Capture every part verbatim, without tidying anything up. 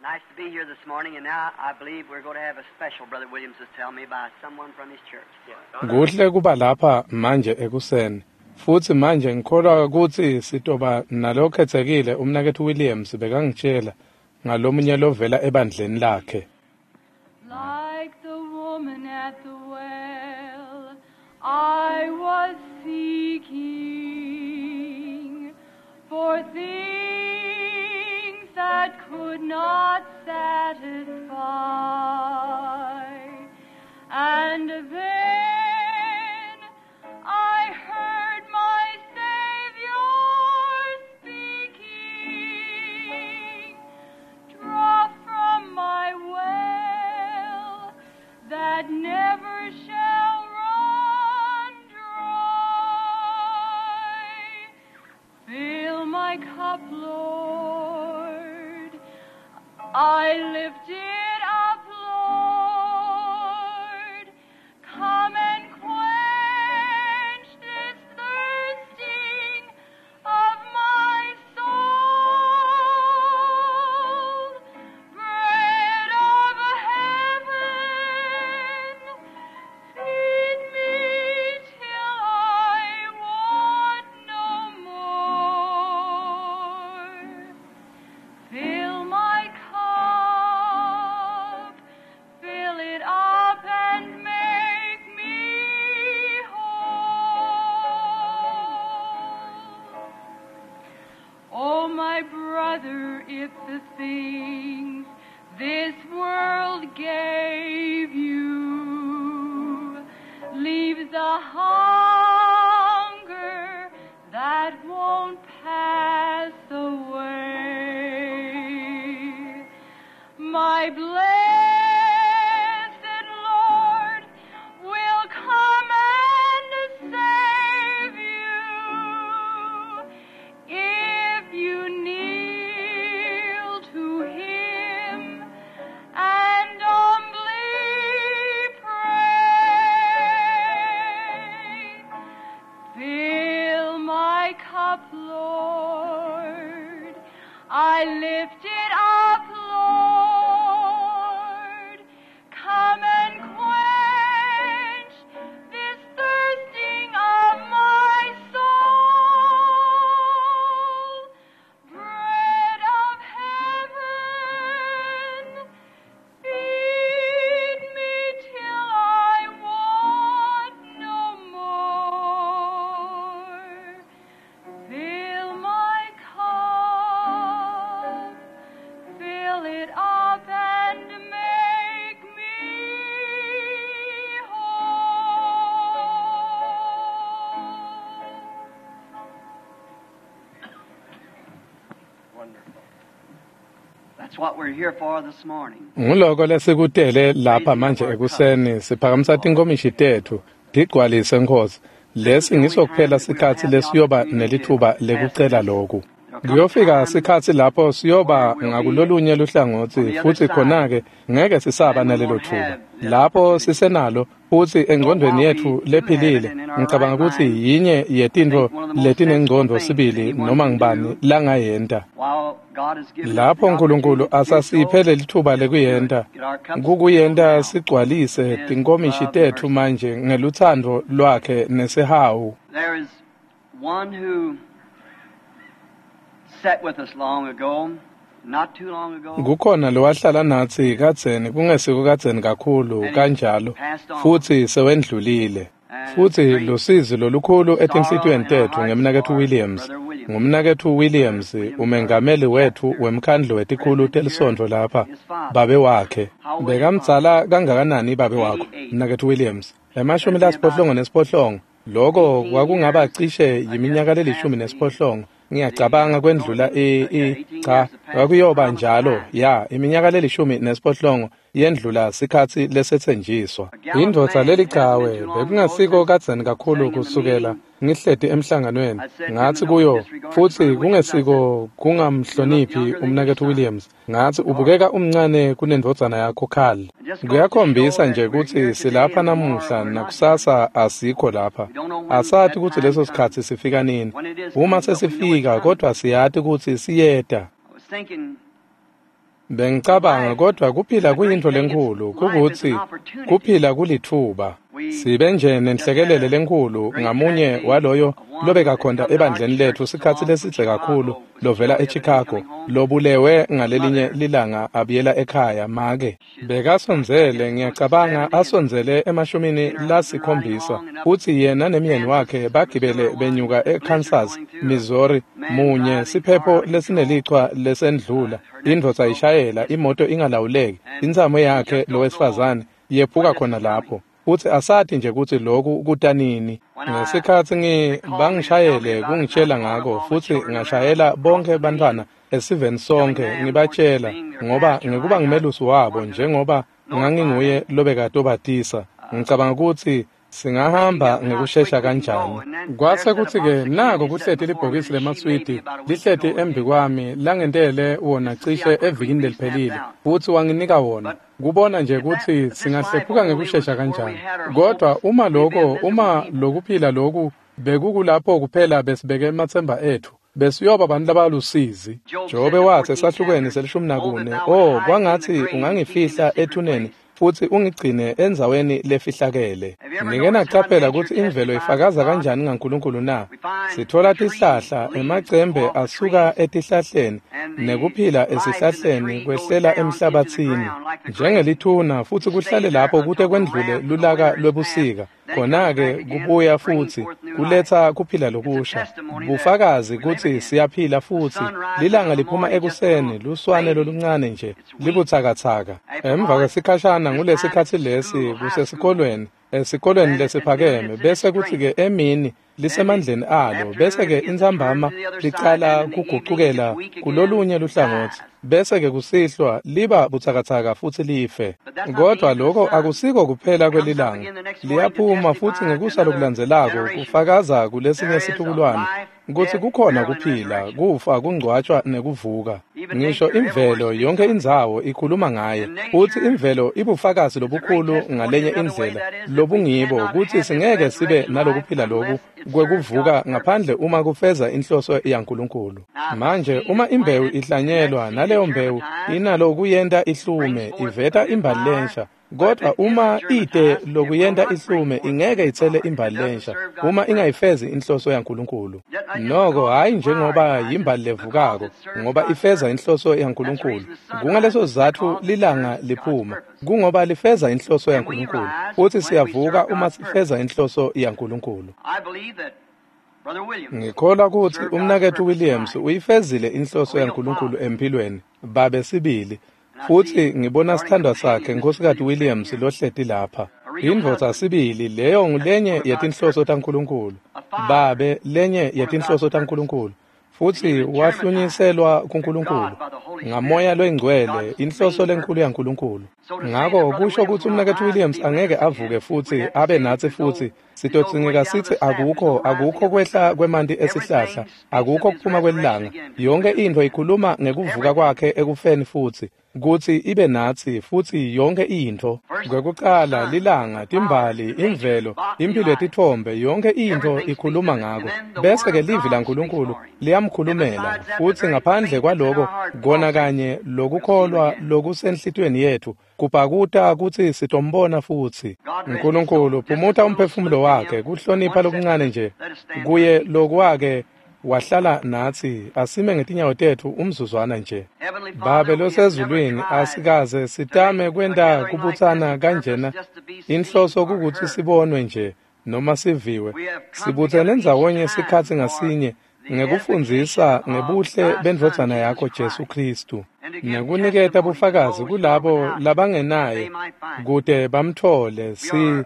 Nice to be here this morning, and now I believe we're going to have a special, Brother Williams is telling me, by someone from his church. Kuhle kuba lapha manje ekuseni. Futhi manje ngikholwa ukuthi sitoba nalokhethekile umnakethu Williams bekangitshela ngalomunye lovela ebandleni lakhe. Like the woman at the well, I was seeking for things that could not satisfy. And then I heard my Savior speaking, draw from my well that never shall run dry. Fill my cup, Lord. I lift it up, Lord. Come and quench this thirsting of my soul. Bread of heaven, feed me till I want no more. Fill my cup, fill it up and make me whole. Oh, my brother, if the things this world gave you leaves a hunger that won't pass away, my blessed Lord will come and save you if you kneel to him and humbly pray. Fill my cup, Lord. I lift it up, Lord. Come and quench this thirsting of my soul. Bread of heaven, feed me till I want no more. Fill my cup, fill it up and make me whole. Wonderful. That's what we're here for this morning. Nguloko lesikutele lapha manje ekuseni siphakamisa tinkomishi tethu tigcwalise Nkosi. Lesi ngiso kuphela sikhatsi lesiyoba nelithuba lekucela lokhu. Kuyofika sikhatsi lapho siyoba ngakulolunye luhlangotsi futhi khona-ke ngeke sisaba nalelo thuba. Lapho sisenalo futhi engqondweni yethu lephilile, ngicabanga ukuthi yinye yetintfo letinengcondvo sibili noma ngibani langayenta. While God has given us the Lapho uNkulunkulu opportunity to do so, asasiphe lelithuba lekuyenta, get our cups kukuyenta filled now. sigcwalise tinkomishi tethu manje ngeluthando lwakhe nesihawu. There is one who sat with us long ago, not too long ago, Kukhona lowahlala natsi kadzeni kungesiko kadzeni kakhulu kanjalo futhi sewendlulile. Futhi lusizi lolukhulu etinhlitiyweni tethu ngemnaketfu Williams. Ngumnaketfu Williams umengameli wethu wemkhandlu wetikhulu telisonto lapha, babe wakhe. Bekamdzala kangakanani babe wakho, mnaketfu Williams? Emashumi lasiphohlongo nesiphohlongo. Loko kwakungaba cishe yiminyaka lelishumi nesiphohlongo. Ngiyacabanga kwendlula i i cha kwakuyoba njalo ya iminyaka lelishumi nesiphohlongo yendlula sikhatsi lesetsenjiswa. Indvodza lelichawe bekungasiko kadzeni kakhulu kusukela ngihleti emhlanganweni ngatsi kuyo futhi kungesiko kungamhloniphi umnaketfu Williams ngatsi ubukeka umncane kunendvodzana yakho Carl. Kuyakhombisa nje kutsi silapha namuhla nakusasa asikho lapha. Asati kutsi leso sikhatsi sifika nini. Uma sesifika kodwa siyati kutsi siyeta. I was thinking Bengicabanga kodwa kuphila kuyintfo lenkhulu kukuthi kuphila kulithuba. Sibe nje nenhlekelele lenkhulu ngamunye waloyo lobekakhonta ebandleni lethu sikhatsi lesidze kakhulu lovela eChicago lobulewe ngalelinye lilanga abuyela ekhaya make bekasondzele ngiyacabanga asondzele emashumini lasikhombisa futsi yena nemyeni wakhe bagibele benyuka eKansas, Missouri munye siphepho lesinelichwa lesendlula indvodza ishayela imoto ingalawuleki intsamo yakhe lowesifazane yephuka khona lapho. Futsi asati nje kutsi loku kutanini. Ngesikhatsi ngi bangishayele kungitshela ngako futsi ngashayela bonke bantfwana esiveni sonke ngibatshela ngoba ngikuba ngumelusi wabo njengoba nganginguye lobekatobatisa. Ngicabanga kutsi singahamba ngekushesha kanjani. Kwase kutsi-ke nako kuhleti libhokisi lemaswidi lihleti embi kwami langentele wona cishe evikini leliphelile futsi wanginika wona kubona nje kutsi singahlephuka ngekushesha kanjani. Kodwa uma lokho uma lokuphila loku bekukulapho kuphela besibeke ematsemba ethu besiyoba abantu labalusizi. Jobe wathi esahlukweni selishumi nakune, oh kwangathi ungangifihla ethuneni futsi ungigcine endzaweni lefihlakele. Nike naqaphela kutsi imvelo ifakaza kanjani ngaNkulunkulu na? Sithola tihlahla emacembe asuka etihlahleni nekuphila esihlahleni kwehlela emhlabathini njengelithuna futsi kuhlale lapho kute kwendlule lulaka lwebusika. Khona-ke kubuya futsi kuletsa kuphila lokusha. Bufakazi kutsi siyaphila futsi. Lilanga liphuma ekuseni luswane loluncane nje libutsakatsaka. Emva kwesikhashana ngulesikhatsi lesi kusesikolweni esikolweni lesiphakeme bese kutsi-ke emini lisemandleni alo bese-ke intsambama licala kugucukela kulolunye luhlangotsi bese-ke kusihlwa liba butsakatsaka futsi life. Kodwa lokho akusiko kuphela kwelilanga. Liyaphuma futsi ngekusa lokulandzelako kufakaza kulesinye situkulwane kutsi kukhona kuphila, kufa, kungcwatshwa nekuvuka. Ngisho imvelo yonke indzawo ikhuluma ngaye futsi imvelo ibufakazi lobukhulu ngalenye indlela lobungibo kutsi singeke sibe nalokuphila loku kwekuvuka ngaphandle uma kufeza inhloso yaNkulunkulu. Manje uma imbewu ihlanyelwa naleyo mbewu inalo kuyenta ihlume iveta imbali lensha. Kodwa uma ite lokuyenta ihlume ingeke itsele imbali lensha uma ingayifezi inhloso yaNkulunkulu. Noko hayi njengoba yimbali levukako ngoba ifeza inhloso yaNkulunkulu. Kungaleso sizatfu lilanga liphuma kungoba lifeza inhloso yaNkulunkulu futsi siyavuka uma sifeza inhloso yaNkulunkulu. Ngikholwa kutsi umnaketfu Williams uyifezile inhloso yaNkulunkulu empilweni babe sibili. Futsi ngibona sithandwa sakhe Nkhosikati Williams lohleti lapha. Indvodza sibili leyo ngulenye yetinhloso taNkulunkulu. Babe lenye yetinhloso taNkulunkulu. Futsi wahlunyiselwa kuNkulunkulu ngamoya loyingcwele inhloso lenkulu yaNkulunkulu. Ngako kusho kutsi umnaketfu Williams angeke avuke futsi abe natsi futsi sitodzingeka sithi akukho akukho kwehla kwemanti esihlahla akukho kuphuma kwelilanga. Yonke intfo ikhuluma ngekuvuka kwakhe ekufeni futsi kutsi ibe natsi futsi yonke intfo. Kwekucala lilanga, timbali, imvelo, impilo yetitfombe, yonke intfo ikhuluma ngako. Bese-ke livi laNkulunkulu liyamkhulumela futsi ngaphandle kwaloko kona kanye lokukholwa lokusenhlitiyweni yethu kubhakuta kutsi sitombona futsi. Nkulunkulu phumuta umphefumulo wakhe kuhlonipha lokuncane nje kuye lokwake wahlala natsi. Asime ngetinyawo tetfu umzuzwana nje. Babe losezulwini, asikaze sitame kwenta kubutsana kanjena. Inhloso kukutsi sibonwe nje noma siviwe. Sibutsene ndzawonye sikhatsi ngasinye ngekufundzisa ngebuhle bendvodzana yakho Jesu Khristu nekuniketa bufakazi kulabo labangenaye kute bamthole. Si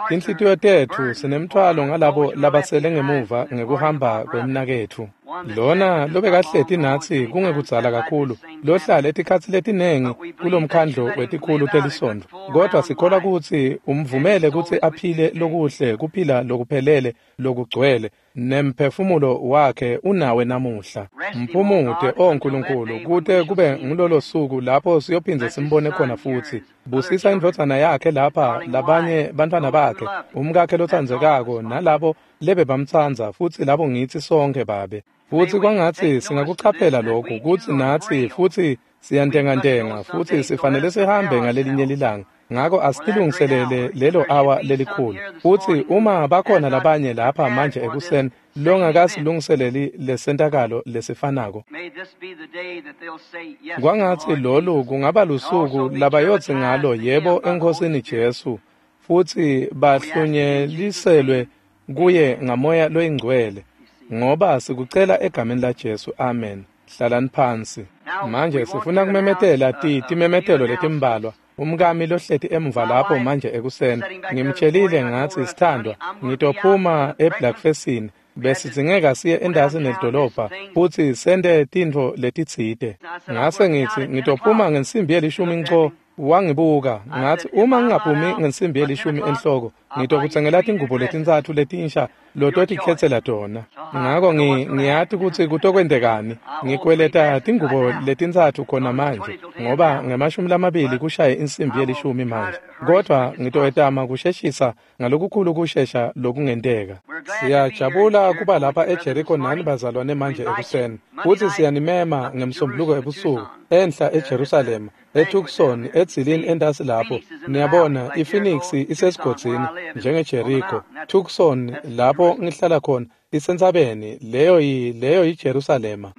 tinhlitiyo tetfu sinemthwalo ngalabo labasele ngemuva ngekuhamba kwemnaketfu lona lobekahleti natsi kungekudzala kakhulu lohlale etikhatsi letinengi kulomkhandlo wetikhulu telisontfo. Kodwa sikholwa kutsi umvumele kutsi aphile lokuhle kuphila lokuphelele lokugcwele nemphefumulo wakhe unawe namuhla. Mphumute o Nkulunkulu kute kube ngulolo suku lapho siyophindze simbone khona futsi. Busisa indvodzana yakhe lapha, labanye bantfwana bakhe, umkakhe lotsandzekako nalabo lebe bamtsandza futsi labo ngitsi sonke Babe. Futsi kwangatsi singakuchaphela lokhu kutsi natsi futsi Siyantengantenga futhi sifanele sihambe ngalelinye lilanga. Ngako asitilungiselele lelo awa lelikhulu. Futhi uma bakhona labanye lapha manje ekuseni longakasilungiseleli lesentakalo lesifanako, kwangatsi lolu kungaba lusuku labayotsi ngalo yebo eNkhosini Jesu, futhi bahlunyeliselwe kuye ngamoya loyingcwele, ngoba sikucela egameni laJesu. Amen. Hlalani phansi. Manje sifuna kumemetela ti timemetelo letimbalwa. Umkami lohleti emuva lapho manje ekuseni, ngimtshelile ngathi, sithandwa, ngitophuma eBlackfestini, besidzingeka siye endasi nelidolobha futhi sente tintfo letitsite. Ngase ngithi ngitophuma ngensimbi yelishumi nco. Wangibuka ngathi, uma ngingaphumi ngensimbi yelishumi enhloko, ngitokutsengela tingubo letintsatfu letinsha lototikhetsela tona. Ngako ngiyati kutsi kutokwentekani. Ngikweleta tingubo letintsatfu khona manje, ngoba ngemashumi lamabili kushaye insimbi yelishumi manje, kodwa ngitoyetama kusheshisa ngalokukhulu kushesha lokungenteka. Siyajabula kuba lapha eJericho nani bazalwane manje ekuseni, futhi siyanimema ngemsombuluko ebusuku enhla eJerusalema, eTucson, edzilini entasi lapho. Niyabona, iPhoenix isesigodzini njengeJericho. Tucson lapho ngihlala khona isentsabeni, leyo yi leyo yiJerusalema.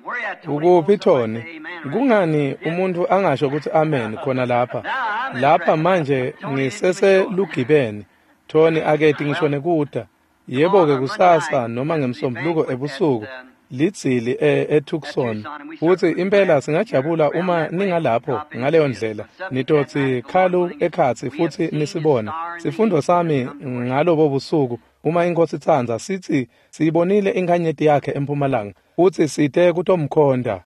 Ukuphi Tony? Kungani umuntu angasho ukuthi amen khona lapha? Lapha manje ngiseselugibeni. Tony aketi ngisho nekuta. Yebo-ke kusasa noma ngemsombuluko ebusuku lidzili eTucson, futhi impela singajabula uma ningalapho ngaleyo ndlela. Nitotsi khalu ekhatsi futhi nisibone. Sifundo sami ngalobo busuku, uma iNkosi itsandza, sithi siyibonile inkhanyeti yakhe empumalanga futhi site kutomkhonda.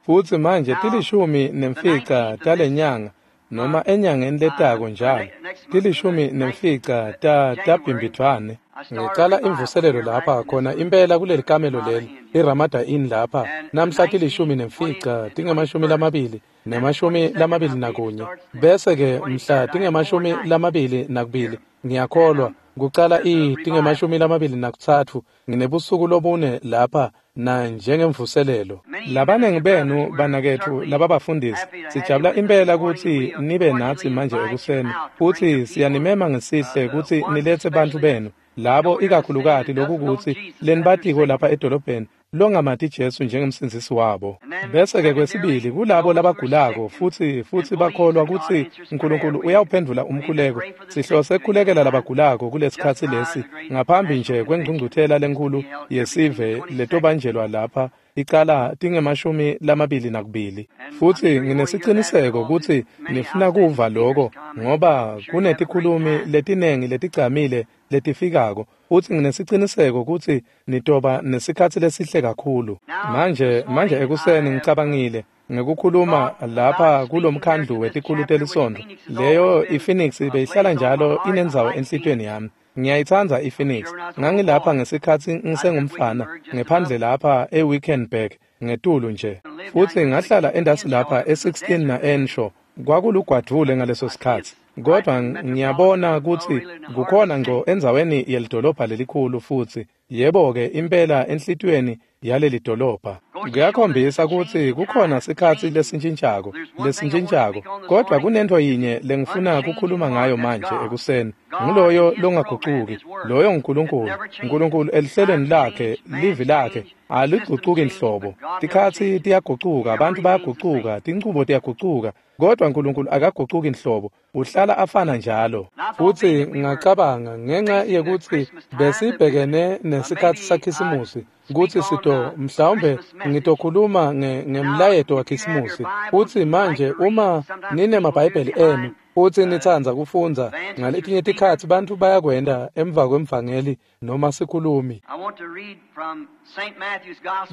Futhi manje tilishumi nemfica talenyanga, noma enyangeni letako njalo, tilishumi nemfica ta tabhimbidvwane. Ngicala imvuselelo lapha khona impela kuleli kamelo leli, iRamada Inn lapha, namhla tilishumi nemfica tingemashumi lamabili nemashumi lamabili nakunye, bese-ke mhla tingemashumi lamabili nakubili, ngiyakholwa kucala i tingemashumi lamabili nakutsatfu, nginebusuku lobune lapha na njengemvuselelo. Labanengi benu banaketfu lababafundisi, sijabula impela kutsi nibe natsi manje ekuseni, futhi siyanimema ngesihle kutsi niletse bantfu benu labo ikakhulukati lokukutsi lenibatiko lapha edolobheni longamati Jesu njengemsindzisi wabo. Bese-ke kwesibili kulabo labagulako futhi futhi bakholwa kutsi uNkulunkulu uyawuphendvula umkhuleko. Sihlose kukhulekela labagulako kulesikhatsi lesi ngaphambi nje kwengcungcuthela lenkhulu yesive letobanjelwa lapha icala tingemashumi lamabili nakubili. Futhi nginesiciniseko kutsi nifuna kuva loko, ngoba kunetikhulumi letinengi letigcamile letifikako, futhi nginesiciniseko kutsi nitoba nesikhatsi lesihle kakhulu. Manje manje ekuseni ngicabangile ngekukhuluma lapha kulomkhandlu wetikhulu telisonto. Leyo iPhoenix beyihlala njalo inendzawo enhlitiyweni yami. Ngiyayitsandza iPhoenix. Ngangilapha ngesikhatsi ngisengumfana ngephandle lapha eWickenburg ngetulu nje, futhi ngahlala endasi lapha e sixteen na-Enshaw. Kwakulugwadvule ngaleso sikhatsi, kodwa ngiyabona kutsi kukhona ngco endzaweni yelidolobha lelikhulu, futhi yebo-ke impela enhlitiyweni yaleli dolobha. Kuyakhombisa kutsi kukhona sikhatsi lesintshintshako lesintshintshako kodwa kunento yinye lengifuna kukhuluma ngayo manje ekuseni, nguloyo longagucuki, loyo nguNkulunkulu. Nkulunkulu elihlelweni lakhe, livi lakhe aligucuki nhlobo. Tikhatsi tiyagucuka, abantu bayagucuka, tinchubo tiyagucuka, kodwa uNkulunkulu akagucuki nhlobo, uhlala afana njalo. Futhi ngacabanga ngenxa yekutsi besibhekene nesikhatsi saKhisimusi kutsi sito mhlawumbe ngitokhuluma ngemlayeto waKhisimusi. Futhi manje uma ninemabhayibheli enu futhi nitsandza kufundza, ngaletinye tikhatsi bantfu bayakwenta emva kwemvangeli noma sikhulumi.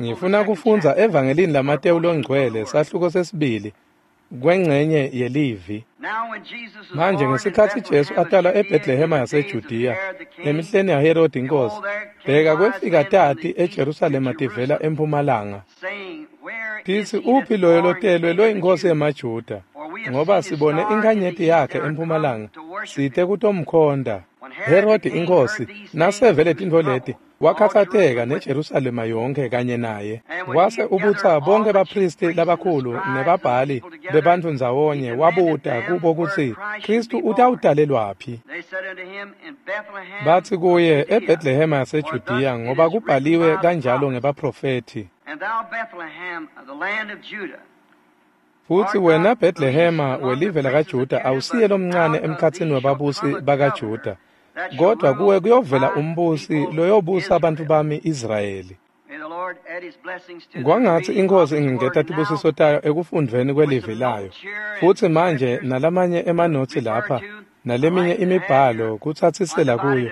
Ngifuna kufundza evangelini laMatewu longcwele, sahluko sesibili, kwengcenye yelivi. Manje ngesikhatsi Jesu atalwa eBethlehema yaseJudiya emihleni yaHerodi inkosi, bheka kwefika tati eJerusalema tivela empumalanga, titsi, uphi loyo lotelwe loyinkosi yemaJuda? Ngoba sibone inkhanyeti yakhe empumalanga, site kutomkhonta. Herodi inkosi nasevele tintfo leti wakhatsateka neJerusalema yonke kanye naye. Wase ubutsa bonke baphristi labakhulu nebabhali bebantfu ndzawonye, wabuta kubo kutsi Khristu utawutalelwaphi. Batsi kuye, eBhetlehema yaseJudiya, ngoba kubhaliwe kanjalo ngebaprofethi. Futsi wena Bhetlehema welive lakaJuda awusiye lomncane emkhatsini webabusi bakaJuda, kodwa kuwe kuyovela umbusi loyobusa abantu bami Israyeli. Kwangatsi iNkhosi ingengeta tibusiso tayo ekufundvweni kwelivi layo. Futsi manje nalamanye emanotsi lapha naleminye imibhalo kutsatsisela kuyo.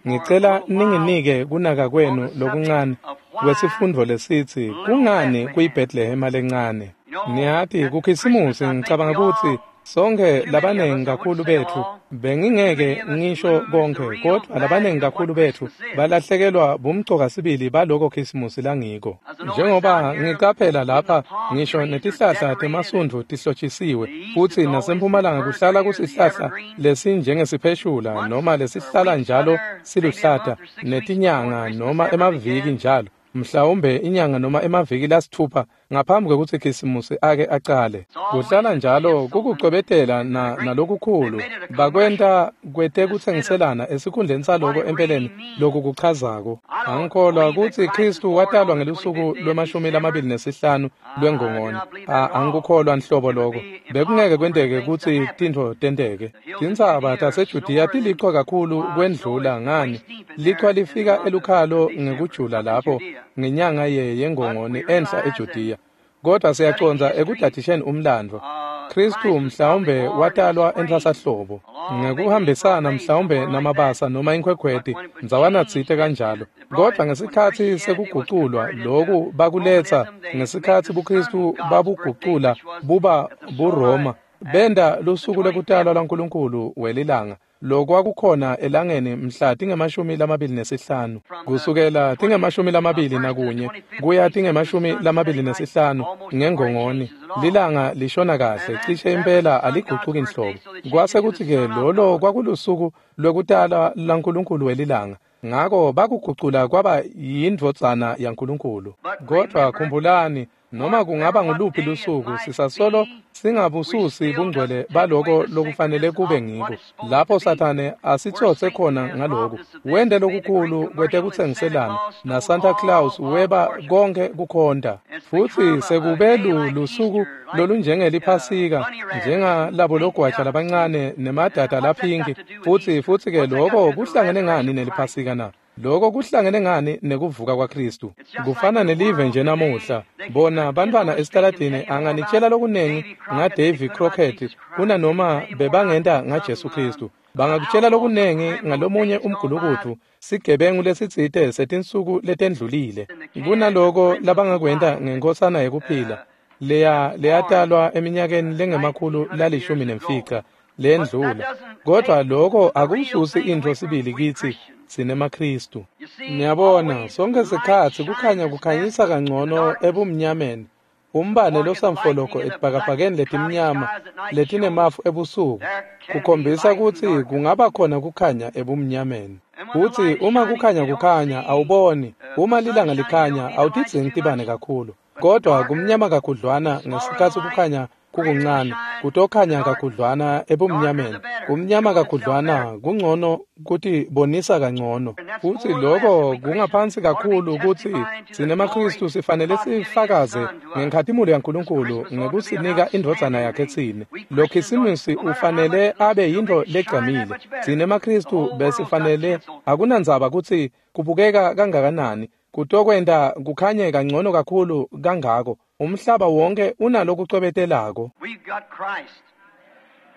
Ngicela ninginike kunaka kwenu lokuncane kwesifundvo lesitsi kungani kuyiBhetlehema lencane. Niyati kuKhisimusi ngicabanga kutsi sonke labanengi kakhulu betfu, bengingeke ngisho konke, kodwa labanengi kakhulu betfu balahlekelwa bumcoka sibili baloko Khisimusi langiko. Njengoba ngicaphela lapha, ngisho netihlahla temasundvu tihlotshisiwe, futsi nasempumalanga kuhlala kusihlahla lesinjengesipheshula noma lesihlala njalo siluhlata, netinyanga noma emaviki njalo, mhlawumbe inyanga noma emaviki lasithupha ngaphambi kwekutsi Khisimusi ake acale. Kuhlala njalo kukucwebetela na nalokukhulu bakwenta kwetekutsengiselana esikhundleni saloko empeleni lokukuchazako. Angikholwa kutsi Khristu watalwa ngelusuku lwemashumi lamabili nesihlanu lwengongoni. Angikukholwa nhlobo loko. Bekungeke kwenteke kutsi tintfo tenteke. Tintsaba taseJudiya tilichwa kakhulu kwendlula ngani. Lichwa lifika elukhalo ngekujula lapho ngenyanga ye yengongoni enhla eJudiya. Kodwa siyacondza ekudadisheni umlandvo. Khristu mhlawumbe watalwa entfwasahlobo ngekuhambisana mhlawumbe namabasa noma inkhwekhweti ndzawana tsite kanjalo. Kodwa ngesikhatsi sekuguculwa loku bakuletsa ngesikhatsi buKhristu babugucula buba buRoma, benda lusuku lwekutalwa lwaNkulunkulu welilanga lokwakukhona elangeni mhla tingemashumi lamabili nesihlanu, kusukela tingemashumi lamabili nakunye kuya tingemashumi lamabili nesihlanu ngengongoni. Lilanga lishona kahle cishe impela aligucuki nhlobo. Kwase kutsi-ke lolo kwakulusuku lwekutalwa laNkulunkulu welilanga, ngako bakugucula kwaba yindvodzana yaNkulunkulu. Kodwa khumbulani, noma kungaba nguluphi lusuku, sisasolo singabususi bungcwele baloko lokufanele kube ngiko. Lapho Sathane asitsotse khona ngaloku, wente lokukhulu kwetekutsengiselana na Santa Claus weba konke kukhonta. Futsi sekube lusuku lolunjengeliphasika, njengalabo logwaja labancane nemadada laphinki. Futsi futsi-ke loko kuhlangene ngani neliphasika na? Loko kuhlangene ngani nekuvuka kwaKhristu? Kufana nelive nje namuhla. Bona bantfwana esitaladini anganitshela lokunengi ngaDavy Crockett kunanoma bebangenta ngaJesu Khristu. Bangakutshela lokunengi ngalomunye umgulukudu, sigebengu lesitsite setinsuku letendlulile, kunaloko labangakwenta ngenkosana yekuphila leya leyatalwa eminyakeni lengemakhulu lalishumi nemfica lendlula. Kodwa loko akususi intfo sibili kitsi sinemaKhristu. Niyabona, sonke sikhatsi kukhanya kukhanyisa kangcono ebumnyameni. Umbane losamfologo etibhakabhakeni letimnyama letinemafu ebusuku kukhombisa kutsi kungaba khona kukhanya ebumnyameni. Futsi uma kukhanya kukhanya awuboni, uma lilanga likhanya awutidzingi tibane kakhulu. Kodwa kumnyama kakhudlwana ngesikhatsi kukhanya kukuncane, kutokhanya kakhudlwana ebumnyameni. Kumnyama kakhudlwana kungcono kutibonisa kangcono. Futsi loko kungaphansi kakhulu kutsi sinemaKhristu sifanele sifakaze ngenkhatimulo yaNkulunkulu ngekusinika indvodzana yakhe tsine. Lo Khisimusi ufanele abe yintfo legcamile. SinemaKhristu besifanele, akunandzaba kutsi kubukeka kangakanani, kutokwenta kukhanye kangcono kakhulu kangako. Umhlaba wonke unalokucwebetelako.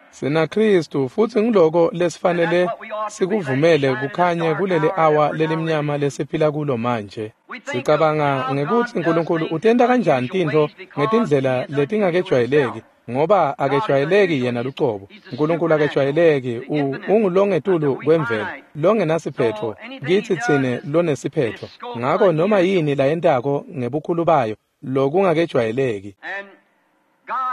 Sina Khristu, futsi ngiloko lesifanele sikuvumele kukhanye kuleli awa lelimnyama lesiphila kulo manje. Sicabanga ngekutsi Nkulunkulu utenta kanjani tintfo ngetindlela letingakejwayeleki, ngoba akejwayeleki yena lucobo. Nkulunkulu akejwayeleki, ungulongetulu kwemvelo, longenasiphetfo, kitsi tsine lonesiphetfo. Ngako noma yini layentako ngebukhulu bayo lokungakejwayeleki.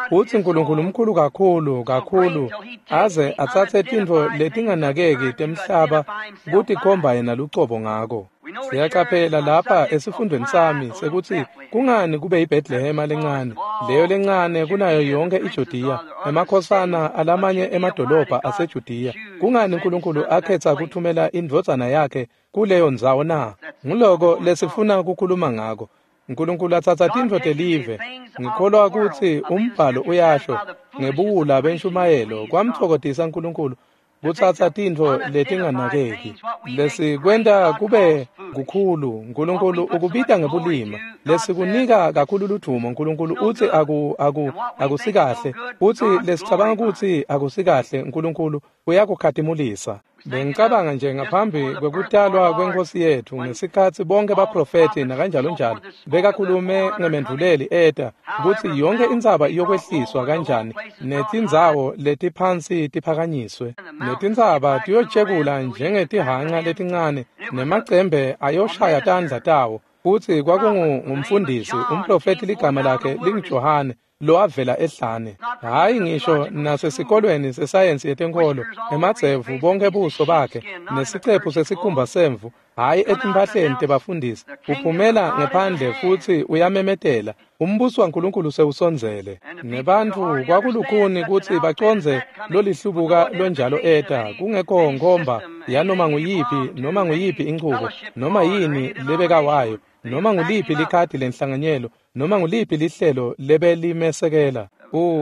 Futsi Nkulunkulu mkhulu kakhulu kakhulu aze atsatse tintfo letinganakeki temhlaba kutikhomba yena lucobo ngako. Siyacaphela lapha esifundweni sami sekutsi kungani kube yiBhetlehema lencane, leyo lencane kunayo yonke iJudiya, emakhosana alamanye emadolobha aseJudiya. Kungani Nkulunkulu akhetsa kuthumela indvodzana yakhe kuleyo ndzawo na? Nguloko lesifuna kukhuluma ngako. Nkulunkulu atsatsa tintfo telive. Ngikholwa kutsi umbhalo uyasho ngebuwula benshumayelo kwamtfokotisa Nkulunkulu kutsatsa tintfo letinganakeki lesikwenta kube kukhulu. Nkulunkulu ukubita ngebulima, lesikunika kakhulu ludvumo. Nkulunkulu utsi aku aku akusikahle, utsi lesicabanga kutsi akusikahle, Nkulunkulu uyakukhatimulisa. Bengicabanga nje ngaphambi kwekutalwa kweNkhosi yethu, ngesikhatsi bonke baprofethi nakanjalo njalo bekakhulume ngemendvuleli eta kutsi yonke intsaba iyokwehliswa kanjani netindzawo letiphansi tiphakanyiswe, netintsaba tiyotjekula njengetihhanca letincane, nemacembe ayoshaya tandla tawo. Futsi kwakungumfundisi umprofethi ligama lakhe linguJohane lowavela ehlane, hhayi ngisho nasesikolweni sesayensi yetenkholo, emadzevu bonke buso bakhe nesicephu sesikhumba semvu, hhayi etimphahleni tebafundisi. Uphumela ngephandle futsi uyamemetela, umbuso waNkulunkulu sewusondzele. Nebantfu kwakulukhuni kutsi bacondze lolihlubuka lonjalo eta, kungekho nkhomba yanoma nguyiphi noma nguyiphi inchubo, noma yini lebekawayo, noma nguliphi likhadi lenhlanganyelo, noma nguliphi lihlelo lebelimesekela.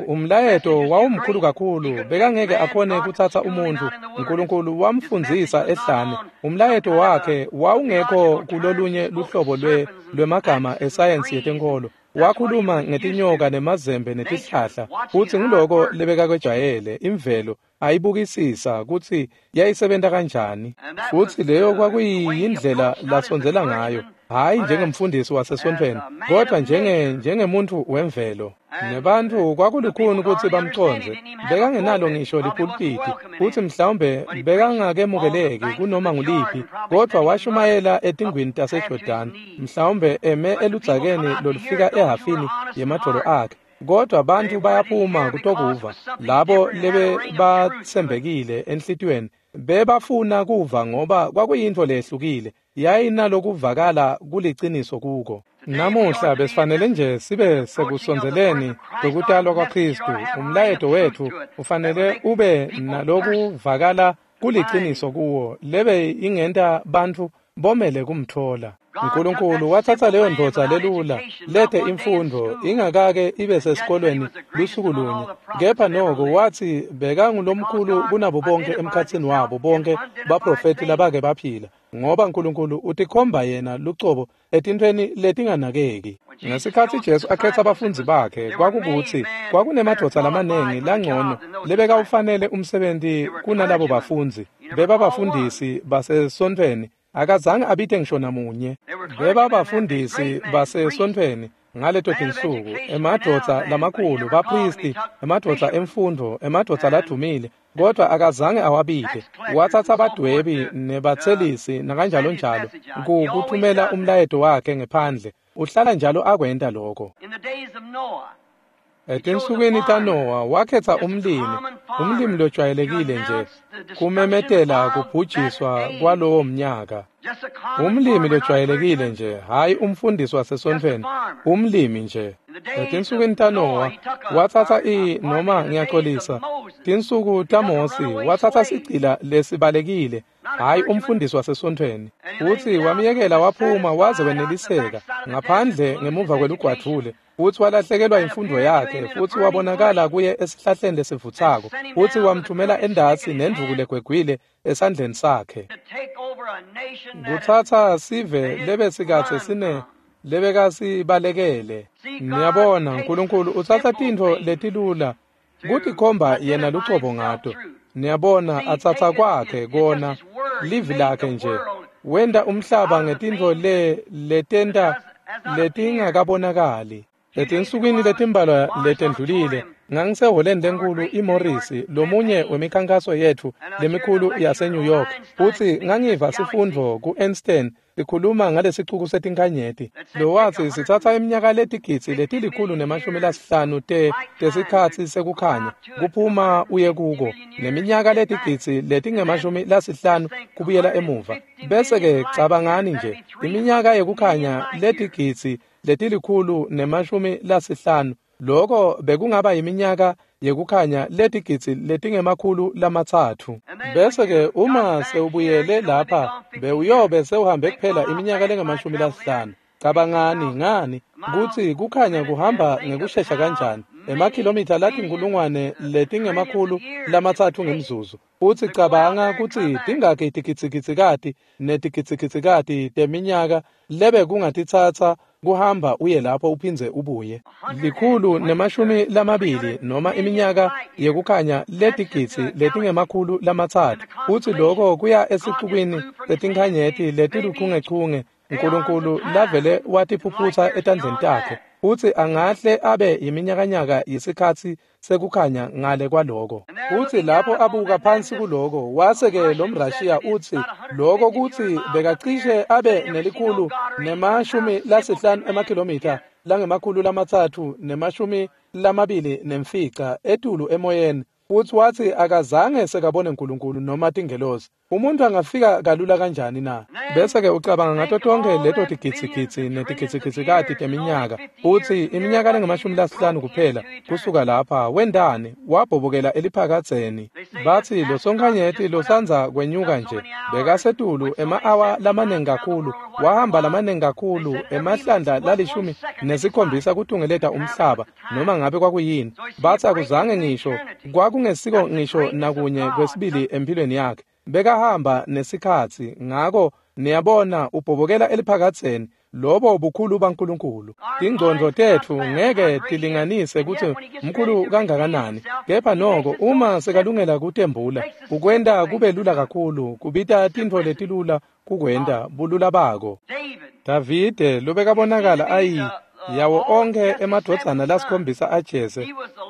Umlayeto wawumkhulu kakhulu, bekangeke akhone kutsatsa umuntfu. Nkulunkulu wamfundzisa ehlane. Umlayeto wakhe wawungekho kulolunye luhlobo lwe lwemagama esayensi yetenkholo. Wakhuluma ngetinyoka nemazembe netihlahla, futsi nguloko lebekakwejwayele imvelo ayibukisisa kutsi yayisebenta kanjani. Futsi leyo kwakuyindlela lasondzela ngayo, hhayi njengemfundisi wasesontfweni, kodwa njenge njengemuntfu wemvelo. Nebantfu kwakulukhuni kutsi bamcondze, bekangenalo ngisho lipulpiti, futsi mhlawumbe bekangakemukeleki kunoma nguliphi, kodvwa washumayela etingwini taseJordani, mhlawumbe eme eludzakeni lolufika ehhafini yemadvolo akhe. Kodwa bantfu bayaphuma kutokuva, labo lebebatsembekile enhlitiyweni bebafuna kuva ngoba kwakuyintfo lehlukile, yayinalokuvakala kuliciniso kuko. Namuhla besifanele nje sibe sekusondzeleni kwekutalwa kwaKhristu. Umlayeto wetfu ufanele ube nalokuvakala kuliciniso kuwo, lebe ingenta bantfu bomele kumtfola. Nkulunkulu watsatsa leyo ndvodza lelula lete imfundvo, ingakake ibe sesikolweni lusuku lunye, kepha noko watsi bekangulomkhulu kunabo bonke emkhatsini wabo bonke baprofethi labake baphila, ngoba Nkulunkulu utikhomba yena lucobo etintfweni letinganakeki. Ngesikhatsi Jesu akhetsa abafundzi bakhe, kwakukutsi kwakunemadvodza lamanengi langcono lebekawufanele umsebenti kunalabo bafundzi. Bebabafundisi basesontfweni, akazange abite ngisho namunye. Bebabafundisi basesontfweni ngaleto tinsuku, emadvodza lamakhulu, baphristi, emadvodza emfundvo, emadvodza ladumile, kodwa akazange awabite. Watsatsa badwebi nebatselisi nakanjalo njalo kuthumela umlayeto wakhe ngephandle. Uhlala njalo akwenta lokho. Etinsukwini taNowa wakhetsa umlimi, umlimi lojwayelekile nje, kumemetela kubhujiswa kwalowo mnyaka. Umlimi lojwayelekile nje, hhayi umfundisi wasesontfweni, umlimi nje. Etinsukwini taNowa watsatsa i noma ngiyaxolisa, tinsuku taMosi watsatsa sigcila lesibalekile, hhayi umfundisi wasesontfweni. Futsi wamyekela waphuma waze weneliseka ngaphandle ngemuva kwelugwadvule, futsi walahlekelwa imfundvo yakhe, futsi wabonakala kuye esihlahleni lesivutsako, futsi wamthumela endasi nendvuku legwegwile esandleni sakhe. Kutsatsa sive lebesikadze sine lebekasibalekele. Niyabona, Nkulunkulu utsatsa tintfo letilula kutikhomba yena lucobo ngato. Niyabona, atsatsa kwakhe kona livi lakhe nje, wenta umhlaba ngetintfo le letenta letingakabonakali. Etinsukwini letimbalwa letendlulile ngangisehholeni lenkulu iMorris, lomunye wemikhankaso yetfu lemikhulu yaseNew York, futsi ngangiva sifundvo ku-Einstein sikhuluma ngalesicuku setinkhanyeti lowatsi sitsatsa iminyaka letigidzi letilikhulu nemashumi lasihlanu te tesikhatsi sekukhanya kuphuma uye kuko, neminyaka letigidzi letingemashumi lasihlanu kubuyela emuva. Bese-ke cabangani nje, iminyaka yekukhanya letigidzi letilikhulu nemashumi lasihlanu, loko bekungaba iminyaka yekukhanya letigidzi letingemakhulu lamatsatfu. Bese-ke uma sewubuyele lapha bewuyobe sewuhambe kuphela iminyaka lengamashumi lasihlanu. Cabangani ngani kutsi kukhanya kuhamba ngekushesha kanjani, emakhilomitha latinkulungwane letingemakhulu lamatsatfu ngemzuzu. Futsi cabanga kutsi tingakhi tigidzigitsikati netigidzigitsikati teminyaka lebe kungatitsatsa kuhamba uye lapho uphindze ubuye. Likhulu nemashumi lamabili noma iminyaka yekukhanya letigidzi letingemakhulu lamatsatfu. Futsi loko kuya esicukwini setinkhanyeti letiluchungechunge Nkulunkulu lavele watiphuphutsa etandleni takhe. Futsi angahle abe iminyakanyaka yesikhatsi sekukhanya ngale kwaloko. Futsi lapho abuka phansi kuloko, wase-ke lo mRashiya utsi loko kutsi bekacishe abe nelikhulu nemashumi lasihlanu emakhilomitha langemakhulu lamatsatfu nemashumi lamabili nemfica etulu emoyeni. Futsi watsi akazange sekabone Nkulunkulu noma tingelosi. Umuntu angafika kalula kanjani na? Bese-ke ucabanga ngato tonkhe leto tigidzigidzi netigidzigitsikati teminyaka. Utsi iminyaka lengamashumi lasihlanu kuphela kusuka lapha wendani wabhobokela eliphakadzeni. Batsi losonkhanyeti losandza kwenyuka nje bekasetulu ema-awa lamaningi kakhulu, wahamba lamaningi kakhulu emahlandla lalishumi nesikhombisa kutungeleta umhlaba noma ngabe kwakuyini. Batsi akuzange ngisho kwakungesiko ngisho nakunye kwesibili empilweni yakhe. Bekahamba nesikhatsi, ngako niyabona ubhobokela eliphakadzeni. Lobo bukhulu baNkulunkulu. Tingcondvo tetfu ngeke tilinganise kutsi mkhulu kangakanani, kepha noko uma sekalungela kutembula, ukwenta kube lula kakhulu, kubita tintfo letilula kukwenta bulula bako. Davide lobekabonakala ayi yawo onkhe emadvodzana lasikhombisa aJese,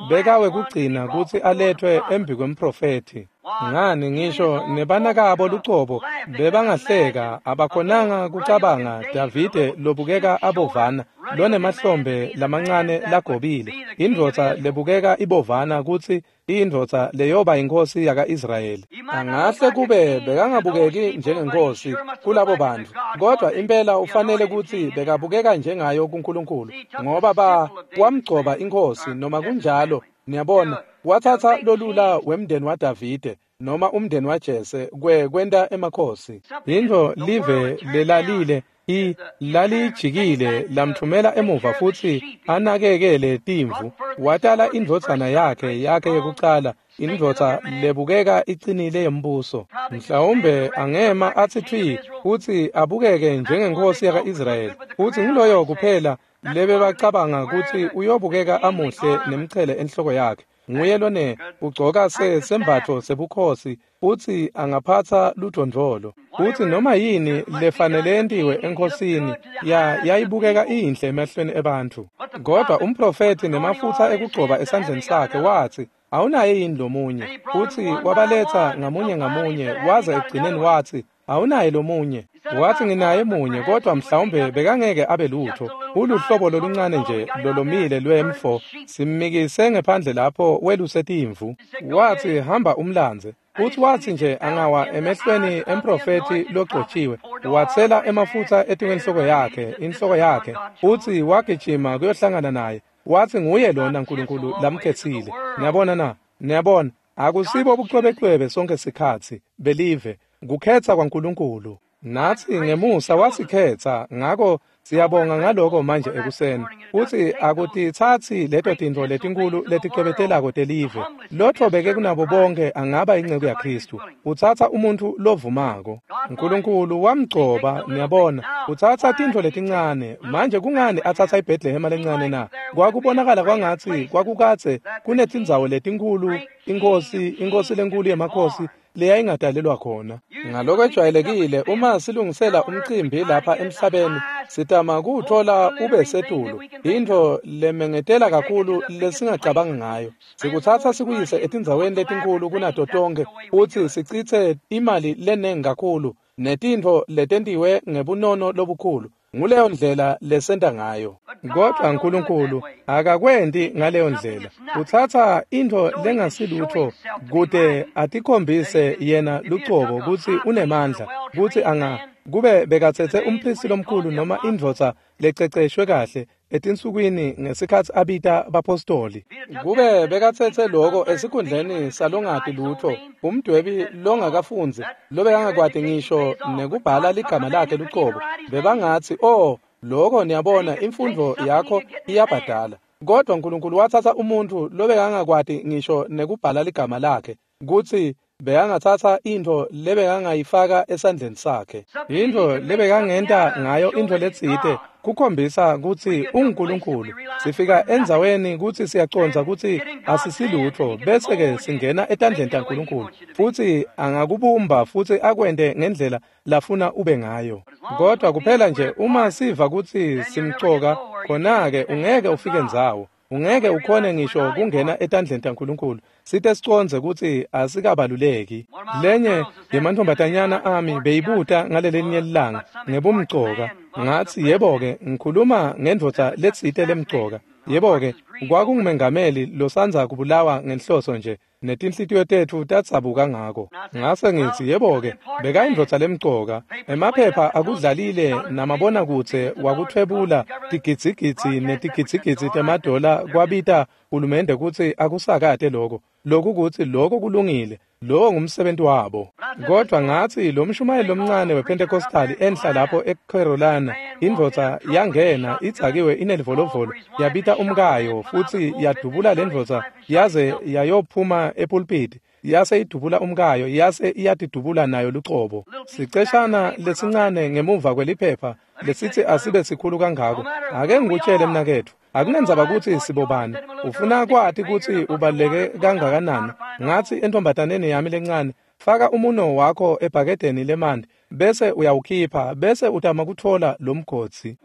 bekawe kugcina kutsi aletfwe embikwemprofethi. Ngani ngisho nebanakabo lucobo bebangahleka, abakhonanga kucabanga Davide lobukeka abovana, lonemahlombe lamancane lagobile, indvodza lebukeka ibovana kutsi iyindvodza leyoba inkosi yaka-Israyeli. Angahle kube bekangabukeki njengenkosi kulabo bantfu, kodwa impela ufanele kutsi bekabukeka njengayo kuNkulunkulu, ngoba ba wamgcoba inkosi noma kunjalo. Niyabona, wathatha lolula wemndeni waDavide noma umndeni waJese kwe kwenta emakhosi. Intfo live lelalile i lalijikile lamthumela emuva futsi anakekele timvu. Watala indvodzana yakhe yakhe yekucala, indvodza lebukeka icinile yembuso. Mhlawumbe angema athi thwi futsi abukeke njengenkosi yaka-Israyeli. Futsi ngiloyo kuphela lebebacabanga kutsi uyobukeka amuhle nemchele enhloko yakhe. Nguye lone ugcoka se sembatfo sebukhosi futsi angaphatsa ludvondvolo. Futsi noma yini lefanele yentiwe enkhosini ya yayibukeka iyinhle emehlweni ebantfu. Kodwa umprofethi nemafutsa ekugcoba esandleni sakhe watsi, awunaye yini lomunye? Futsi wabaletsa ngamunye ngamunye, waze ekugcineni watsi, awunaye lomunye? Wathi nginaye munye, kodwa mhlawumbe bekangeke abe lutho. Uluhlobo loluncane nje lolomile lwemfo, simmikise ngephandle lapho weluse timvu. Wathi hamba umlandze. Futhi wathi nje angawa emehlweni emprofethi logcotshiwe, wathela emafutsa etikwenhloko yakhe, inhloko yakhe, futhi wagijima kuyohlangana naye. Wathi nguye lona Nkulunkulu lamkhetsile. Niyabona na? Niyabona, akusibo bucwebecwebe sonke sikhatsi belive, kukhetsa kwaNkulunkulu. Natsi ngemusa wasikhetsa, ngako siyabonga ngaloko manje ekuseni. Futsi akutitsatsi leto tintfo letinkulu leticwebetelako telive. Lotfobeke kunabo bonke angaba inceku yaKhristu. Utsatsa umuntfu lovumako. Nkulunkulu wamgcoba, niyabona. Utsatsa tintfo letincane. Manje kungani atsatsa iBhetlehema lencane na? Kwakubonakala kwangatsi kwakukadze kunetindzawo letinkhulu, inkosi, inkosi lenkulu yemakhosi leyayingadalelwa khona. Ngalokwejwayelekile uma silungisela umcimbi lapha emhlabeni, sitama kuwuthola ube setulu, intfo lemengetela kakhulu lesingacabanga ngayo. Sikutsatsa sikuyise etindzaweni letinkulu kunato tonkhe futsi sicitse imali lenengi kakhulu netintfo letentiwe ngebunono lobukhulu. Nguleyo ndlela lesenta ngayo. Kodwa Nkulunkulu akakwenti ngaleyo ndlela. Utsatsa intfo lengasilutfo kute atikhombise yena lucobo kutsi unemandla, kutsi anga kube bekatsetse umphristi lomkhulu noma indvodza lececeshwe kahle etinsukwini ngesikhatsi abita bapostoli. Kube bekatsetse loko esikhundleni salongati lutfo, umdwebi longakafundzi lobekangakwati ngisho nekubhala ligama lakhe lucobo, bebangatsi, "Oh, loko niyabona imfundvo yakho iyabhadala." Kodwa Nkulunkulu watsatsa umuntfu lobekangakwati ngisho nekubhala ligama lakhe, kutsi bekangatsatsa intfo lebekangayifaka esandleni sakhe, intfo lebekangenta ngayo intfo letsite kukhombisa kutsi unguNkulunkulu. Sifika endzaweni kutsi siyacondza kutsi asisilutfo, bese-ke singena etandleni taNkulunkulu, futsi angakubumba futsi akwente ngendlela lafuna ube ngayo. Kodwa kuphela nje uma siva kutsi simcoka, khona-ke ungeke ufike ndzawo. Ungeke ukhone ngisho kungena etandleni taNkulunkulu site sicondze kutsi asikabaluleki. Lenye yemantfombatanyana ami beyibuta ngalelelinye lilanga ngebumcoka. Ngatsi, yebo-ke, ngikhuluma ngendvodza letsite lemcoka. Yebo-ke, kwakungumengameli losandza kubulawa ngenhloso nje, netinhlitiyo tetfu tadzabuka ngako. Ngase ngitsi, yebo-ke, bekayindvodza lemcoka. Emaphepha akudlalile namabonakudze wakuthwebula tigidzigidzi netigidzigidzi temadola kwabita hulumende kutsi akusakate loko. Loku kutsi loko kulungile, lowo ngumsebenti wabo. Kodwa ngatsi lo mshumayeli lomncane wePentecostal enhla lapho eCarolina, indvodza yangena idzakiwe inelivolovolo, yabita umkayo futsi yadubula lendvodza yaze yayophuma epulpiti, yase idubula umkayo, yase iyatidubula nayo lucobo. Siceshana lesincane ngemuva kweliphepha lesitsi asibe sikhulu kangako. Ake ngikutshele mnaketfu, akunendzaba kutsi sibobani, ufuna kwati kutsi ubaluleke kangakanani. Ngatsi entombataneni yami lencane, faka umuno wakho ebhakedeni lemanti bese uyawukhipha, bese utama kutfola lomgodzi.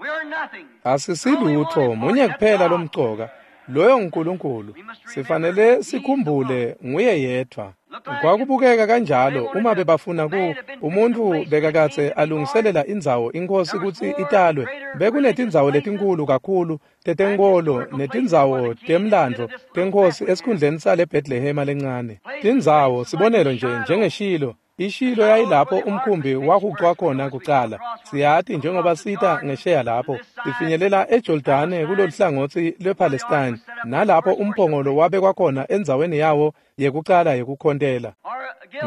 Asisilutfo, munye kuphela lomcoka, loyo nguNkulunkulu. Sifanele sikhumbule nguye yedvwa. Kwakubukeka kanjalo uma bebafuna ku umuntfu bekakadze alungiselela indzawo inkosi kutsi italwe. Bekunetindzawo letinkulu kakhulu tetenkolo netindzawo temlandvo tenkosi esikhundleni sale Bethlehema lencane. Tindzawo sibonelo nje njengeShilo. IShilo yayilapho umkhumbi wahucwa khona kucala. Siyati njengoba sita ngesheya lapho sifinyelela eJordane kuloluhlangotsi lwePalestine, nalapho umphongolo wabekwa khona endzaweni yawo yekucala yekukhontela.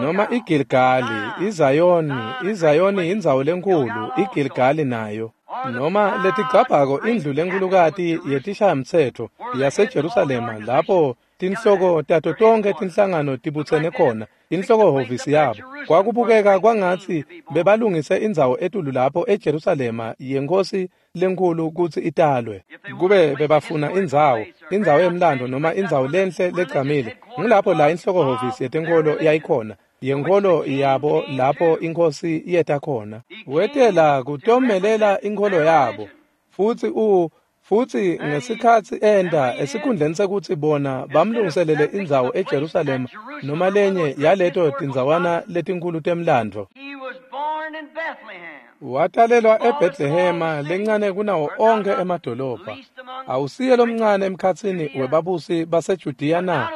Noma iGilgali, iZayoni, iZayoni indzawo lenkulu, iGilgali nayo. Noma letigcabhako indlu lenkulukati yetishayamtsetfo yaseJerusalema lapho tinhloko tato tonkhe tinhlangano tibutsene khona, inhlokohhovisi yabo. Kwakubukeka kwangatsi bebalungise indzawo etulu lapho eJerusalema yenkosi lenkulu kutsi italwe. Kube bebafuna indzawo, indzawo yemlando noma indzawo lenhle legcamile, ngulapho la inhlokohhovisi yetenkolo yayikhona, yenkolo yabo lapho inkosi yeta khona. Wetela kutomelela inkolo yabo, futsi u futsi ngesikhatsi enda esikhundleni sekutsi bona bamlungiselele indzawo eJerusalema noma lenye yaleto tindzawana letinkulu temlandvo. Watalelwa eBethlehema lencane kunawo onkhe emadolobha. Awusiye lomncane emkhatsini webabusi baseJudiya na?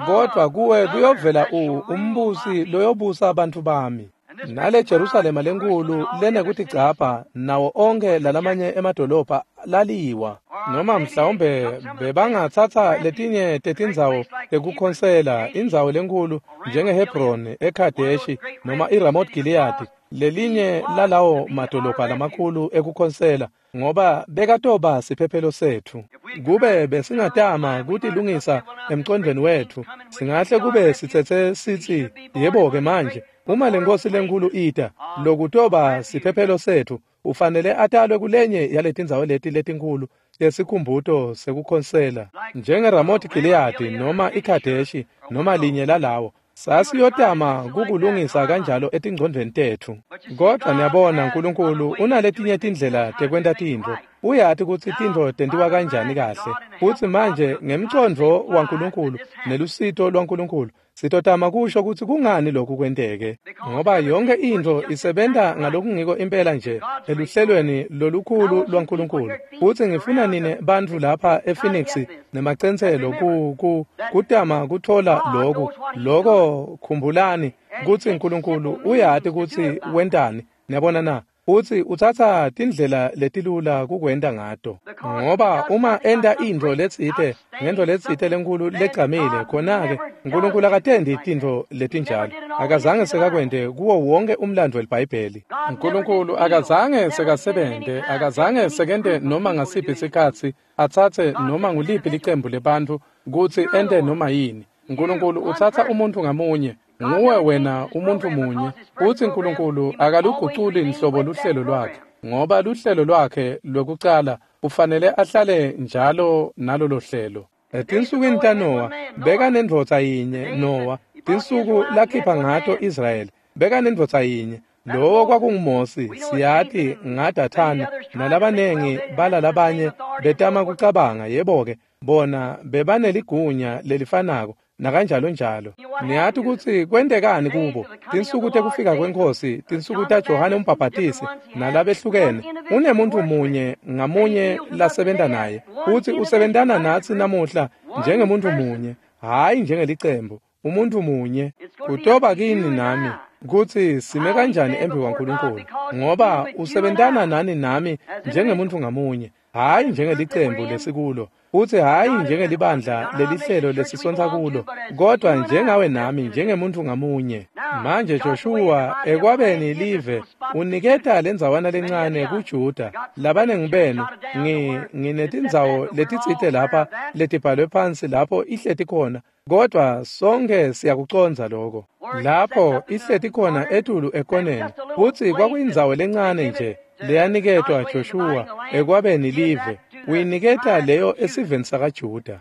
Kodwa kuwe kuyovela u umbusi loyobusa abantu bami. Nale Jerusalema lenkulu lenekutigcabha nawo onkhe lalamanye emadolobha laliwa. Noma mhlawumbe bebangatsatsa letinye tetindzawo tekukhonsela, indzawo lenkulu njengeHebroni, eKadeshi noma iRamoth Gilead, lelinye lalawo madolobha lamakhulu ekukhonsela, ngoba bekatoba siphephelo setfu. Kube besingatama kutilungisa emcondvweni wetfu, singahle kube sitsetse sitsi, yebo-ke manje, uma lenkosi lenkulu ita, lokutoba siphephelo setfu, ufanele atalwe kulenye yaletindzawo leti letinkulu lesikhumbuto sekukhonsela, njengeRamoth Gilead noma iKadeshi noma linye lalawo. Sasiyotama kukulungisa kanjalo etingcondvweni tetfu. Kodvwa niyabona uNkulunkulu unaletinye tindlela tekwenta tintfo. Uyati kutsi tintfo tentiwa kanjani kahle. Futsi manje ngemcondvo waNkulunkulu nelusito lwaNkulunkulu sitotama kusho kutsi kungani lokhu kwenteke, ngoba yonke intfo isebenta ngalokungiko impela nje eluhlelweni lolukhulu lwaNkulunkulu. Futsi ngifuna nine bantfu lapha ePhoenix nemacentselo ku ku kutama kutfola loku loko. Khumbulani kutsi uNkulunkulu uyati kutsi wentani. Niyabona na? Futsi utsatsa tindlela letilula kukwenta ngato, ngoba uma enta intfo letsite ngentfo letsite lenkulu legcamile, khona-ke uNkulunkulu akatendi tintfo letinjalo. Akazange sekakwente kuwo wonke umlandvo welibhayibheli. uNkulunkulu akazange sekasebente, akazange sekente noma ngasiphi sikhatsi atsatse noma nguliphi licembu lebantfu kutsi ente noma yini. uNkulunkulu utsatsa umuntfu ngamunye. Nguwe wena umuntu munye. Futsi uNkulunkulu akaluguculi nhlobo luhlelo lwakhe, ngoba luhlelo lwakhe lwekucala ufanele ahlale njalo nalolo hlelo. Etinsukwini taNowa bekanendvodza yinye Nowa, tinsuku lakhipha ngato Israyeli bekanendvodza yinye, lowo kwakunguMosi. Siyati ngaDathani nalabanengi balalabanye betama kucabanga, yebo-ke, bona bebaneligunya lelifanako nakanjalo njalo. Niyati kutsi kwentekani kubo. Tinsuku tekufika kweNkhosi, tinsuku taJohane umbhabhatisi nalabehlukene, unemuntu munye ngamunye lasebenta naye, futsi usebentana natsi namuhla njengemuntu munye, hhayi njengelicembu, umuntu munye. Kutoba kini nami kutsi sime kanjani embi kwaNkulunkulu, ngoba usebentana nani nami njengemuntu ngamunye, hhayi njengelicembu lesikulo, futsi hhayi njengelibandla lelihlelo lesisontsa kulo, kodwa njengawe nami njengemuntu ngamunye. Manje Joshua ekwabeni live uniketa lendzawana lencane kuJuda. Labanengi benu ngi nginetindzawo letitsite lapha letibhalwe phansi lapho ihleti khona, kodwa sonke siyakucondza lokho. Lapho ihleti khona etulu ekoneni, futsi kwakuyindzawo lencane nje leyaniketwa Joshua ekwabeni live, uyiniketa leyo esiveni sakaJuda.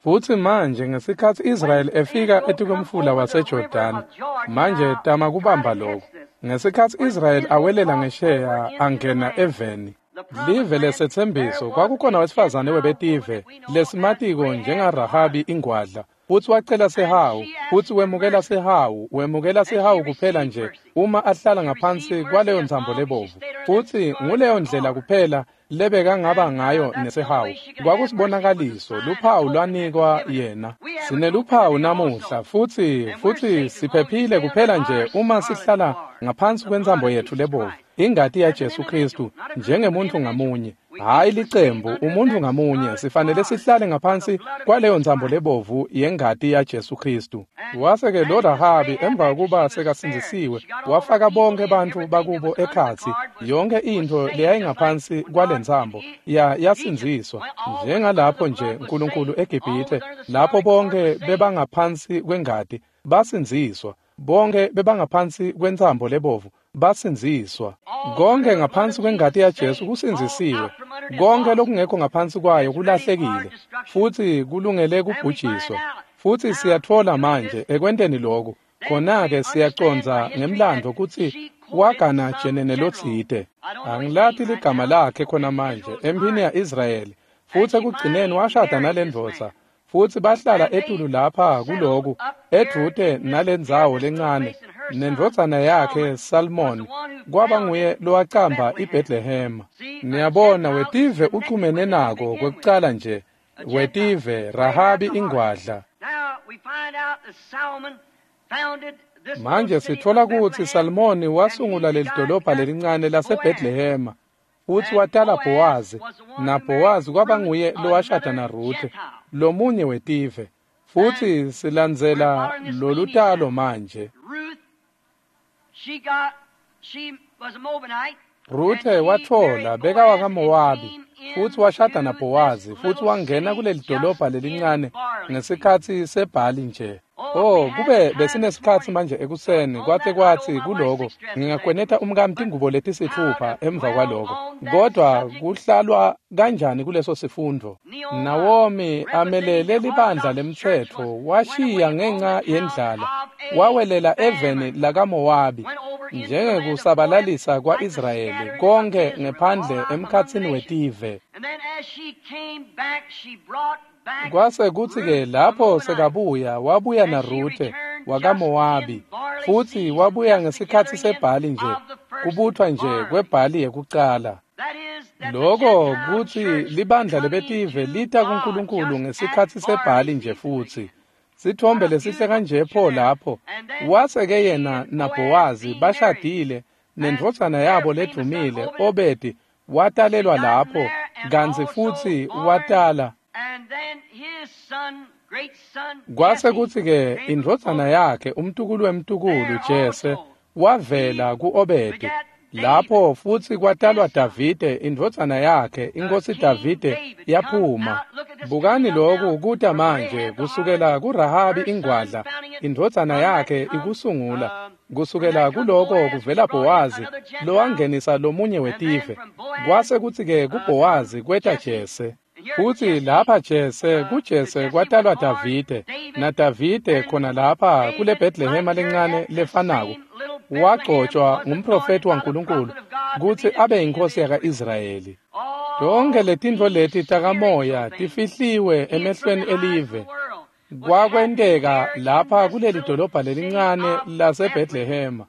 Futsi manje ngesikhatsi Israyeli efika etikwemfula waseJordani, manje tama kubamba lokho. Ngesikhatsi Israyeli awelela ngesheya angena eveni, live lesetsembiso, kwakukhona wesifazane webetive lesimatiko njengaRahabi ingwadla, futsi wacela sihawu, futsi wemukela sihawu, wemukela sihawu kuphela nje uma ahlala ngaphansi kwaleyo ntsambo lebovu. Futsi nguleyo ndlela kuphela lebekangaba ngayo nesihawu. Kwakusibonakaliso, luphawu lwanikwa yena. Sineluphawu namuhla, futsi futsi siphephile kuphela nje uma sihlala ngaphansi kwentsambo yetfu lebovu, ingati yaJesu Kristu, njengemuntu ngamunye, hhayi licembu, umuntu ngamunye. Sifanele sihlale ngaphansi kwaleyo ntsambo lebovu yengati yaJesu Kristu. Wase-ke lo Rahabi emva kokuba sekasindzisiwe, wafaka bonke bantfu bakubo ekhatsi, yonke intfo leyayingaphansi kwale ntsambo ya yasindziswa, njengalapho nje uNkulunkulu eGibhithe, lapho bonke bebangaphansi kwengati basindziswa, bonke bebangaphansi kwentsambo lebovu basindziswa. Konke ngaphansi kwengati yaJesu kusindzisiwe. Konke lokungekho ngaphansi kwayo kulahlekile futsi kulungele kubhujiswa. Futsi siyatfola manje ekwenteni lokhu, khona-ke siyacondza ngemlandvo kutsi wagana jenene lotsite. Angilati ligama lakhe khona manje emphini ya-Israyeli, futsi ekugcineni washada nalendvodza, futsi bahlala etulu lapha kuloku edvute nalendzawo lencane, nendvodzana yakhe Salmon kwaba nguye lowacamba iBethlehema. Niyabona, wetive uchumene nako kwekucala nje, wetive Rahabi ingwadla. Manje sitfola kutsi Salmoni wasungula lelidolobha lelincane laseBethlehema, futsi watala Bowazi, naBowazi kwaba nguye lowashada naRuthe, lomunye wetive. Futsi silandzela lolutalo manje. Ruthe watfola beka wakaMowabi, futsi washada naBowazi, futsi wangena kuleli dolobha lelincane ngesikhatsi sebhali nje. Oh, kube besinesikhatsi manje ekuseni kwatse kwatsi kuloko ngingakweneta umkami tingubo letisitfupha emva kwaloko. Kodwa kuhlalwa kanjani kuleso sifundvo? Nawomi amelele libandla lemtsetfo washiya ngenca yendlala wawelela eveni lakaMowabi njengekusabalalisa kwa-Israyeli konke ngephandle emkhatsini wetive. Kwase kutsi-ke lapho sekabuya wabuya naRuthe wakaMowabi futsi wabuya ngesikhatsi sebhali nje kubutfwa nje kwebhali yekucala. Loko kutsi libandla lebetive lita kuNkulunkulu ngesikhatsi sebhali nje futsi. Sithombe lesihle kanje pho lapho wase-ke yena naBhowazi bashadile nendvodzana yabo ledvumile Obedi watalelwa lapho kantsi futsi watala. Kwase kutsi-ke indvodzana yakhe umtukulu wemtukulu Jese wavela ku-Obedi lapho futsi kwatalwa Davide indvodzana yakhe inkosi Davide yaphuma. Bukani loku kuta manje kusukela kuRahabi ingwadla indvodzana yakhe ikusungula kusukela kuloko kuvela Bowazi lowangenisa lomunye wetive. Kwase kutsi-ke kuBhowazi kweta Jese. Futsi lapha Jese kuJese kwatalwa Davide naDavide khona lapha kule Bethlehema lencane lefanako wagcotshwa ngumprofeti waNkulunkulu kutsi abe yinkosi yaka-Israyeli. Tonke letintfo leti takamoya tifihliwe emehlweni elive. Kwakwenteka lapha kuleli dolobha lelincane laseBethlehema.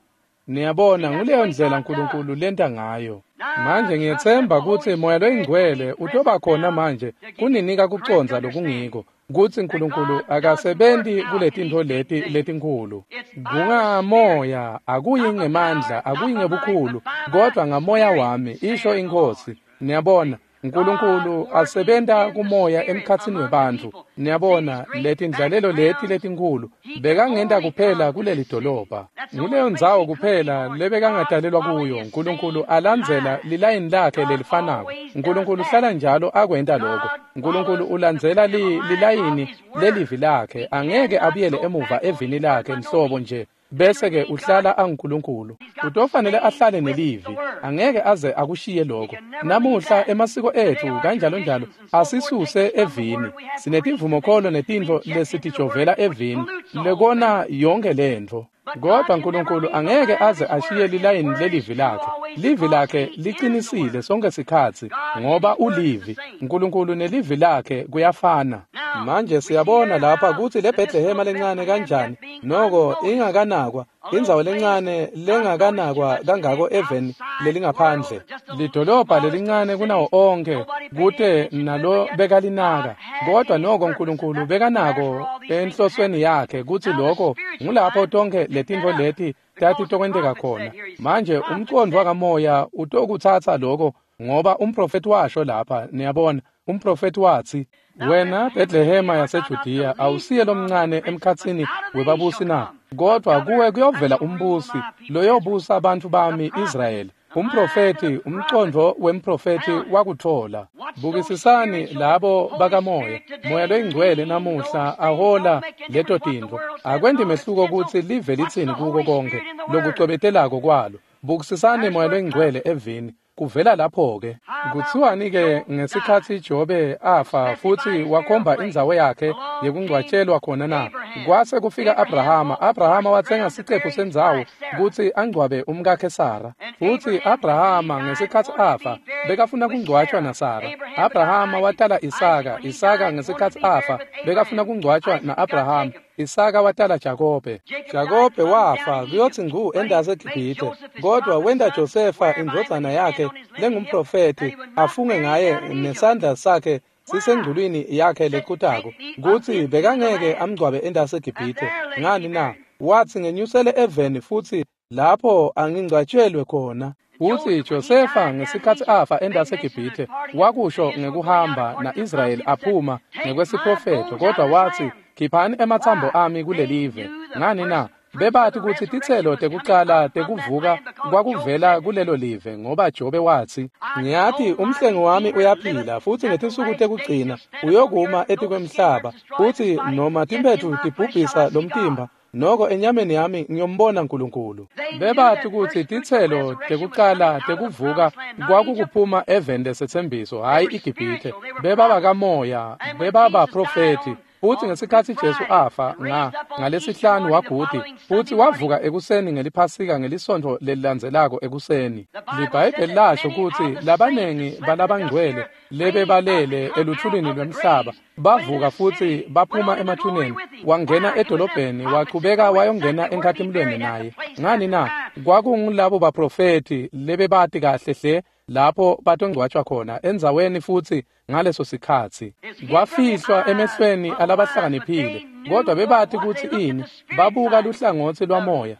Niyabona nguleyo ndlela Nkulunkulu lenta ngayo. Manje ngiyetsemba kutsi Moya loyiNgcwele utoba khona manje kuninika kucondza lokungiko kutsi Nkulunkulu akasebenti kuletintfo leti letinkhulu. Kungamoya akuyi ngemandla akuyi ngebukhulu kodwa ngamoya wami isho inkosi. Niyabona Nkulunkulu asebenta kumoya emkhatsini webantfu. Niyabona letindlalelo leti letinkhulu bekangenta kuphela kuleli dolobha. Nguleyo ndzawo kuphela lebekangadalelwa kuyo. Nkulunkulu alandzela lilayini lakhe lelifanako. Nkulunkulu uhlala njalo akwenta lokho. Nkulunkulu ulandzela li, lilayini lelivi lakhe angeke abuyele emuva evini lakhe nhlobo nje. Bese-ke uhlala anguNkulunkulu. Utofanele ahlale nelivi angeke aze akushiye lokho. Namuhla emasiko ethu kanjalo njalo asisuse evini. Sinetimvumokholo netintfo lesitijovela evini lekona yonke lentfo. Kodwa Nkulunkulu angeke aze ashiye lilayini lelivi lakhe. Livi lakhe liqinisile sonke sikhatsi ngoba ulivi. Nkulunkulu nelivi lakhe kuyafana. Manje siyabona lapha kutsi le Bethlehema lencane kanjani noko ingakanakwa indzawo lencane lengakanakwa kangako eveni lelingaphandle. Lidolobha lelincane kunawo onke kute nalo bekalinaka kodwa noko Nkulunkulu bekanako enhlosweni yakhe kutsi lokho ngulapho tonke letintfo leti tatitokwenteka khona. Manje umcondvo wakamoya utokutsatsa lokho ngoba umprofeti washo lapha. Niyabona umprofeti watsi wena Bethlehema yaseJudiya awusiye lomncane emkhatsini webabusi na kodwa kuwe kuyovela umbusi loyobusa abantu bami Israyeli. Umprofeti umcondvo wemprofeti wakuthola. Bukisisani labo bakamoya moya loyingcwele namuhla ahola leto tintfo. Akwendi mehluko kutsi live litsini kuko konke lokucwebetelako kwalo. Bukisisani moya loyingcwele evini kuvela lapho-ke. Kutsiwani-ke ngesikhatsi Jobe afa futsi wakhomba indzawo yakhe yekungcwatshelwa khona na? Kwase kufika Abrahama. Abrahama watsenga sicephu sendzawo kutsi angcwabe umkakhe Sara. Futsi Abrahama ngesikhatsi afa bekafuna kungcwatshwa naSara. Abrahama watala Isaka. Isaka ngesikhatsi afa bekafuna kungcwatshwa na-Abrahama. Isaka watala Jakobe. Jakobe wafa kuyotsi ngu endase eGibhithe kodwa wenta Josefa indvodzana yakhe lengumprofeti afunge ngaye nesandla sakhe sisengculwini yakhe lekutako kutsi bekangeke amngcwabe endase eGibhithe. Ngani na? Watsi ngenyusele eveni futsi lapho angingcwatshelwe khona. Futsi Josefa ngesikhatsi afa endase eGibhithe wakusho ngekuhamba na-Israyeli aphuma ngekwesiprofetho kodwa watsi khiphani ematsambo ami kulelive. Ngani na? Bebati kutsi titselo tekucala tekuvuka kwakuvela kulelo live, ngoba Jobe watsi, "Ngiyati umhlengi wami uyaphila, futsi ngetinsuku tekugcina uyokuma etikwemhlaba, futsi noma timphetfu tibhubhisa lomtimba, noko enyameni yami ngiyombona Nkulunkulu." Bebati kutsi titselo tekucala tekuvuka kwakukuphuma eveni lesetsembiso, hhayi iGibhithe. Bebabakamoya, bebabaprofethi. Futsi ngesikhatsi Jesu afa nga ngalesihlanu wagudi, futsi wavuka ekuseni ngeliphasika ngelisontfo lelilandzelako ekuseni. LiBhayibheli lasho kutsi labanengi balabangcwele lebebalele eluthulini lwemhlaba bavuka futsi baphuma emathuneni, wangena edolobheni, wachubeka wayongena enkhatimulweni naye. Ngani na? Kwakungulabo baprofethi lebebati kahle hle lapho batongcwatshwa khona endzaweni, futsi ngaleso sikhatsi kwafihlwa emehlweni alabahlakaniphile, kodwa bebati kutsi ini. Babuka luhlangotsi lwamoya.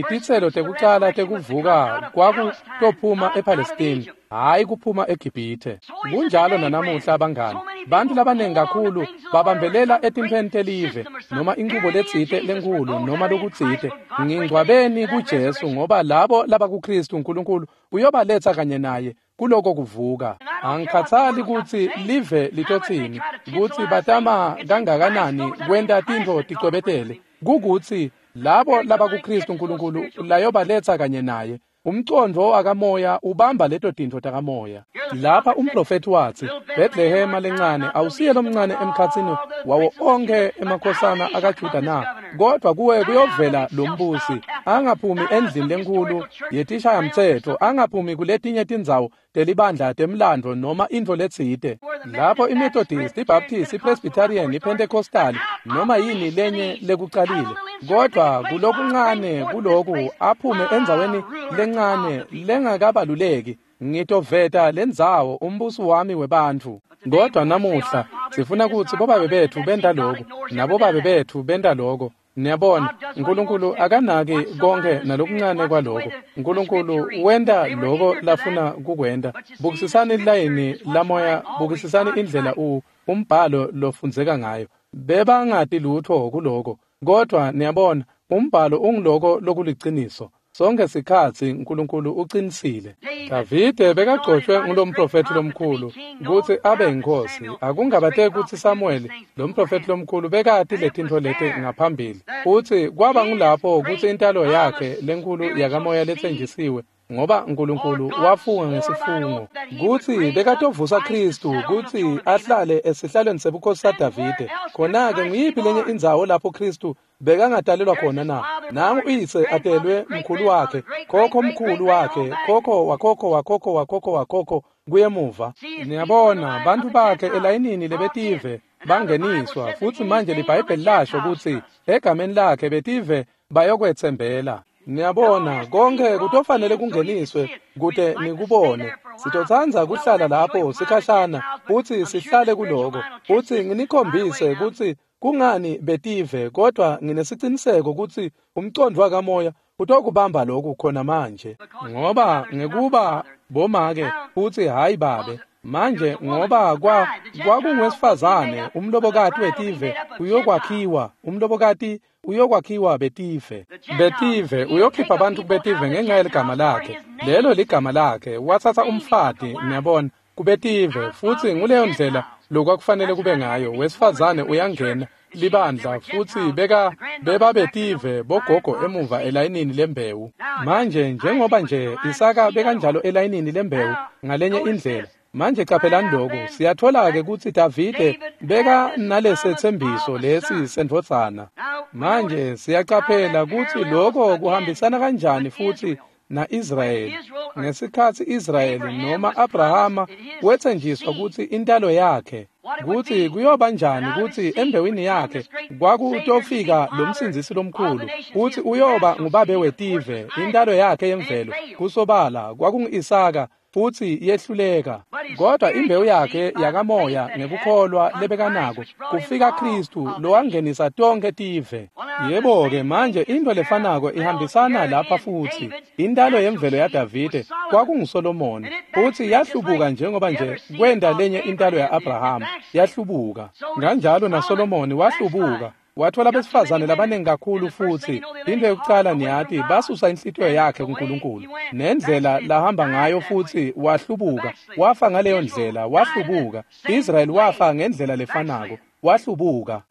Titselo tekucala tekuvuka kwakutophuma ePalestine, hhayi kuphuma eGibhithe. Kunjalo nanamuhla bangani, bantu labanengi kakhulu babambelela etimpheni telive noma inchubo letsite lenkhulu noma lokutsite. Ngingcwabeni kuJesu, ngoba labo labakuKristu uNkulunkulu uyobaletsa kanye naye kuloko kuvuka. Angikhathali kutsi live litotsini, kutsi batama kangakanani kwenta tintfo ticwebetele, kukutsi labo labakuKristu uNkulunkulu layobaletsa kanye naye. Umcondvo wakamoya ubamba leto tintfo takamoya. Lapha umprofethi watsi, "Bethlehema lencane awusiye lomncane emkhatsini wawo onkhe emakhosana akaJuda na, kodwa kuwe kuyovela lombusi, angaphumi endlini lenkhulu yetishayamtsetfo, angaphumi kuletinye tindzawo telibandla temlandvo noma intfo letsite." Lapho iMethodist, iBaptist, iPresbyterian, iPentecostal noma yini lenye lekucalile, kodwa kulokuncane kuloku aphume endzaweni lencane lengakabaluleki, ngitoveta lendzawo umbusi wami webantfu. Kodwa namuhla sifuna kutsi bobabe betfu benta loku nabobabe betfu benta loko. Niyabona, uNkulunkulu akanaki konke nalokuncane kwaloko. uNkulunkulu wenta loko lafuna kukwenta. Bukisisani layini lamoya, bukisisani indlela u umbhalo lofundzeka ngayo. Bebangati lutho kuloko, kodwa niyabona, umbhalo ungiloko lokuliciniso. Sonke sikhatsi uNkulunkulu uqinisile. Davide bekagcotshwe ngulomprofethi lomkhulu kutsi abe yinkosi. Akungabateki kutsi Samuel lomprofethi lomkhulu bekati letintfo leti ngaphambili. Futsi kwaba ngulapho kutsi intalo yakhe lenkhulu yakamoya letsenjisiwe, ngoba uNkulunkulu wafunga ngesifungo kutsi bekatovusa Kristu kutsi ahlale esihlalweni sebukhosi saDavide. Khona-ke nguyiphi lenye indzawo lapho Kristu bekangatalelwa khona na? Nangu uyise atelwe mkhulu wakhe, khokho mkhulu wakhe, khokho wakhokho wakhokho wakhokho wakhokho kuyemuva. Niyabona, bantu bakhe elayinini lebetive bangeniswa, futsi manje liBhayibheli lasho kutsi egameni lakhe betive bayokwetsembela. Niyabona, konke kutofanele kungeniswe kute nikubone. Sitotsandza kuhlala lapho sikhashana futsi sihlale kuloko, futsi nginikhombise kutsi kungani betive, kodwa nginesiciniseko kutsi umcondvo wakamoya utokubamba lokhu khona manje. Ngoba ngekuba bomake futsi hayi babe, manje ngoba kwa kwakungwesifazane umlobokati wetive uyokwakhiwa, umlobokati uyokwakhiwa betive. Betive uyokhipha abantu betive ngenxa yeligama lakhe. Lelo ligama lakhe. Watsatsa umfati, niyabona, kubetive, futsi nguleyo ndlela lokwakufanele kube ngayo. Wesifazane uyangena libandla futsi beka bebabetive bogogo emuva elayinini lembewu. Manje njengoba nje Isaka bekanjalo elayinini lembewu ngalenye indlela. Manje caphelani lokhu, siyathola-ke kutsi Davide beka nalesethembiso lesi sendvodzana. Manje siyacaphela kutsi lokho kuhambisana kanjani futsi na-Israyeli. Ngesikhatsi Israyeli noma Abrahama wetsenjiswa kutsi intalo yakhe, kutsi kuyoba njani kutsi embewini yakhe kwakutofika lomsindzisi lomkhulu, kutsi uyoba ngubabe wetive, intalo yakhe yemvelo kusobala kwakungu-Isaka, futsi yehluleka. Kodwa imbewu yakhe yakamoya ngekukholwa lebekanako kufika Kristu lowangenisa tonke tive. Yebo-ke manje into lefanako ihambisana lapha futsi. Intalo yemvelo yaDavide kwakunguSolomoni, futsi yahlubuka njengoba nje kwenda lenye intalo ya-Abrahama yahlubuka. Kanjalo naSolomoni wahlubuka, Wathola besifazane labaningi kakhulu futhi into yokucala niyathi basusa inhlitiyo yakhe kuNkulunkulu nendlela lahamba ngayo futhi wahlubuka wafa ngaleyo ndlela wahlubuka. Israel wafa ngendlela lefanako wahlubuka.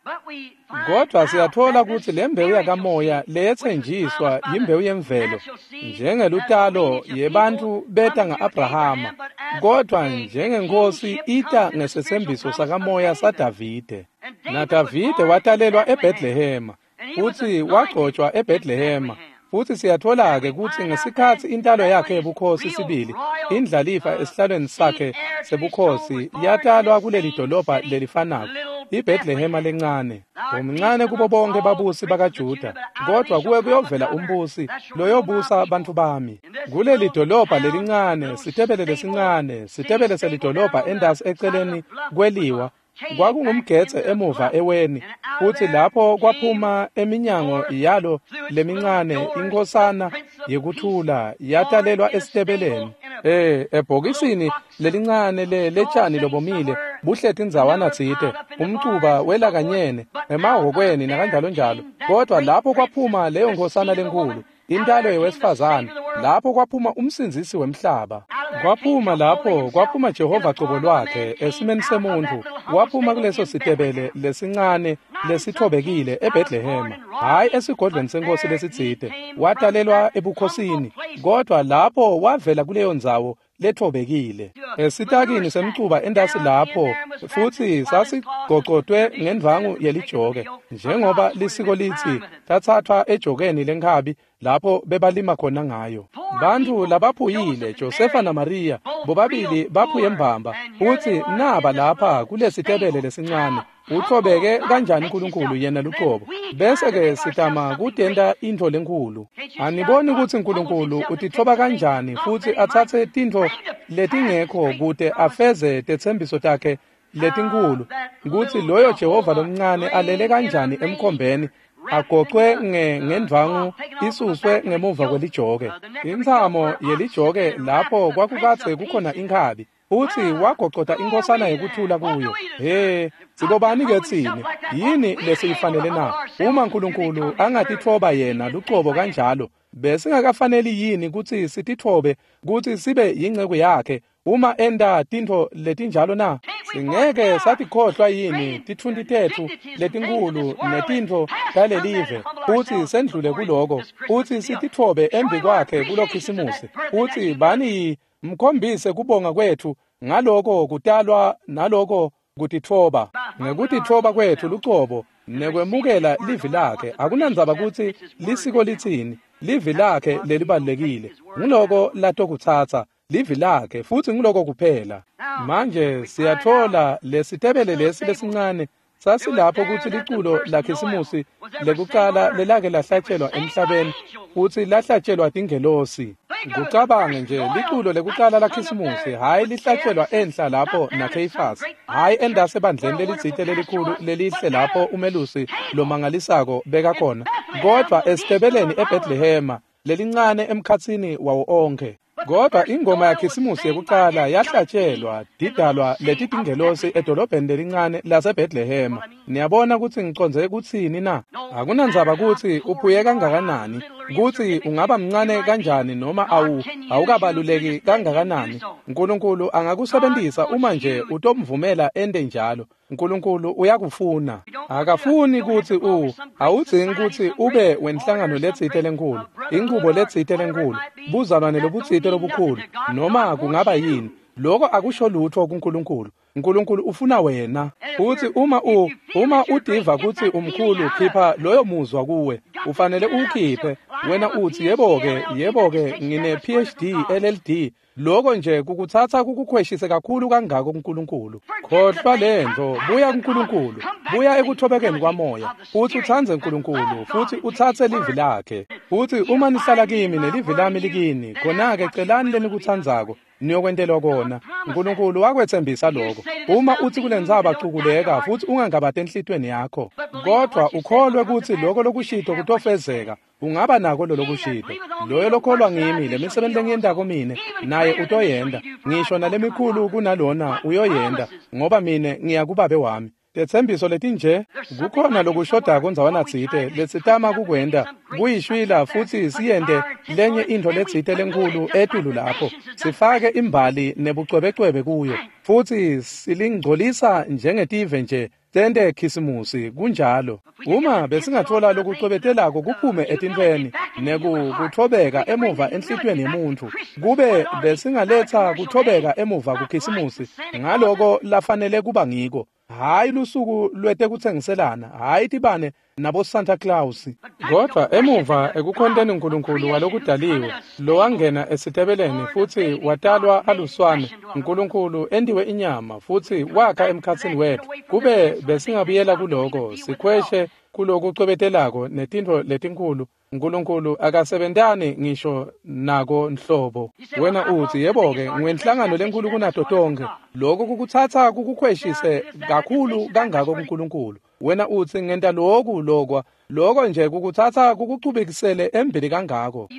Kodwa siyathola ukuthi le mbewu yakamoya leyethenjiswa yimbewu yemvelo njengelutalo yebantu beta nga-Abrahama, kodwa njengenkosi ita ngesethembiso sakamoya saDavide. NaDavide watalelwa eBethlehema futhi wagcotshwa eBethlehema. Futhi siyathola-ke ukuthi ngesikhathi intalo yakhe yebukhosi sibili indlalifa esihlalweni sakhe sebukhosi yatalwa kuleli dolobha lelifanako iBethlehema lencane. Umncane kubo bonke babusi bakaJuda, kodwa kuwe kuyovela umbusi loyobusa bantu bami. Kuleli dolobha lelincane, sitebele lesincane, sitebele selidolobha endasi eceleni kweliwa, kwakungumgetse emuva eweni, futhi lapho kwaphuma eminyango yalo lemincane inkosana yekuthula yatalelwa esitebeleni. Eh ebhokisini lelincane le letshani lobomile buhleti indzawana tsite umcuba welakanyene emahhokweni nakanjalo njalo, kodwa lapho kwaphuma leyo nkosana lenkulu intalo yewesifazane, lapho kwaphuma umsindzisi wemhlaba. Kwaphuma lapho kwaphuma Jehova cobo lwakhe esimeni semuntu, waphuma kuleso sitebele lesincane lesithobekile eBethlehema, hayi esigodlweni senkosi lesitsite, watalelwa ebukhosini, kodwa lapho wavela kuleyo ndzawo lethobekile esitakini semcuba endasi lapho, futhi sasigocotwe ngendvangu yelijoke njengoba lisiko lithi tathathwa ejokeni lenkhabi lapho bebalima khona ngayo. Bantu labaphuyile Josefa naMaria bobabili baphuye mbamba, futhi naba lapha kulesitebele lesincane. Uthobeke kanjani uNkulunkulu yena luqobo, bese ke sitama kutenta intfo lenkulu. Aniboni ukuthi uNkulunkulu utithoba kanjani futhi atsatse tintfo letingekho kute afeze tetsembiso takhe letinkulu, kutsi loyo Jehova lomncane alele kanjani emkhombeni agocwe ngendvangu isuswe ngemuva kwelijoke. Intsamo yelijoke lapho kwakukadze kukhona inkhabi, futhi wagocota inkosana yekuthula kuyo. He, sibobani ke tsine? Yini lesiyifanele na? Uma uNkulunkulu angatitfoba yena lucobo kanjalo, besingakafaneli yini kutsi sititfobe kutsi sibe yinceku yakhe uma enta tintfo letinjalo na? Singeke satikhohlwa yini titfunti tetfu letinkulu netintfo talelive, futhi sendlule kuloko, futhi sititfobe embi kwakhe kulokhisimusi, futhi bani mkhombise kubonga kwethu ngaloko kutalwa naloko kutitfoba. Ngekutitfoba kwethu lucobo nekwemukela livi lakhe, akunandzaba kutsi lisiko litsini, livi lakhe lelibalulekile, nguloko latokutsatsa livi lakhe, futhi nguloko kuphela. Manje siyathola lesitebele lesi lesincane sasilapho kutsi liculo lakhisimusi lekucala lelake lahlatshelwa emhlabeni, futhi lahlatshelwa tingelosi. Kucabange nje liculo lekucala lakhisimusi, hhayi lihlatshelwa enhla lapho naKheyifasi, hhayi endase ebandleni lelitsite lelikhulu lelihle lapho umelusi lomangalisako bekakhona, kodwa esitebeleni eBethlehema lelincane emkhatsini wawo onkhe. Kodwa ingoma yakhisimusi yekucala yahlatshelwa didalwa leti tingelosi edolobheni lelincane laseBethlehema. Niyabona kutsi ngicondze kutsini na? Akunandzaba kutsi uphuye kangakanani, kutsi ungaba mncane kanjani noma awu awukabaluleki kangakanani, uNkulunkulu angakusebentisa uma nje utomvumela ente njalo. uNkulunkulu uyakufuna. Akafuni kutsi u awudzingi kutsi ube wenhlangano letsite lenkulu, inchubo letsite lenkulu, buzalwane lobutsite lobukhulu, noma kungaba yini. Lokho akusho lutho kuNkulunkulu. uNkulunkulu ufuna wena. Futhi uma u uma udiva kutsi umkhulu, khipha loyo muzwa kuwe. Ufanele uwukhiphe. Wena uthi yebo-ke, yebo-ke ngine P H D, L L D. Lokho nje kukutsatsa kukukhweshise kakhulu kangako kuNkulunkulu. Khohlwa lento, buya kuNkulunkulu, buya ekuthobekeni kwamoya, futhi utsandze uNkulunkulu, futhi utsatse livi lakhe. Futhi uma nihlala kimi nelivi lami likini, khona-ke celani lenikutsandzako, niyokwentelwa kona. uNkulunkulu wakwetsembisa lokho. Uma uthi kulentsaba cukuleka, futhi ungangabati enhlitiyweni yakho, kodwa ukholwe kutsi lokho lokushito kutofezeka, ungaba nako lolokushito. Loyo lokholwa ngimi, lemisebenzi lengiyentako mine naye utoyenta, ngisho nalemikhulu kunalona uyoyenta, ngoba mine ngiya kubabe wami. Tetsembiso letinje kukhona lokushodako ndzawana tsite lesitama kukwenta kuyishwila futsi siyente lenye intfo letsite lenkhulu etulu lapho sifake imbali nebucwebecwebe kuyo futsi silingcolisa njengetive nje sente khisimusi. Kunjalo. Uma besingathola lokucwebetelako kuphume etintfweni nekuthobeka emuva enhlitiyweni yemuntfu, kube besingaletsa kuthobeka emuva kukhisimusi ngaloko lafanele kuba ngiko. Hayi lusuku lwetekutsengiselana, hayi tibane nabo Santa Claus, kodwa emuva ekukhonteni uNkulunkulu walokudaliwe lowangena esitebeleni futsi watalwa aluswane, uNkulunkulu entiwe inyama futsi wakha emkhatsini wetfu. Kube besingabuyela kuloko sikhweshe kulokucwebetelako netintfo letinkhulu, uNkulunkulu akasebentani ngisho nako nhlobo. Wena utsi, yebo-ke, ngiwenhlangano lenkhulu kunato tonkhe. Lokho kukutsatsa kukukhweshise kakhulu kangako kuNkulunkulu. Wena utsi, ngenta loku lokwa, loko nje kukutsatsa kukuchubekisele embili kangako.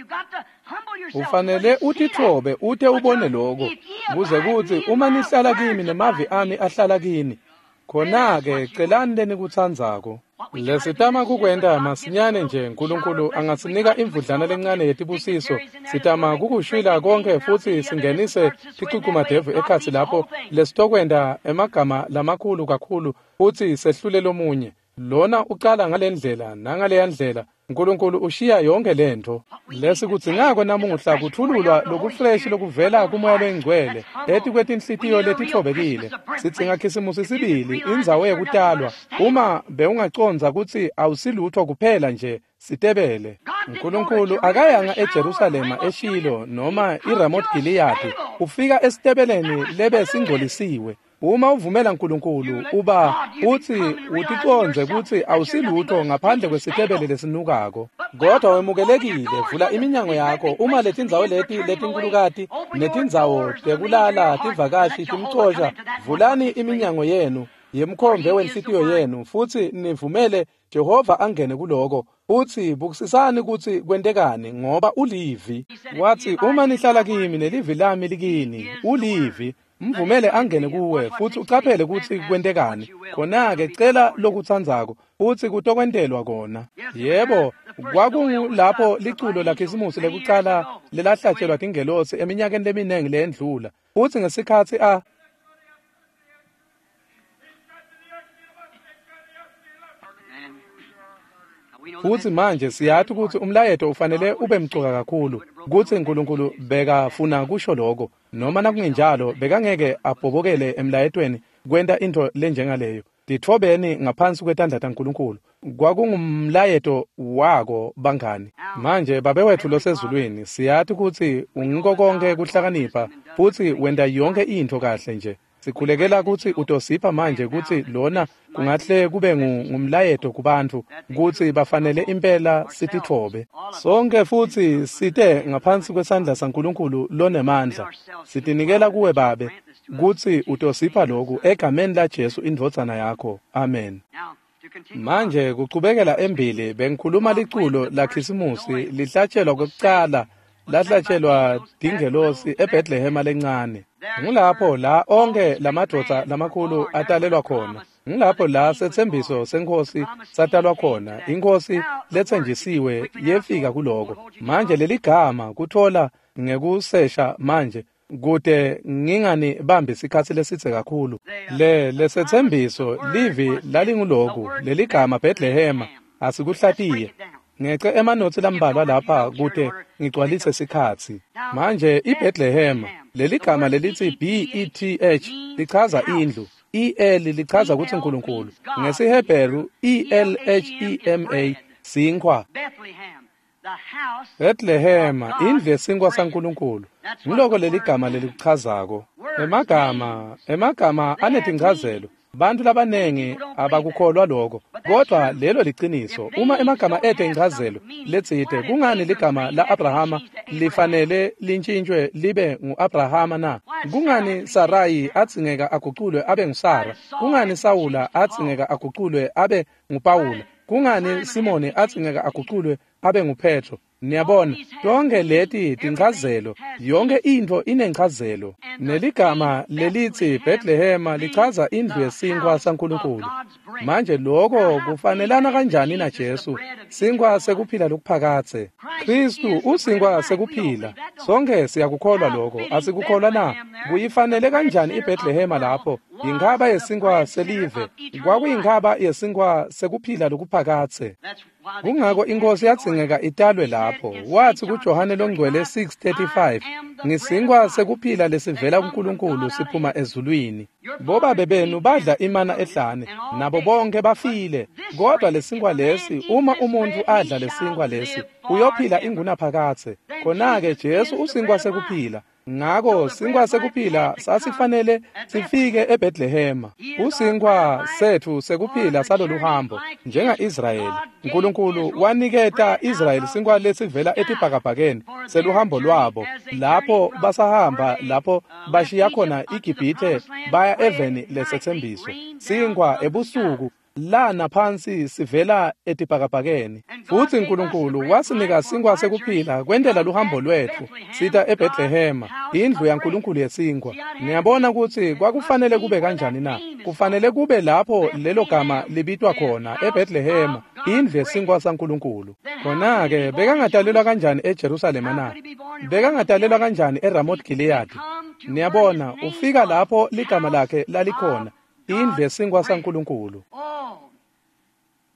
Ufanele utitfobe ute ubone loko, kuze kutsi uma nihlala kimi nemavi ami ahlala kini, khona-ke celani lenikutsandzako. Lesitama kukwenta masinyane nje uNkulunkulu angasinika imvudlana lencane yetibusiso. Sitama kukushwila konke futsi singenise ticucumadevu ekhatsi lapho lesitokwenta emagama lamakhulu kakhulu futsi sehlule lomunye. Lona ucala ngalendlela nangaleya ndlela, uNkulunkulu ushiya yonke lentfo. Lesikudzingako namuhla kuthululwa lokufreshi lokuvela kuMoya loyiNgcwele etikwetinhlitiyo letitfobekile. Sidzinga khisimusi sibili, indzawo yekutalwa. Uma bewungacondza kutsi awusilutfo kuphela nje sitebele. uNkulunkulu akayanga eJerusalema eShilo noma iRamoth Gileyadi, ufika esitebeleni lebe singcolisiwe. Uma uvumela uNkulunkulu uba uthi uticondze kutsi awusilutfo ngaphandle kwesitebele lesinukako, kodwa wemukelekile. Vula iminyango yakho. Uma letindzawo leti letinkulukati netindzawo tekulala tivakashi timcosha, vulani iminyango yenu yemkhombe wenhlitiyo yenu futsi nivumele Jehova angene kuloko. Utsi bukisisani kutsi kwentekani, ngoba ulivi. Watsi, uma nihlala kimi nelivi lami likini, ulivi. Mvumele angene kuwe futsi ucaphele kutsi kwentekani. Khona-ke cela lokutsandzako futsi kutokwentelwa kona. Yebo, kwakungulapho liculo lakhisimusi lekucala lelahlatshelwa tingelosi eminyakeni leminingi leyendlula. Futsi ngesikhatsi a futsi manje siyati kutsi umlayeto ufanele ube mcoka kakhulu, kutsi uNkulunkulu bekafuna kusho lokho, noma nakungenjalo bekangeke abhobokele emlayetweni kwenta intfo lenjengaleyo. Titfobeni ngaphansi kwetandla taNkulunkulu. Kwakungumlayeto wako bangani. Manje Babe wetfu losezulwini, siyati kutsi ungiko konke kuhlakanipha futsi wenta yonke intfo kahle nje. Sikhulekela kutsi utosipha manje kutsi lona kungahle kube ngumlayeto kubantfu kutsi bafanele impela sititfobe sonke futsi site ngaphansi kwesandla saNkulunkulu lonemandla. Sitinikela kuwe Babe kutsi utosipha loku egameni laJesu indvodzana yakho. Amen. Manje kuchubekela embili bengikhuluma liculo lakhisimusi lihlatshelwa kwekucala lahlatshelwa tingelosi eBethlehema lencane. Ngulapho la onke lamadvodza lamakhulu atalelwa khona. Ngulapho la setsembiso senkosi satalwa khona. Inkosi letsenjisiwe yefika kuloko. Manje leligama kuthola ngekusesha manje kute ngingani bambi sikhatsi lesitse kakhulu. Le lesetsembiso livi lalinguloku leligama Bethlehema asikuhlatiye. Ngece emanotsi lambalwa lapha kute ngigcwalise sikhatsi. Manje iBethlehema leligama lelithi B E T H lichaza indlu, E L lichaza kutsi uNkulunkulu, ngesiHebheru E L H E M A sinkhwa. Bethlehema indlu yesinkwa saNkulunkulu. Ngiloko leligama lelikuchazako. Emagama emagama anetinchazelo. Bantu labanengi abakukholwa lokho, kodwa lelo liciniso. Uma emagama ete inchazelo letsite, kungani ligama la-Abrahama lifanele lintshintshwe libe ngu-Abrahama na? Kungani Sarai adzingeka aguculwe abe nguSara? Kungani Sawula adzingeka aguculwe abe nguPawula? Kungani Simoni adzingeka aguculwe abe nguPetro? Niyabona, tonke leti tinchazelo, yonke intfo inenchazelo. Neligama lelitsi Bethlehema lichaza indlu yesinkwa saNkulunkulu. Manje lokho kufanelana kanjani naJesu, sinkwa sekuphila lokuphakadze? Kristu usinkwa sekuphila. Sonke siyakukholwa lokho, asikukholwa na? Kuyifanele kanjani iBethlehema lapho? Inkhaba yesinkwa selive, kwakuyinkhaba yesinkwa sekuphila lokuphakadze. Kungako inkosi yadzingeka italwe lapho. Wathi kuJohane longcwele six thirty-five, ngisinkwa sekuphila lesivela kuNkulunkulu siphuma ezulwini. Bobabe benu badla imana ehlane, nabo bonke bafile. Kodwa lesinkwa lesi, uma umuntu adla lesinkwa lesi, uyophila ingunaphakadze. Khona-ke Jesu usinkwa sekuphila. Ngako sinkwa sekuphila sasifanele sifike eBethlehema. Usinkwa sethu sekuphila salolu hambo njenga-Israyeli. uNkulunkulu waniketa Israyeli sinkwa lesivela etibhakabhakeni seluhambo lwabo lapho basahamba, lapho bashiya khona iGibhithe baya eveni lesethembiso. Sinkwa ebusuku lana phansi sivela etibhakabhakeni. Futhi uNkulunkulu wasinika sinkwa sekuphila kwentela luhambo lwethu sita eBethlehema, indlu yaNkulunkulu yesinkwa. Niyabona ukuthi kwakufanele kube kanjani na? Kufanele kube lapho lelo gama libitwa khona, eBethlehema, indlu yesinkwa saNkulunkulu. Khona-ke bekangatalelwa kanjani eJerusalema na? Bekangatalelwa kanjani eRamoth Gilead? Niyabona, ufika lapho ligama lakhe lalikhona, indlu yesinkwa saNkulunkulu.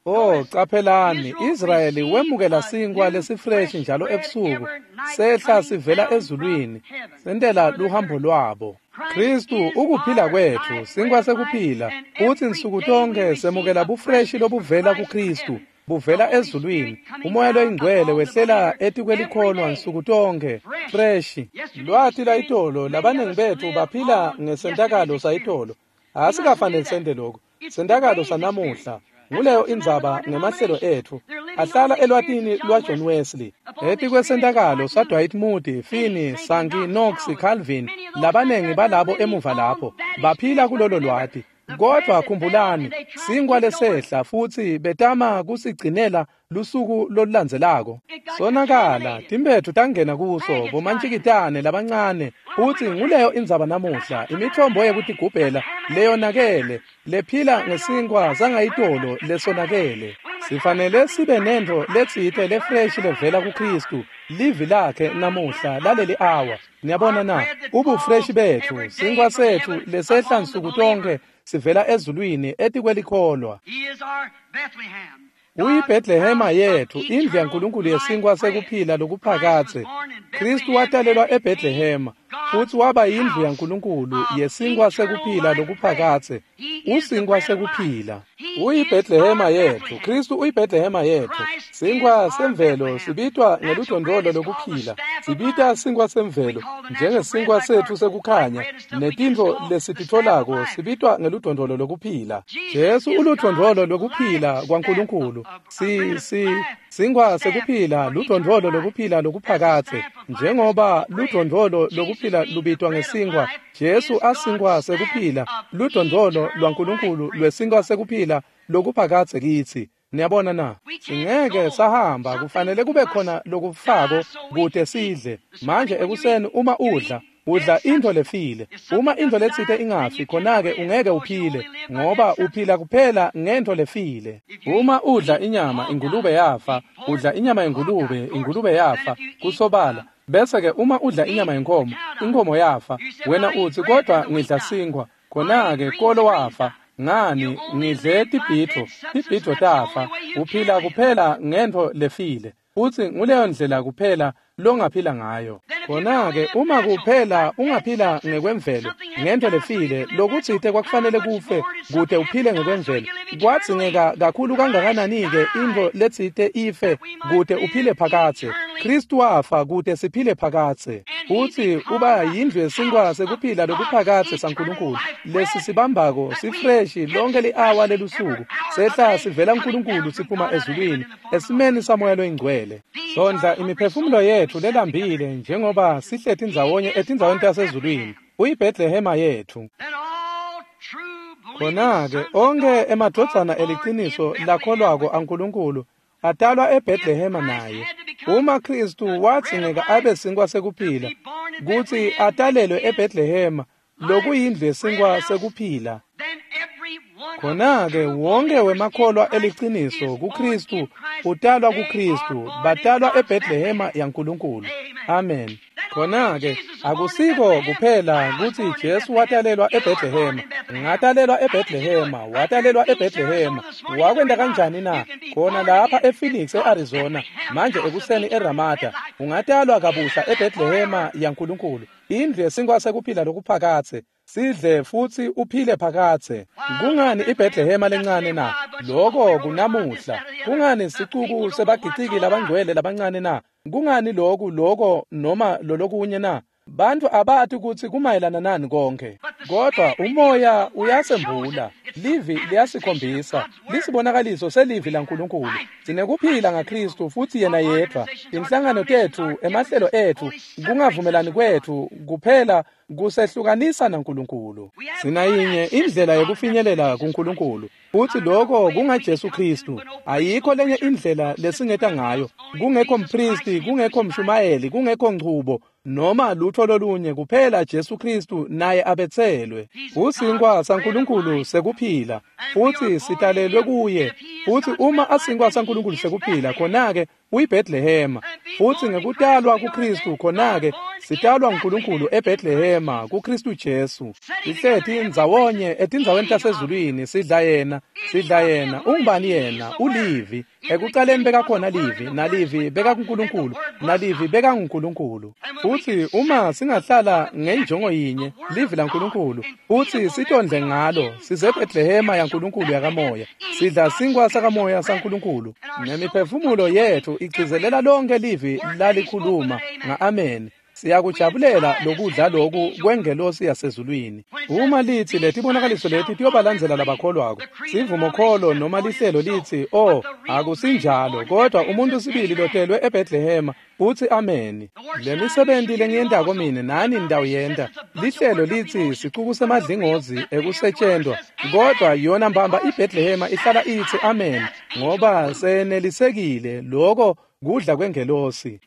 Oh, qaphelani, Israyeli wemukela sinkwa lesifreshi njalo ebusuku, sehla sivela ezulwini, sentela luhambo lwabo. Kristu ukuphila kwethu, sinkwa sekuphila, futhi nsuku tonke semukela bufreshi lobuvela kuKristu, buvela ezulwini. Umoya loyingcwele wehlela etikwelikholwa nsuku tonke, freshi. Lwati lwayitolo, labaningi bethu baphila ngesentakalo sayitolo. Asikafanele sente lokho. Sentakalo sanamuhla. Nguleyo indzaba ngemahlelo ethu. Ahlala elwatini lwaJohn Wesley. Etikwesentakalo saDwight Moody, Finney, Sankey, Knox, Calvin, labanengi balabo emuva lapho baphila kulolo lwati. Kodwa khumbulani, sinkwa lesehla futhi betama kusigcinela lusuku lolulandzelako. Sonakala, timpethu tangena kuso, bomantshikitane labancane. Futhi nguleyo indzaba namuhla, imithombo yekutigubhela leyonakele, lephila ngesinkwa sangayitolo lesonakele. Sifanele sibe nento letsite lefreshi levela kuKristu, livi lakhe namuhla laleli awa. Niyabona na? Ubufreshi bethu, sinkwa sethu lesehla nsuku tonke sivela ezulwini etikwelikholwa. UyiBethlehema yethu, indlu yaNkulunkulu yesinkwa sekuphila lokuphakadze. Kristu watalelwa eBethlehema, futhi waba yindlu yaNkulunkulu yesinkwa sekuphila lokuphakadze. Usinkwa sekuphila. UyiBethlehema yethu, Kristu uyiBethlehema yethu. Sinkwa semvelo sibitwa ngeludondolo lokuphila. Sibita sinkwa semvelo njengesinkwa sethu sekukhanya, netintfo lesititfolako sibitwa ngeludondolo lokuphila. Jesu uludondolo lokuphila kwaNkulunkulu. Si si sinkwa sekuphila ludondolo lokuphila lokuphakadze. Njengoba ludondolo lokuphila lubitwa ngesinkwa, Jesu asinkwa sekuphila, ludondolo lwaNkulunkulu lwesinkwa sekuphila lokuphakadze kitsi. Niyabona na? Singeke sahamba, kufanele kube khona lokufako kute sidle. Manje ekuseni uma udla, udla into lefile. Uma into letsite ingafi, khona-ke ungeke uphile, ngoba uphila kuphela ngento lefile. Uma udla inyama, ingulube yafa. Udla inyama yengulube, ingulube yafa. Kusobala. Bese-ke uma udla inyama yenkomo, inkomo yafa. Wena uthi, kodwa ngidla sinkwa. Khona-ke kolo wafa. Ngani, ngidle tibhidvo, tibhidvo tafa. Uphila kuphela ngento lefile. Futhi nguleyo ndlela kuphela longaphila ngayo. Khona-ke uma kuphela ungaphila ngekwemvelo, ngento lefile, lokutsite kwakufanele kufe kute uphile ngekwemvelo. Kwadzingeka kakhulu kangakanani-ke intfo letsite ife kute uphile phakadze. Kristu wafa kute siphile phakadze. Futhi uba yindlu yesinkwa sekuphila lokuphakadze saNkulunkulu. Lesi sibambako sifreshi lonke li-awa lelusuku. Sehla sivela kuNkulunkulu siphuma ezulwini, esimeni saMoya loyiNgcwele. Sondla imiphefumulo yethu lelambile njengoba sihleti ndzawonye etindzaweni tasezulwini. UyiBethlehema yethu. Khona-ke onke emadvodzana eliciniso lakholwako aNkulunkulu atalwa eBethlehema naye. Uma Kristu wadzingeka abe sinkwa sekuphila kutsi atalelwe eBethlehema, lokuyindlu yesinkwa sekuphila, khona-ke wonke wemakholwa eliciniso kuKristu utalwa kuKristu, batalwa eBethlehema yaNkulunkulu. Amen. Khona-ke akusiko kuphela kutsi Jesu watalelwa eBethlehema, ngatalelwa eBethlehema, watalelwa eBethlehema. Wakwenta kanjani na? Khona lapha ePhoenix eArizona, manje ekuseni eRamada, ungatalwa kabusha eBethlehema yaNkulunkulu, indlu yesinkwa sekuphila lokuphakadze. Sidle futsi uphile phakadze. Kungani iBethlehema lencane na? Loko kunamuhla. Kungani sicuku sebagiciki labangcwele labancane na? Kungani loku loko noma lolokunye na? Bantu abati kutsi kumayelana nani konke. Kodwa umoya uyasembula, livi liyasikhombisa, lisibonakaliso selivi laNkulunkulu. Sinekuphila ngaKristu futsi yena yedvwa. Inhlangano tetfu, emahlelo etfu, kungavumelani kwetfu kuphela kusehlukanisa naNkulunkulu. Sinayinye indlela yekufinyelela kuNkulunkulu, futsi loko kungaJesu Kristu. Ayikho lenye indlela lesingeta ngayo. Kungekho mpristi, kungekho mshumayeli, kungekho nchubo noma lutho lolunye, kuphela Jesu Kristu naye abetselwe. Usinkwa saNkulunkulu sekuphila, futsi sitalelwe kuye. Futsi uma asinkwa saNkulunkulu sekuphila, khona-ke uyiBethlehema. Futsi ngekutalwa kuKristu, khona-ke sitalwa nguNkulunkulu eBethlehema kuKristu Jesu. Sihleti ndzawonye etindzaweni tasezulwini, sidla yena, sidla yena. Ungubani yena? Ulivi. Ekucaleni bekakhona livi, nalivi bekakuNkulunkulu, nalivi bekanguNkulunkulu. Futsi uma singahlala ngenjongo yinye, livi laNkulunkulu, futsi sitondle ngalo, siseBethlehema yaNkulunkulu yakamoya, sidla sinkwa sakamoya saNkulunkulu, nemiphefumulo yetfu igcizelela lonke livi lalikhuluma nga-amen. Siyakujabulela lokudla loku kwengelosi yasezulwini. Uma lithi letibonakaliso leti tiyobalandzela labakholwako, sivumokholo noma lihlelo litsi, oh, akusinjalo, kodwa umuntu sibili lotelwe eBethlehema uthi amen. Lemisebenti lengiyentako mine nani nitawuyenta. Lihlelo litsi sicuku semadlingozi ekusetshentwa, kodwa yona mbamba iBethlehema ihlala itsi amen, ngoba senelisekile loko kudla kwengelosi.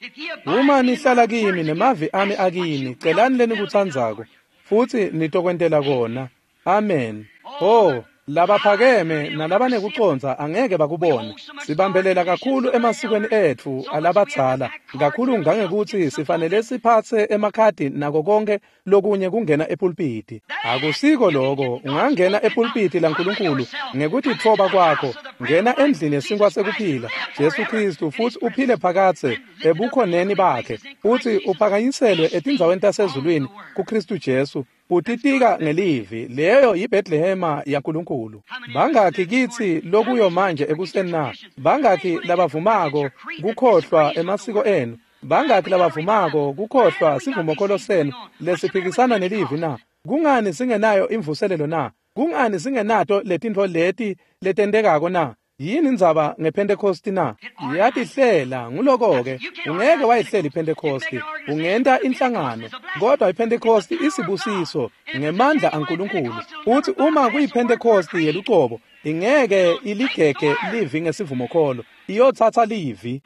Uma nihlala kimi nemavi ami akini, celani lenikutsandzako futsi nitokwentela kona. Amen. Oh, labaphakeme nalabanekucondza angeke bakubone. Sibambelela kakhulu emasikweni etfu alabadzala, kakhulu ngangekutsi sifanele siphatse emakhadi nako konke lokunye kungena epulpiti. Akusiko loko. Ungangena epulpiti laNkulunkulu ngekutitfoba kwakho, ngena endlini yesinkwa sekuphila, Jesu Kristu, futsi uphile phakadze ebukhoneni bakhe, futsi uphakanyiselwe etindzaweni tasezulwini kuKristu Jesu. Utitika ngelivi, leyo yiBethlehema yaNkulunkulu. Bangakhi kitsi lokuyo manje ekuseni na? Bangakhi labavumako kukhohlwa emasiko enu? Bangakhi labavumako kukhohlwa sivumokholo senu lesiphikisana nelivi na? Kungani singenayo imvuselelo na? Kungani singenato letintfo leti letentekako na? Yini indzaba ngePhentekosti na? Iyatihlela. Nguloko-ke, ungeke wayihlela iPhentekosti, ungenta inhlangano, kodwa iPhentekosti isibusiso ngemandla aNkulunkulu. Uthi uma kuyiPhentekosti yelucobo, ingeke iligege livi ngesivumokholo, iyotsatsa livi.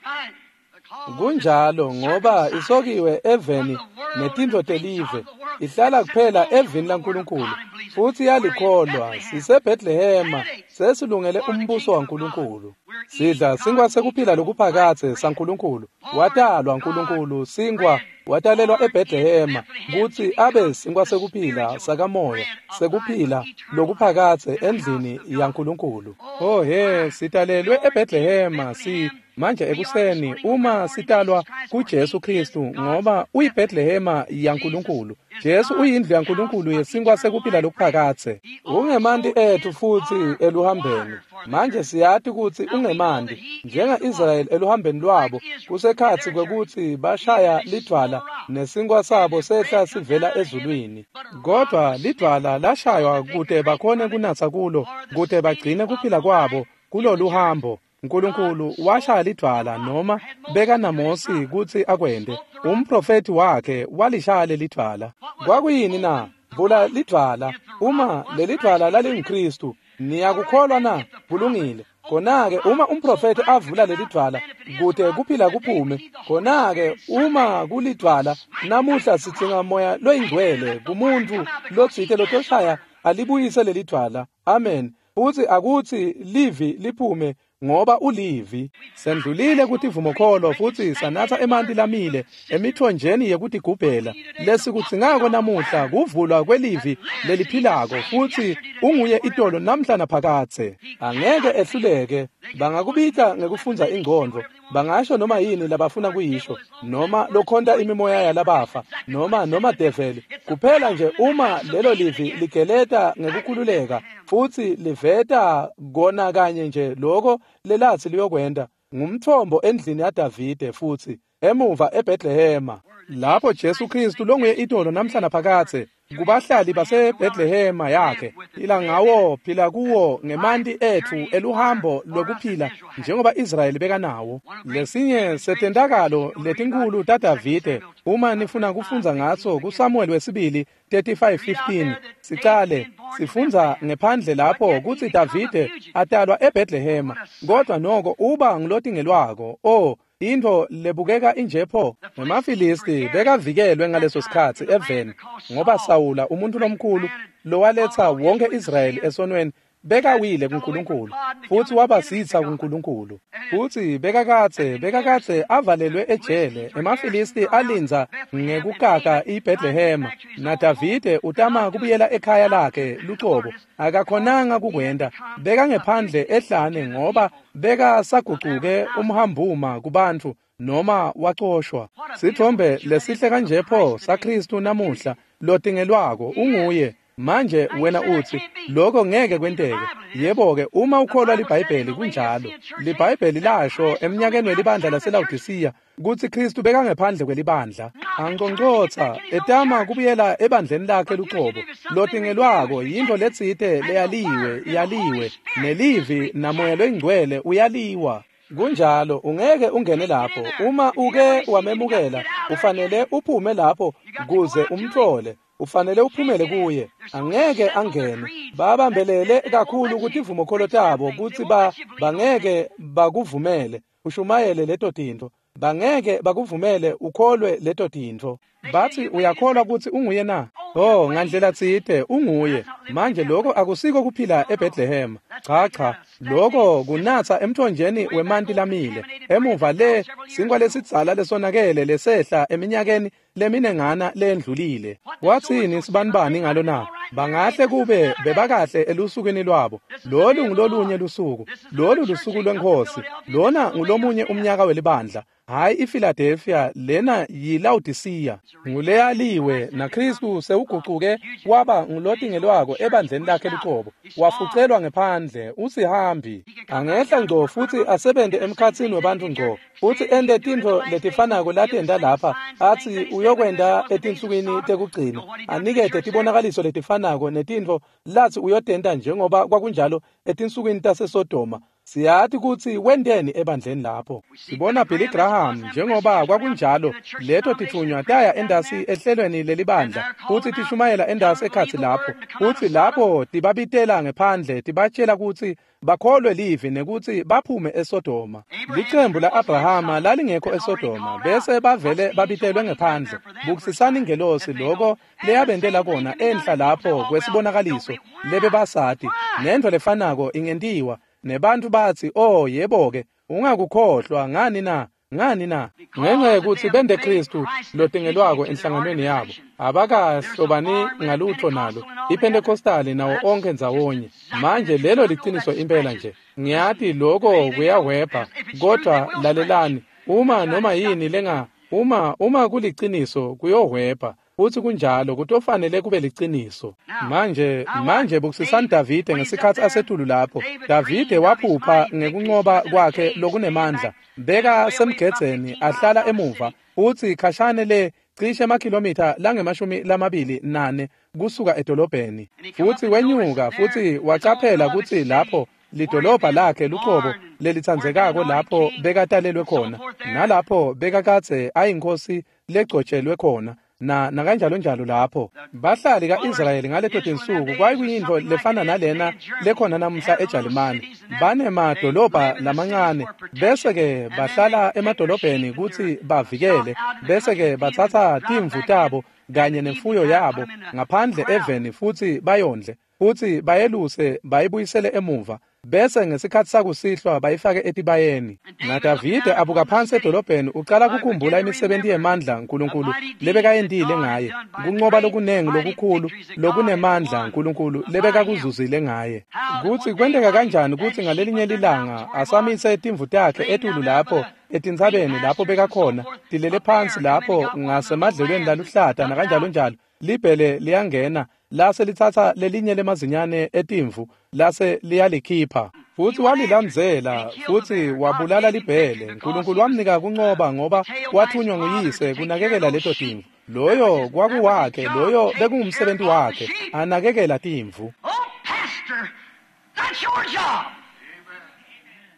Kunjalo, ngoba isokiwe eveni netintfo telive, ihlala kuphela evini laNkulunkulu, futsi yalikholwa. SiseBethlehema, sesilungele umbuso waNkulunkulu. Sidla sinkwa sekuphila lokuphakadze saNkulunkulu. Watalwa Nkulunkulu, sinkwa watalelwa eBethlehema kutsi abe sinkwa sekuphila sakamoya, sekuphila lokuphakadze endlini yaNkulunkulu. Oh he, sitalelwe eBethlehema si manje ekuseni uma sitalwa kuJesu Kristu, ngoba uyiBethlehema yaNkulunkulu. Jesu uyindlu yaNkulunkulu yesinkwa sekuphila lokuphakadze. Ungemanti etfu futsi eluhambeni. Manje siyati kutsi ungemanti, njenga-Israyeli eluhambeni lwabo, kusekhatsi kwekutsi bashaya lidvwala nesinkwa sabo sehla sivela ezulwini. Kodwa lidvwala lashaywa kute bakhone kunatsa kulo, kute bagcine kuphila kwabo kulolu hambo. Nkulunkulu washaya lidvwala, noma bekanaMosi kutsi akwente. Umprofethi wakhe walishaya lelidvwala. Kwakuyini na? Vula lidvwala. Uma lelidvwala lalinguKristu, niyakukholwa na? Kulungile. Khona-ke uma umprofethi avula lelidvwala kute kuphila kuphume, khona-ke uma kulidvwala namuhla sidzinga moya loyingcwele kumuntu lotsite lotoshaya alibuyise lelidvwala. Amen. Futsi akutsi livi liphume ngoba ulivi. Sendlulile kutivumokholo futsi sanatsa emanti lamile emithonjeni yekutigubhela. Lesikudzingako namuhla kuvulwa kwelivi leliphilako, futsi unguye itolo namhla naphakadze. Angeke ehluleke. Bangakubita ngekufundza ingcondvo, bangasho noma yini labafuna kuyisho, noma lokhonta imimoya yalabafa, noma noma develi. Kuphela nje uma lelo livi ligeleta ngekukhululeka futsi liveta kona kanye nje lokho lelatsi liyokwenta, ngumthombo endlini yaDavide futsi emuva eBethlehema, lapho Jesu Kristu longuye itolo namhla naphakadze kubahlali baseBethlehema yakhe. Phila ngawo, phila kuwo ngemanti etfu eluhambo lwekuphila njengoba Israyeli bekanawo. Lesinye setentakalo letinkhulu taDavide, uma nifuna kufundza ngaso kuSamuel wesibili thirty-five fifteen, sicale sifundza ngephandle lapho kutsi Davide atalwa eBethlehema, kodwa noko uba ngulotingelwako. Oh, intfo lebukeka injepho. NemaFilisti bekavikelwe ngaleso sikhatsi eveni, ngoba Sawula umuntu lomkhulu lowaletsa wonke Israyeli esonweni bekawile kuNkulunkulu futsi wabasitsa kuNkulunkulu. Futsi bekakadze bekakadze avalelwe ejele. EmaFilisti alindza ngekukaka iBethlehema, naDavide utama kubuyela ekhaya lakhe lucobo. Akakhonanga kukwenta, bekangephandle ehlane ngoba bekasagucuke umhambuma kubantfu noma wacoshwa. Sithombe lesihle kanjepho saKristu namuhla lotingelwako unguye. Manje wena utsi lokho ngeke kwenteke. Yebo-ke, uma ukholwa liBhayibheli kunjalo. LiBhayibheli lasho eminyakeni welibandla laseLawodisiya kutsi Kristu bekangephandle kwelibandla, anconcotsa etama kubuyela ebandleni lakhe lucobo. Lotingelwako yintfo letsite leyaliwe, yaliwe, nelivi namoya loyingcwele uyaliwa. Kunjalo, ungeke ungene lapho. Uma uke wamemukela, ufanele uphume lapho kuze umtfole. Ufanele uphumele kuye. Angeke angene. Babambelele kakhulu kutivumokholo tabo kutsi ba bangeke bakuvumele ushumayele leto tintfo. Bangeke bakuvumele ukholwe leto tintfo. Batsi uyakholwa kutsi unguye na? Oh, ngandlela tsite unguye. Manje lokho akusiko kuphila eBethlehema. Cha cha, lokho kunatsa emthonjeni wemanti lamile. Emuva le sinkwa lesidzala lesonakele lesehla eminyakeni leminengana lendlulile. Watsini sibanibani ngalo na? Bangahle kube bebakahle elusukwini lwabo. Lolu ngulolunye lusuku. Lolu lusuku lweNkhosi. Lona ngulomunye umnyaka welibandla. Hayi iPhiladelphia, lena yiLawodisiya. Nguleyaliwe naKristu sewugucuke waba ngulotingelwako ebandleni lakhe lucobo. Wafucelwa ngephandle, usihambi. Angehla ngco futsi asebente emkhatsini webantfu ngco, futsi ente tintfo letifanako latenta lapha, atsi uyokwenta etinsukwini tekugcina, anikete tibonakaliso letifanako netintfo latsi uyotenta njengoba kwakunjalo etinsukwini taseSodoma. Siyati kutsi wenteni ebandleni lapho. Sibona Billy Graham njengoba kwakunjalo, leto titfunywa taya endasi ehlelweni lelibandla futsi tishumayela endasi ekhatsi lapho, futsi lapho tibabitela ngephandle tibatshela kutsi bakholwe livi nekutsi baphume eSodoma. Licembu la-Abrahama lalingekho eSodoma, bese bavele babitelwe ngephandle. Bukisisani ingelosi lokho leyabentela kona enhla lapho kwesibonakaliso lebebasati. Nentfo lefanako ingentiwa. Nebantu batsi, oh yebo-ke, ungakukhohlwa ngani na? Ngani na? Ngenxa yekutsi bente Kristu lotingelwako enhlanganweni yabo, abakahlobani ngalutho nalo. IPentecostali nawo onke ndzawonye. Manje lelo liciniso impela nje. Ngiyati lokho kuyahwebha, kodwa lalelani, uma noma yini lenga, uma uma kuliciniso kuyohwebha. Futsi kunjalo kutofanele kube liciniso. Manje manje bukisisani Davide ngesikhatsi asetulu lapho. Davide waphupha ngekunqoba kwakhe lokunemandla. Beka semgedzeni ahlala emuva, futsi khashane le cishe emakhilomitha langemashumi lamabili nane kusuka edolobheni. Futsi wenyuka futsi wacaphela kutsi lapho lidolobha lakhe lucobo lelitsandzekako lapho bekatalelwe khona, nalapho bekakadze ayinkosi legcotshelwe khona. na nakanjalonjalo lapho. Bahlali ka-Israyeli ngaleto tinsuku kwakuyintfo lefana nalena lekhona namuhla eJalimane. Banemadolobha lamancane, bese-ke bahlala emadolobheni kutsi bavikele, bese-ke batsatsa timvu tabo kanye nemfuyo yabo ngaphandle eveni futsi bayondle, futsi bayeluse bayibuyisele emuva, bese ngesikhatsi sakusihlwa bayifake etibayeni. NaDavide abuka phansi edolobheni ucala kukhumbula imisebenti yemandla Nkulunkulu lebekayentile ngaye, kuncoba lokunengi lokukhulu lokunemandla Nkulunkulu lebekakuzuzile ngaye. Kutsi kwenteka kanjani kutsi ngalelinye lilanga asamise timvu takhe etulu lapho etintsabeni lapho bekakhona tilele phansi lapho ngasemadlelweni laluhlata nakanjalonjalo, libhele liyangena lase litsatsa lelinye lemazinyane etimvu lase liyalikhipha, futsi walilandzela futsi wabulala libhele. Nkulunkulu wamnika kuncoba ngoba wathunywa nguyise kunakekela leto timvu. Loyo kwakuwakhe, loyo bekungumsebenzi wakhe, anakekela timvu.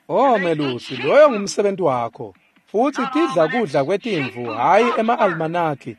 Oh melusi, loyo ngumsebenzi wakho. Futsi tidla kudla kwetimvu, hhayi ema-almanaki.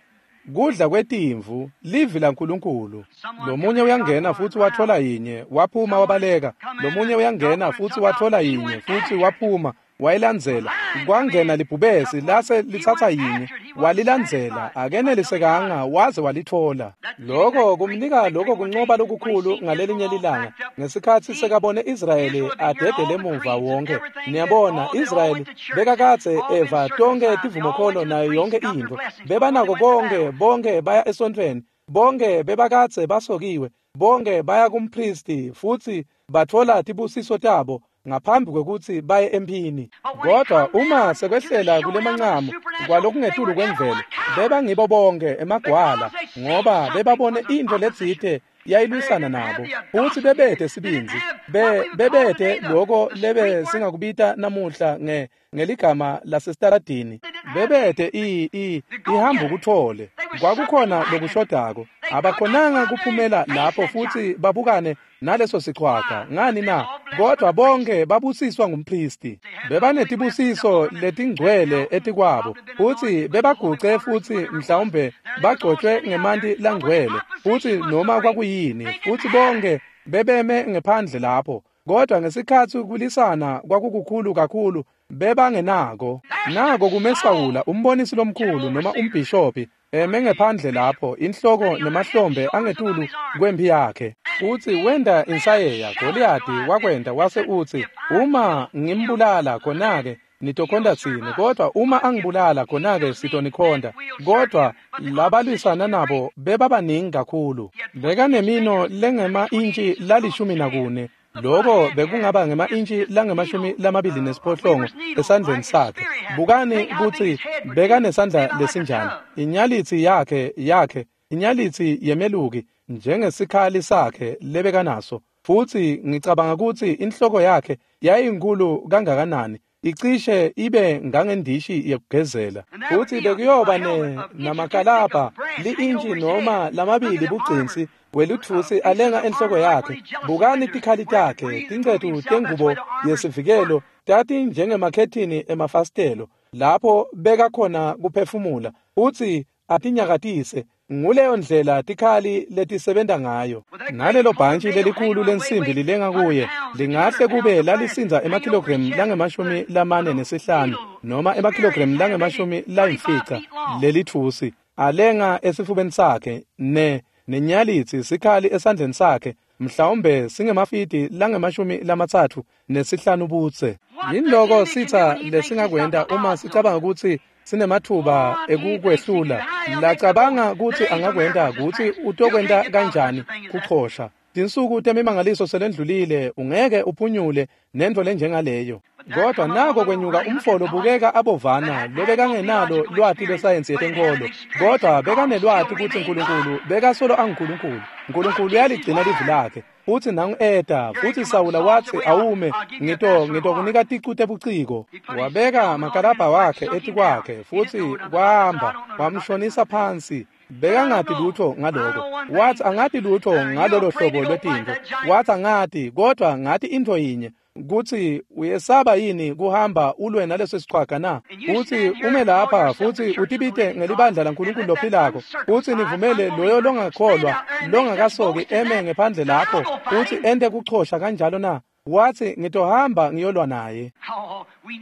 Kudla kwetimvu, livi laNkulunkulu. Lomunye uyangena futsi wathola yinye, waphuma wabaleka. Lomunye uyangena futsi wathola yinye, futsi waphuma wayilandzela. Kwangena libhubesi lase litsatsa yinye, walilandzela, akenelisekanga waze walithola. Lokho kumnika lokho kuncoba lokukhulu ngalelinye lilanga ngesikhatsi sekabone Israyeli adedele emuva wonke. Niyabona, Israyeli bekakadze eva tonkhe tivumokholo nayo yonke intfo. Bebanako konke, bonke baya esontfweni, bonke bebakadze basokiwe, bonke baya kumpristi futsi batfola tibusiso tabo ngaphambi kwekutsi baye emphini. Kodwa uma sekwehlela kulemancamu kwalokungetulu kwemvelo, bebangibo bonke emagwala ngoba bebabone intfo letsite yayilwisana nabo, futsi bebete sibindzi, be bebete loko lebe singakubita namuhla nge ngeligama lasestaradini, bebete i i ihamba kuthole. Kwakukhona lokushodako, abakhonanga kuphumela lapho futsi babukane naleso sichwaga. Ngani na? Kodwa bonke babusiswa ngumpristi. Bebanetibusiso letingcwele etikwabo, futsi bebaguce futsi mhlawumbe bagcotshwe ngemanti langcwele, futsi noma kwakuyini, futsi bonke bebeme ngephandle lapho. Kodwa ngesikhatsi kulisana kwakukukhulu kakhulu, bebangenako. Nako kume Sawula, umbonisi lomkhulu noma umbhishobhi, eme ngephandle lapho, inhloko nemahlombe angetulu kwemphi yakhe. Utsi wenda insayeya, Goliyathi wakwenda wase utsi, uma ngimbulala khona-ke nitokhonda tsine, kodwa uma angibulala khona-ke sitonikhonda. Kodwa labalwisana nabo bebabaningi kakhulu. Bekanemino lengema-intshi lalishumi nakune, loko bekungaba ngema-intshi langemashumi lamabili nesiphohlongo esandleni sakhe. Bukani kutsi bekanesandla lesinjani. Inyalitsi yakhe yakhe inyalitsi yemeluki njengesikhali sakhe lebekanaso. Futsi ngicabanga kutsi inhloko yakhe yayinkulu kangakanani, icishe ibe ngangendishi yekugezela. Futsi bekuyoba ne namakalabha li-intshi noma lamabili bugcinsi welutfusi alenga enhloko yakhe. Bukani tikhali takhe, tincethu tengubo yesivikelo tati njengemakhethini emafasitelo lapho bekakhona kuphefumula futsi atinyakatise. Nguleyo ndlela tikhali letisebenta ngayo. Nalelo bhantshi lelikhulu lensimbi lilenga kuye lingahle kube lalisindza emakhilogremu langemashumi lamane nesihlanu noma emakhilogremu langemashumi layimfica lelitfusi alenga esifubeni sakhe, ne nenyalitsi sikhali esandleni sakhe mhlawumbe singemafidi langemashumi lamatsatfu nesihlanu budze. Yinloko sitsa lesingakwenta uma sicabanga kutsi sinemathuba ekukwehlula. Lacabanga kutsi angakwenta kutsi utokwenta kanjani kuchosha. Tinsuku temimangaliso selendlulile, ungeke uphunyule nentfo lenjengaleyo. Kodwa nako kwenyuka umfolo bukeka abovana lobekangenalo lwati lwesayensi yetenkolo, kodwa bekanelwati kutsi Nkulunkulu bekasolo anguNkulunkulu. Nkulunkulu uyaligcina livi lakhe. Futsi nangu eta, futsi Sawula watsi, awume, ngito ngitokunika ticu tebuciko. Wabeka makalabha wakhe etikwakhe, futsi kwahamba, wamshonisa phansi. Bekangati lutho ngaloko. Wathi angati lutho ngalolo hlobo lwetintfo. Wathi angati, kodwa ngati intfo yinye, Kutsi uyesaba yini kuhamba ulwe naleso sichwaga na? Utsi ume lapha futsi utibite ngelibandla laNkulunkulu lophilako, utsi nivumele loyo longakholwa longakasoki eme ngephandle lapho utsi ente kuchosha kanjalo na? Wathi ngitohamba ngiyolwa naye.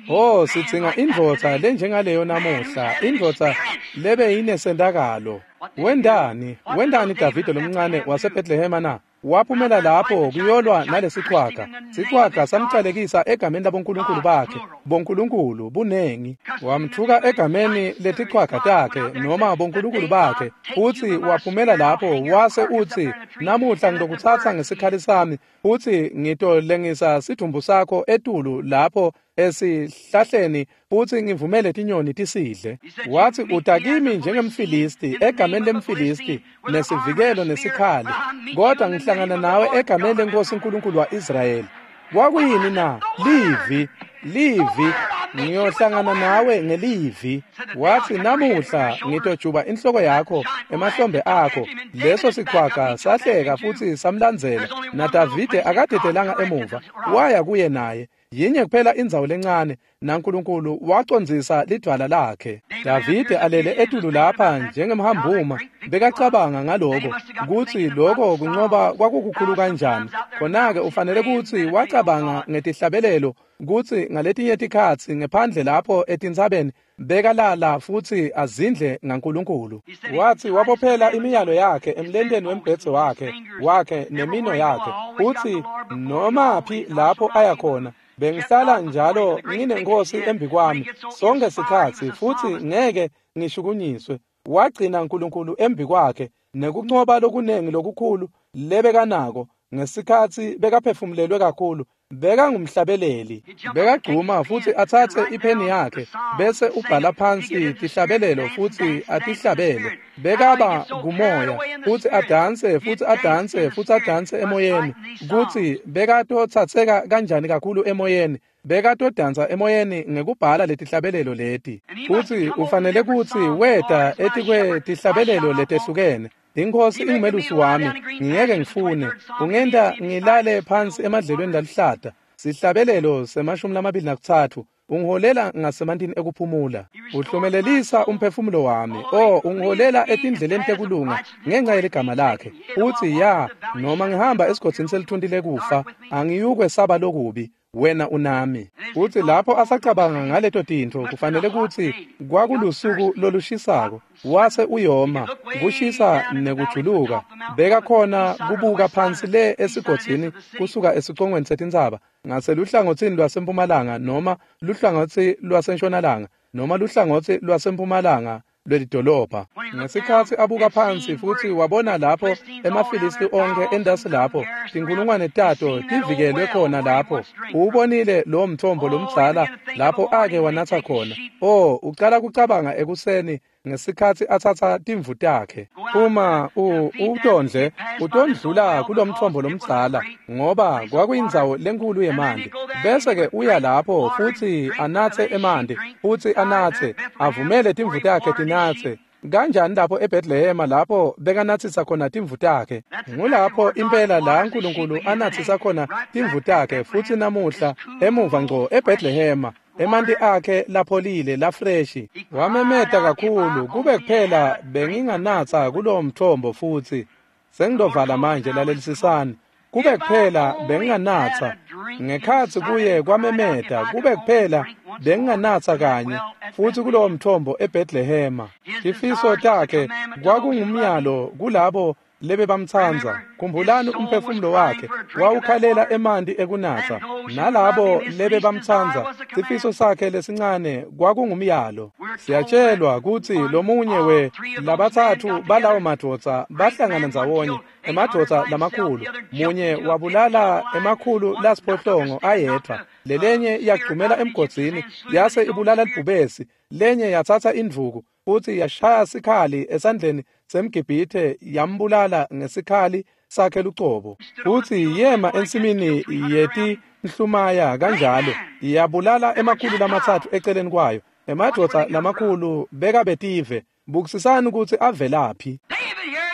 Oh, sidzinga indvodza lenjengaleyo namuhla, indvodza lebe yinesentakalo. Wendani? Wendani Davide lomncane waseBethlehema na? Waphumela lapho kuyolwa nalesichwaga. Sichwaga samcalekisa egameni labonkulunkulu bakhe, bonkulunkulu bunengi. Wamthuka egameni letichwaga takhe noma bonkulunkulu bakhe. Uthi waphumela lapho wase uthi namuhla ngitokutsatsa ngesikhali sami, uthi ngitolengisa sidumbu sakho etulu lapho esihlahleni futhi ngivumele tinyoni tisidle. Wathi utakimi njengemfilisti egameni lemfilisti nesivikelo nesikhali, kodwa ngihlangana nawe egameni lenkosi uNkulunkulu wa-Israyeli. Kwakuyini na? Livi, livi, ngiyohlangana nawe ngelivi. Wathi namuhla ngitojuba inhloko yakho emahlombe akho. Leso sichwaga sahleka futhi samlandzela, naDavide akadedelanga emuva, waya kuye naye. Yinye kuphela indzawo lencane, naNkulunkulu wacondzisa lidvwala lakhe. Davide alele etulu lapha njengemhambuma, bekacabanga ngaloko kutsi lokho kunqoba kwakukukhulu kanjani. Khona-ke ufanele kutsi wacabanga ngetihlabelelo kutsi ngaletinye tikhatsi ngephandle lapho etintsabeni bekalala futsi azindle ngaNkulunkulu. Wathi wabophela imiyalo yakhe emlenteni wembhedze wakhe wakhe nemino yakhe. Uthi nomaphi lapho aya khona, bengihlala njalo nginenkosi embikwami sonke sikhatsi futhi ngeke ngishukunyiswe. Wagcina uNkulunkulu embikwakhe nekunqoba lokunengi lokukhulu lebekanako ngesikhatsi bekaphefumulelwe kakhulu. Bekangumhlabeleli, bekagcuma futhi atsatse ipheni yakhe bese ubhala phansi tihlabelelo futhi atihlabele. Bekaba kumoya futhi adanse futhi adanse futhi adanse emoyeni. Kutsi bekatotsatseka kanjani kakhulu emoyeni, bekatodansa emoyeni ngekubhala letihlabelelo leti. Futhi ufanele kutsi weta etikwetihlabelelo letehlukene. Inkosi ingumelusi wami, ngingeke ngifune. Ungenta ngilale phansi emadlelweni laluhlata. Sihlabelelo semashumi lamabili nakutsatfu. Ungiholela ngasemantini ekuphumula. Uhlumelelisa umphefumulo wami. Oh, ungiholela etindleleni tekulunga ngenxa yeligama lakhe. Uthi ya, noma ngihamba esigodzini selithunti lekufa, angiyukwesaba lokubi. Wena unami. Uthi lapho asacabanga ngaleto tintfo kufanele kutsi kwakulusuku lolushisako, wase uyoma, kushisa nekujuluka. Bekakhona kubuka phansi le esigodzini kusuka esicongweni setintsaba ngaseluhlangotsini lwasempumalanga noma luhlangotsi lwasentshonalanga noma luhlangotsi lwasempumalanga lwelidolobha. Ngesikhatsi abuka phansi futsi wabona lapho emaFilisti onkhe endasi lapho tinkulungwane tato tivikelwe khona lapho. Uwubonile lowo mthombo lomdzala lapho ake wanatsa khona. Oh, ucala kucabanga ekuseni ngesikhatsi atsatsa timvu takhe. Uma utondle utondlula kulomthombo lomdzala ngoba kwakuyindzawo lenkulu yemanti. Bese-ke uya lapho futsi anatse emanti, futsi anatse, avumele timvu takhe tinatse. Kanjani lapho eBethlehema lapho bekanatsisa khona timvu takhe? Ngulapho impela la uNkulunkulu anatsisa khona timvu takhe futsi namuhla emuva ngco eBethlehema. Emanti akhe lapholile lafreshi. Wamemeta kakhulu kube kuphela benginganatsa kulowo mthombo futhi. Sengidovala manje, lalelisisani. Kube kuphela benginganatsa ngekhatsi kuye kwamemeta, kube kuphela benginganatsa kanye futhi kulowo mthombo eBethlehema. Tifiso takhe kwakungumyalo kulabo lebebamtsandza. Khumbulani umphefumulo wakhe wawukhalela emanti ekunatsa, nalabo lebebamtsandza sifiso sakhe lesincane kwakungumyalo. Siyatshelwa kutsi lomunye we labatsatfu balawo madvodza bahlangana ndzawonye, emadvodza lamakhulu. Munye wabulala emakhulu lasiphohlongo ayedvwa, lelenye yagcumela emgodzini yase ibulala libhubesi, lenye yatsatsa indvuku futhi yashaya sikhali esandleni semGibhithe yambulala ngesikhali sakhe lucobo. Futhi yema ensimini yetinhlumaya kanjalo yabulala emakhulu lamatsatfu eceleni kwayo. Emadvodza lamakhulu bekabetive. Bukisisani ukuthi avelaphi.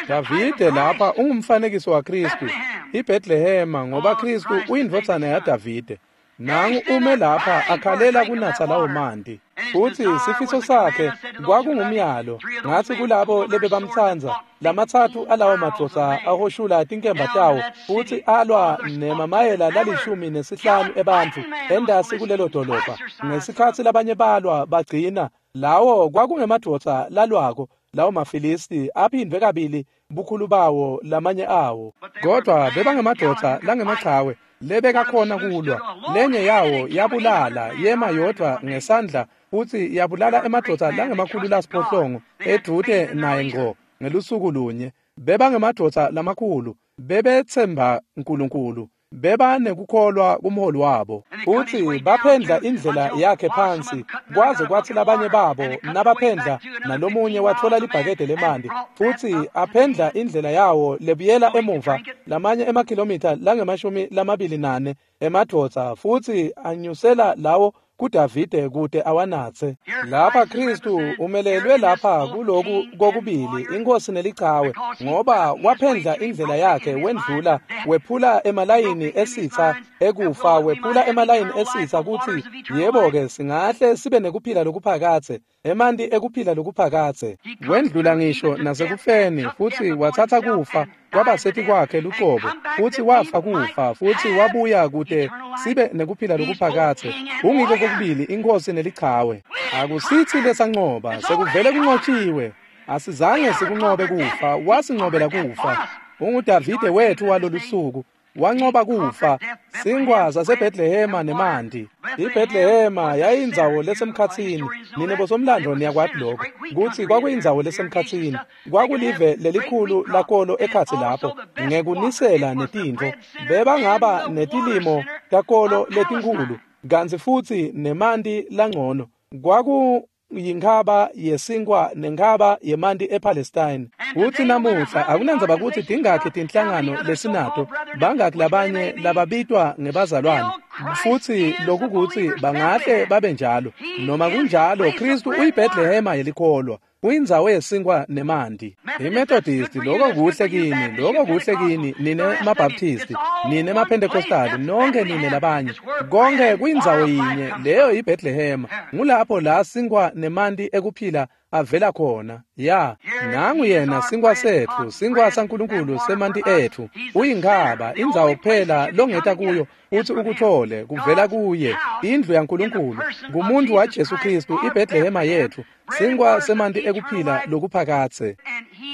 Davide lapha ungumfanekiso waKristu, iBethlehema, ngoba Kristu uyindvodzana yaDavide. Nangu ume lapha akhalela kunatsa lawo manti. Futhi sifiso sakhe kwakungumyalo. Ngathi kulabo lebebamtsandza, lamatsatfu alawo madvodza ahoshula tinkemba tawo futhi alwa nemamayela lalishumi nesihlanu ebantfu endasi kulelo dolobha. Ngesikhatsi labanye balwa bagcina, lawo kwakungemadvodza lalwako, lawo maFilisti aphindwe kabili bukhulu bawo lamanye awo. Kodwa bebangemadvodza langemachawe lebekakhona kulwa. Lenye yawo yabulala yema yodvwa ngesandla futhi yabulala emadvodza langemakhulu lasiphohlongo edvute naye ngqo ngelusuku lunye. Bebangemadvodza lamakhulu, bebetsemba uNkulunkulu, bebanekukholwa kumholi wabo. Futhi baphendla indlela yakhe phansi kwaze kwathi labanye babo nabaphendla nalomunye wathola libhakede lemanti futhi aphendla indlela yawo lebuyela emuva lamanye emakhilomitha langemashumi lamabili nane emadvodza futhi anyusela lawo kuDavide kude awanatse. Lapha Kristu umelelwe lapha kuloku kokubili inkosi nelichawe, ngoba waphendla indlela yakhe wendlula wephula emalayini esitha ekufa, wephula emalayini esitha kuthi yebo ke singahle sibe nekuphila lokuphakathe, emanti ekuphila lokuphakathe. Wendlula ngisho nasekufeni futhi wathatha kufa kwabasethi kwakhe luqobo, futhi wafa kufa futhi wabuya kude sibe nekuphila lokuphakathe. Ungiko kokubili inkosi nelichawe. Akusithi lesanqoba, sekuvele kunqotshiwe. Asizange sikunqobe kufa, wasinqobela kufa. UnguDavide wethu walolu suku, wanqoba kufa. Sinkwa saseBethlehema nemanti. IBethlehema yayindzawo lesemkhatsini. Nine bosomlando niyakwati lokho kutsi kwakuyindzawo lesemkhatsini. Kwakulive lelikhulu lakolo ekhatsi lapho ngekunisela netintfo. Bebangaba netilimo takolo letinkhulu kantsi futsi nemanti langcono. Kwakuyinkhaba yesinkwa nenkhaba yemanti ePalestine. Kutsi namuhla akunandzaba kutsi tingakhi tinhlangano lesinato, bangakhi labanye lababitwa ngebazalwane, futsi lokukutsi bangahle babe njalo. Noma kunjalo, Kristu uyiBethlehema yelikholwa, uyindzawo yesinkwa nemanti. IMethodist, lokho kuhle kini, lokho kuhle kini, nine maBaptist, nine maPentecostal, nonke nine labanye. Konke kuyindzawo yinye, leyo yiBethlehema. Ngulapho la sinkwa nemanti ekuphila avela khona. Ya, nangu yena sinkwa setfu, sinkwa saNkulunkulu semanti etfu. Uyinkhaba, indzawo kuphela longeta kuyo uthi ukuthole kuvela kuye, indlu yaNkulunkulu, ngumuntu waJesu Kristu, iBethlehema yetfu, sinkwa semanti ekuphila lokuphakathe.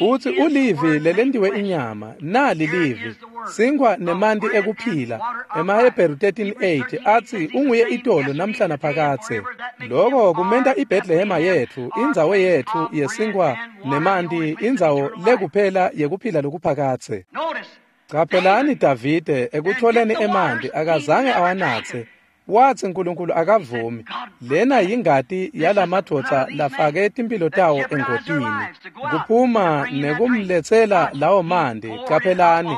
Uthi ulivi lelentiwe inyama, nali livi, sinkwa nemanti ekuphila. EmaHebheru thirteen eight athi unguye itolo namhla naphakathe. Lokho kumenta iBethlehema yetfu, indzawo yetfu yesinkwa nemanti, indzawo lekuphela yekuphila lokuphakathe. Caphelani Davide ekutholeni emanti akazange awanatse. Wathi uNkulunkulu akavumi. Lena yingati yalamadvodza lafake timphilo tawo engotini. Kuphuma nekumletsela lawo manti. Caphelani,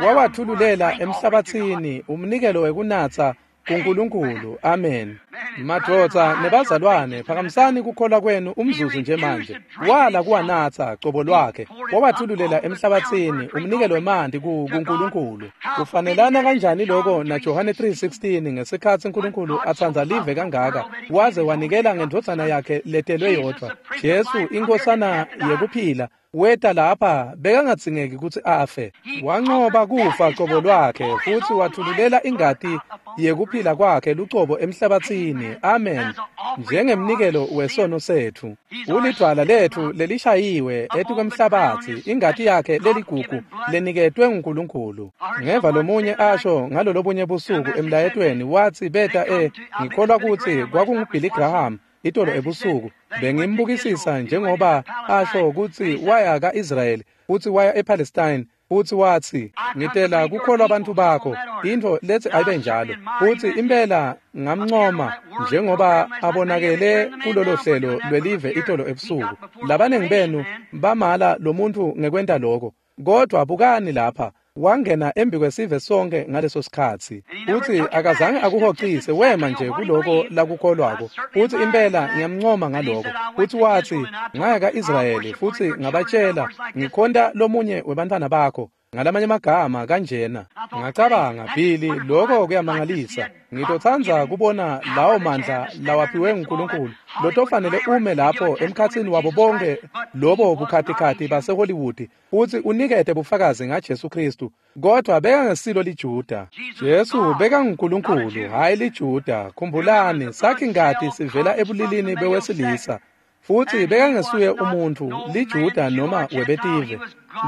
wawathululela emhlabathini umnikelo wekunatsa kuNkulunkulu. Amen. Madvodza nebazalwane, phakamisani kukholwa kwenu umzuzu nje manje. Wala kuwanatsa cobo lwakhe, wawathululela emhlabathini umnikelo wemanti kuNkulunkulu. Kufanelana kanjani lokho na Johane three sixteen ngesikhatsi uNkulunkulu atsandza live kangaka waze wanikela ngendvodzana yakhe letelwe yodvwa, Jesu inkosana yekuphila. Weta lapha bekangadzingeki kutsi afe. Wanqoba kufa cobo lwakhe futhi wathululela ingati yekuphila kwakhe lucobo emhlabathini. Amen. Njengemnikelo wesono setfu. Ulidvwala letfu lelishayiwe etikwemhlabatsi, ingati yakhe leligugu leniketwe nguNkulunkulu. Ngeva lomunye asho ngalolobunye busuku emlayetweni wathi beta e ngikholwa kutsi kwakunguBilly Graham itolo ebusuku. Bengimbukisisa njengoba asho kutsi waya ka-Israyeli futhi waya ePalestine futhi wathi ngitela kukholwa abantu bakho, intfo lethi ayibe njalo. Futhi impela ngamncoma njengoba abonakele kulolo hlelo lwelive itolo ebusuku. Labaningi benu bamala lo muntu ngekwenta lokho, kodwa bukani lapha, wangena embi kwesive sonke ngaleso sikhatsi. Uthi akazange akuhoxise, wema nje kuloko lakukholwako. Uthi impela ngiyamncoma ngaloko. Uthi wathi ngaya ka-Israyeli futhi ngabatshela ngikhonta lomunye webantfwana bakho. Ngalamanye amagama kanjena. Ngacabanga, Billy, lokho kuyamangalisa. Ngitotsandza kubona lawo mandla lawaphiwe nguNkulunkulu lotofanele ume lapho emkhatsini wabo bonke lobo bukhatikhathi baseHollywood futhi unikete bufakazi ngaJesu Kristu. Kodwa bekangesilo liJuda. Jesu bekanguNkulunkulu, hhayi liJuda. Khumbulani, sakhi ngati sivela ebulilini bewesilisa. Futhi bekangesuye umuntu liJuda noma webetive.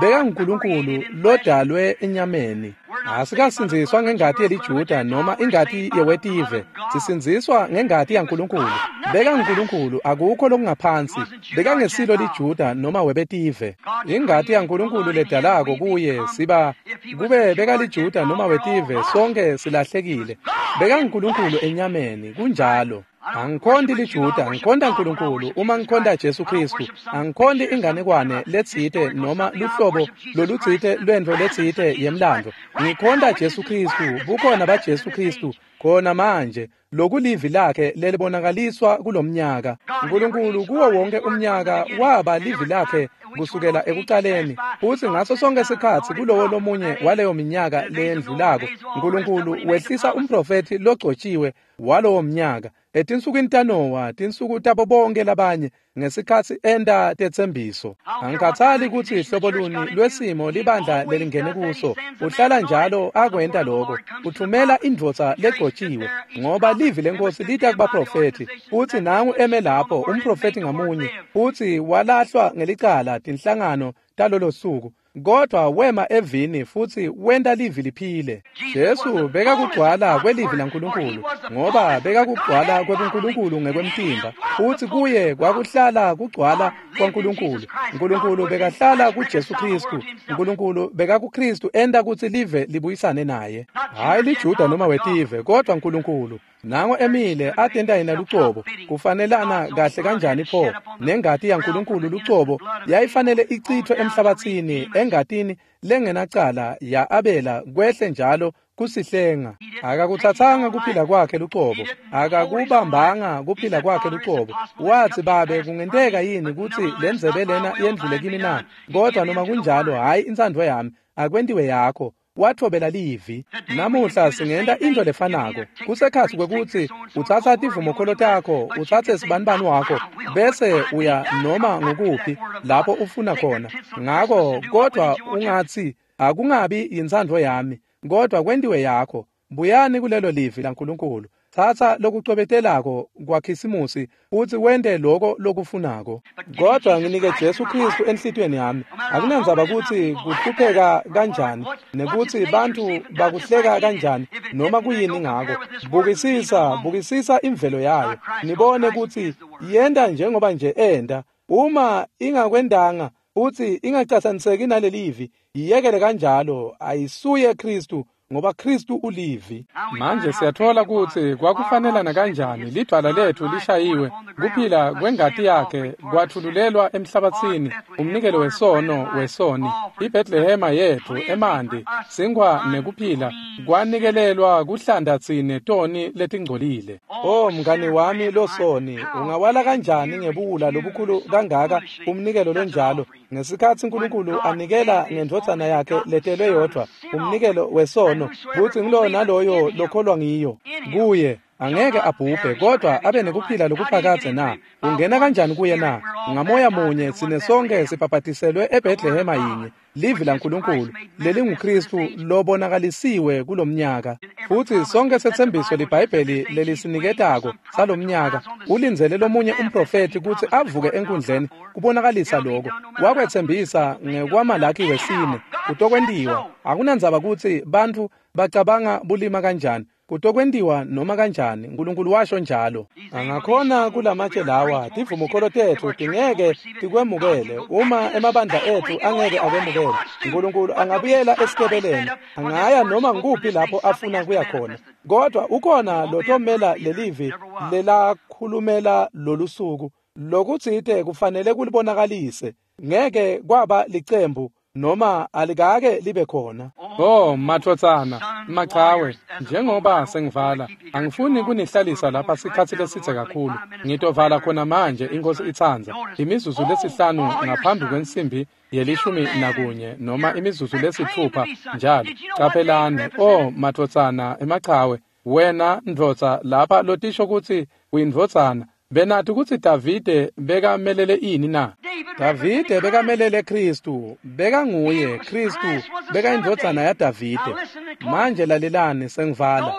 BekanguNkulunkulu lodalwe enyameni. Asikasindziswa ngengati yeliJuda noma ingati yewetive. Sisindziswa ngengati yaNkulunkulu. BekanguNkulunkulu, akukho lokungaphansi. Bekangesilo liJuda noma webetive. Ingati yaNkulunkulu ledalako kuye siba kube bekaliJuda noma wetive, sonke silahlekile. BekanguNkulunkulu enyameni, kunjalo. Angikhonti liJuda, ngikhonta uNkulunkulu uma ngikhonta Jesu Kristu. Angikhonti inganekwane letsite noma luhlobo lolutsite lwentfo letsite yemlando. Ngikhonta Jesu Kristu, bukhona baJesu Kristu khona manje, lokulivi lakhe lelibonakaliswa kulomnyaka. uNkulunkulu kuwo wonke umnyaka waba livi lakhe kusukela ekuqaleni, futhi ngaso sonke sikhatsi kulowo lomunye waleyo minyaka leyendlulako, uNkulunkulu wehlisa umprofethi logcotshiwe walowo mnyaka. Etinsukwini taNowa, tinsuku tabo bonke labanye, ngesikhatsi enta tetsembiso. Angikhathali kutsi hlobo luni lwesimo libandla lelingene kuso, uhlala njalo akwenta lokho. Uthumela indvodza legcotshiwe, ngoba livi lenkosi lita kubaprofethi. Futhi nangu eme lapho umprofethi ngamunye, futhi walahlwa ngelicala tinhlangano talolo suku. Kodwa wema evini futhi wenta livi liphile. Jesu bekakugcwala kwelivi laNkulunkulu, ngoba bekakugcwala kwebuNkulunkulu ngekwemtimba, futhi kuye kwakuhlala kugcwala kwaNkulunkulu. uNkulunkulu bekahlala kuJesu Kristu. uNkulunkulu bekakuKristu enta kutsi live libuyisane naye. Hhayi liJuda noma wetive, kodwa uNkulunkulu. Nango emile atenta yena lucobo, kufanelana kahle kanjani pho nengati yaNkulunkulu lucobo yayifanele ichithwe emhlabathini engatini lengenacala ya Abela kwehle njalo kusihlenga. Akakuthathanga kuphila kwakhe lucobo, akakubambanga kuphila kwakhe lucobo. Wathi, Babe, kungenteka yini kutsi lendzebe lena yendlule kimi na? Kodwa noma kunjalo, hhayi intsandvo yami, akwentiwe yakho. Wathobela livi. Namuhla singenta into lefanako. Kusekhatsi kwekutsi utsatsa tivumokholo takho, utsatse sibanibani wakho, bese uya noma ngukuphi lapho ufuna khona. Ngako kodwa ungatsi, akungabi yintsandvo yami, kodwa kwentiwe yakho. Buyani kulelo livi laNkulunkulu. Tsatsa lokucwebetelako kwaKhisimusi futsi wente loko lokufunako. Kodwa nginike Jesu Kristu enhlitiyweni yami. Akunandzaba kutsi kuhlupheka kanjani, nekutsi bantfu bakuhleka kanjani, noma kuyini ngako. Bukisisa, bukisisa imvelo yayo. Nibone kutsi yenta njengoba nje enta. Uma ingakwendanga futsi ingacatsaniseki nalelivi, yiyekele kanjalo, ayisuye Kristu, ngoba Kristu ulivi. Manje siyathola kutsi kwakufanelana kanjani lidwala lethu lishayiwe, kuphila kwengati yakhe kwathululelwa emhlabatsini, umnikelo wesono wesoni. IBethlehema yethu emanti, sinkhwa nekuphila kwanikelelwa kuhlanda tsine toni letingcolile. Oh mngani wami losoni, ungawala kanjani ngebuwula lobukhulu kangaka umnikelo lonjalo, ngesikhatsi uNkulunkulu anikela ngendvodzana yakhe letelwe yodvwa, umnikelo wesono, kutsi ngulowo naloyo lokholwa ngiyo kuye angeke abhubhe, kodwa abe nekuphila lokuphakadze na? Ungena kanjani kuye na? Ngamoya munye sine sonke sibhabhatiselwe eBethlehema yinye, livi laNkulunkulu lelinguKristu lobonakalisiwe kulomnyaka. Futhi sonke setsembiso liBhayibheli lelisiniketako salomnyaka ulindzele lomunye umprofethi kutsi avuke enkundleni kubonakalisa lokho. Wakwetsembisa ngekwaMalaki wesine, kutokwentiwa. Akunandzaba kutsi bantfu bacabanga bulima kanjani, kutokwentiwa noma kanjani, uNkulunkulu washo njalo. Angakhona kulamatshe lawa, tivumokholo tetfu tingeke tikwemukele, uma emabandla etfu angeke akwemukele. uNkulunkulu angabuyela esikebeleni, angaya noma nguphi lapho afuna kuya khona. Kodwa ukhona lotomela lelivi lelakhulumela lolusuku, lokutsite kufanele kulibonakalise. Ngeke kwaba licembu noma alikake libe khona. Oh madvodzana machawe, njengoba sengivala, angifuni kunihlalisa lapha sikhatsi lesitse kakhulu. Ngitovala khona manje inkosi itsandza, imizuzu lesihlanu ngaphambi kwensimbi yelishumi nakunye noma imizuzu lesitfupha njalo. Caphelani, oh madvodzana emachawe, wena ndvodza lapha lotisho kutsi uyindvodzana, benathi kutsi Davide bekamelele ini na? Davide bekamelele Kristu, bekanguye Kristu, bekayindvodzana yaDavide. Manje lalelani sengivala.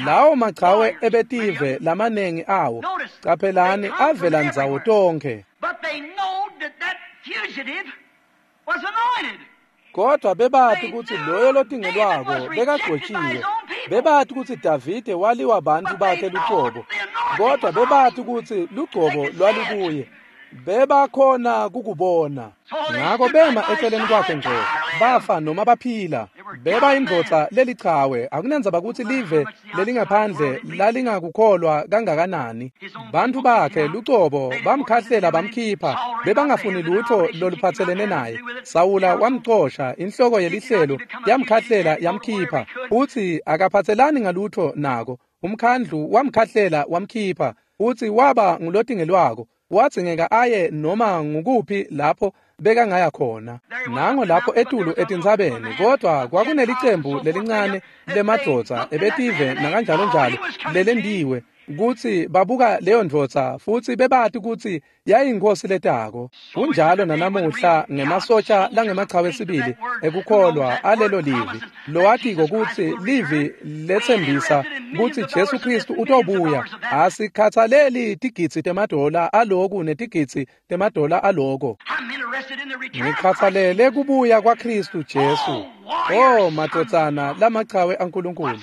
Lawo machawe ebetive lamanengi awo, caphelani avela ndzawo tonkhe. But they know that that fugitive was anointed. Kodwa bebathi kutsi loyo lotingelwako bekagcotshiwe. Bebathi kutsi Davide waliwa bantfu bakhe luqobo. Kodwa bebathi kutsi lugcobo lwalukuye. Bebakhona kukubona. Ngako bema eceleni kwakhe nje, bafa noma baphila. Beba indvodza lelichawe, akunendzaba kutsi live lelingaphandle lalingakukholwa kangakanani. Bantfu bakhe lucobo bamkhahlela bamkhipha, bebangafuni lutho loluphatselene naye. Sawula wamcosha, inhloko yelihlelo yamkhahlela yamkhipha, utsi akaphatselani ngalutho nako. Umkhandlu wamkhahlela wamkhipha, utsi waba ngulotingelwako. Wadzingeka aye noma ngukuphi lapho bekangaya khona. Nango lapho etulu etintsabeni, kodwa kwakunelicembu lelincane lemadvodza ebetive nakanjalo njalo lelendiwe kutsi babuka leyo ndvodza futsi bebati kutsi yayinkosi letako. Kunjalo nanamuhla ngemasotsha langemachawe sibili ekukholwa alelo livi, lowatiko kutsi livi letsembisa kutsi Jesu Kristu utobuya. Asikhathaleli tigidzi temadola aloku netigidzi temadola aloko. I'm interested in the return of Christ. Ngikhathalele kubuya kwaKristu Jesu. Oh madvodzana lamachawe aNkulunkulu,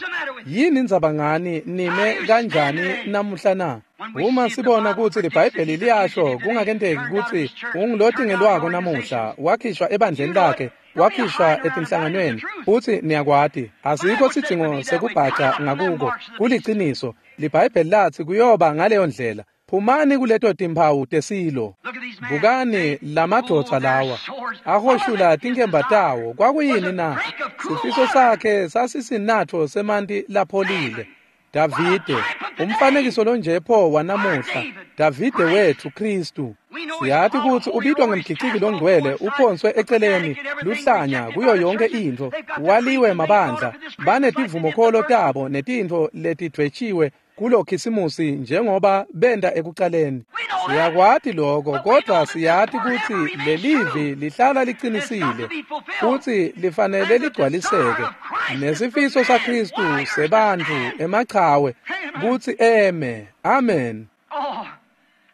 yini indzaba ngani nime kanjani namuhla na? Uma sibona kutsi liBhayibheli liyasho kungakenteki kutsi ungulotingelwako namuhla, wakhishwa ebandleni lakhe, wakhishwa etinhlanganweni, futsi niyakwati, asikho sidzingo sekubhaca ngakuko, kuliciniso. LiBhayibheli latsi kuyoba ngaleyo ndlela. Phumani kuleto timphawu tesilo. Look at these men. Bukani lamadvodza lawa ahoshula tinkemba tawo. Kwakuyini na? Sifiso sakhe sasisinatfo semanti lapholile. Davide, umfanekiso lonje pho wanamuhla, Davide wethu Kristu. Siyati kutsi ubitwa ngemgiciki longcwele, uphonswe eceleni, luhlanya kuyo yonke intfo, waliwe mabandla, banetivumokholo tabo netintfo letidvwetshiwe kulo khisimusi njengoba benta ekucaleni. Siyakwati lokho, kodwa siyati kutsi lelivi lihlala liqinisile futsi lifanele ligcwaliseke. Nesifiso saKristu sebantfu emachawe kutsi eme. Amen. Oh,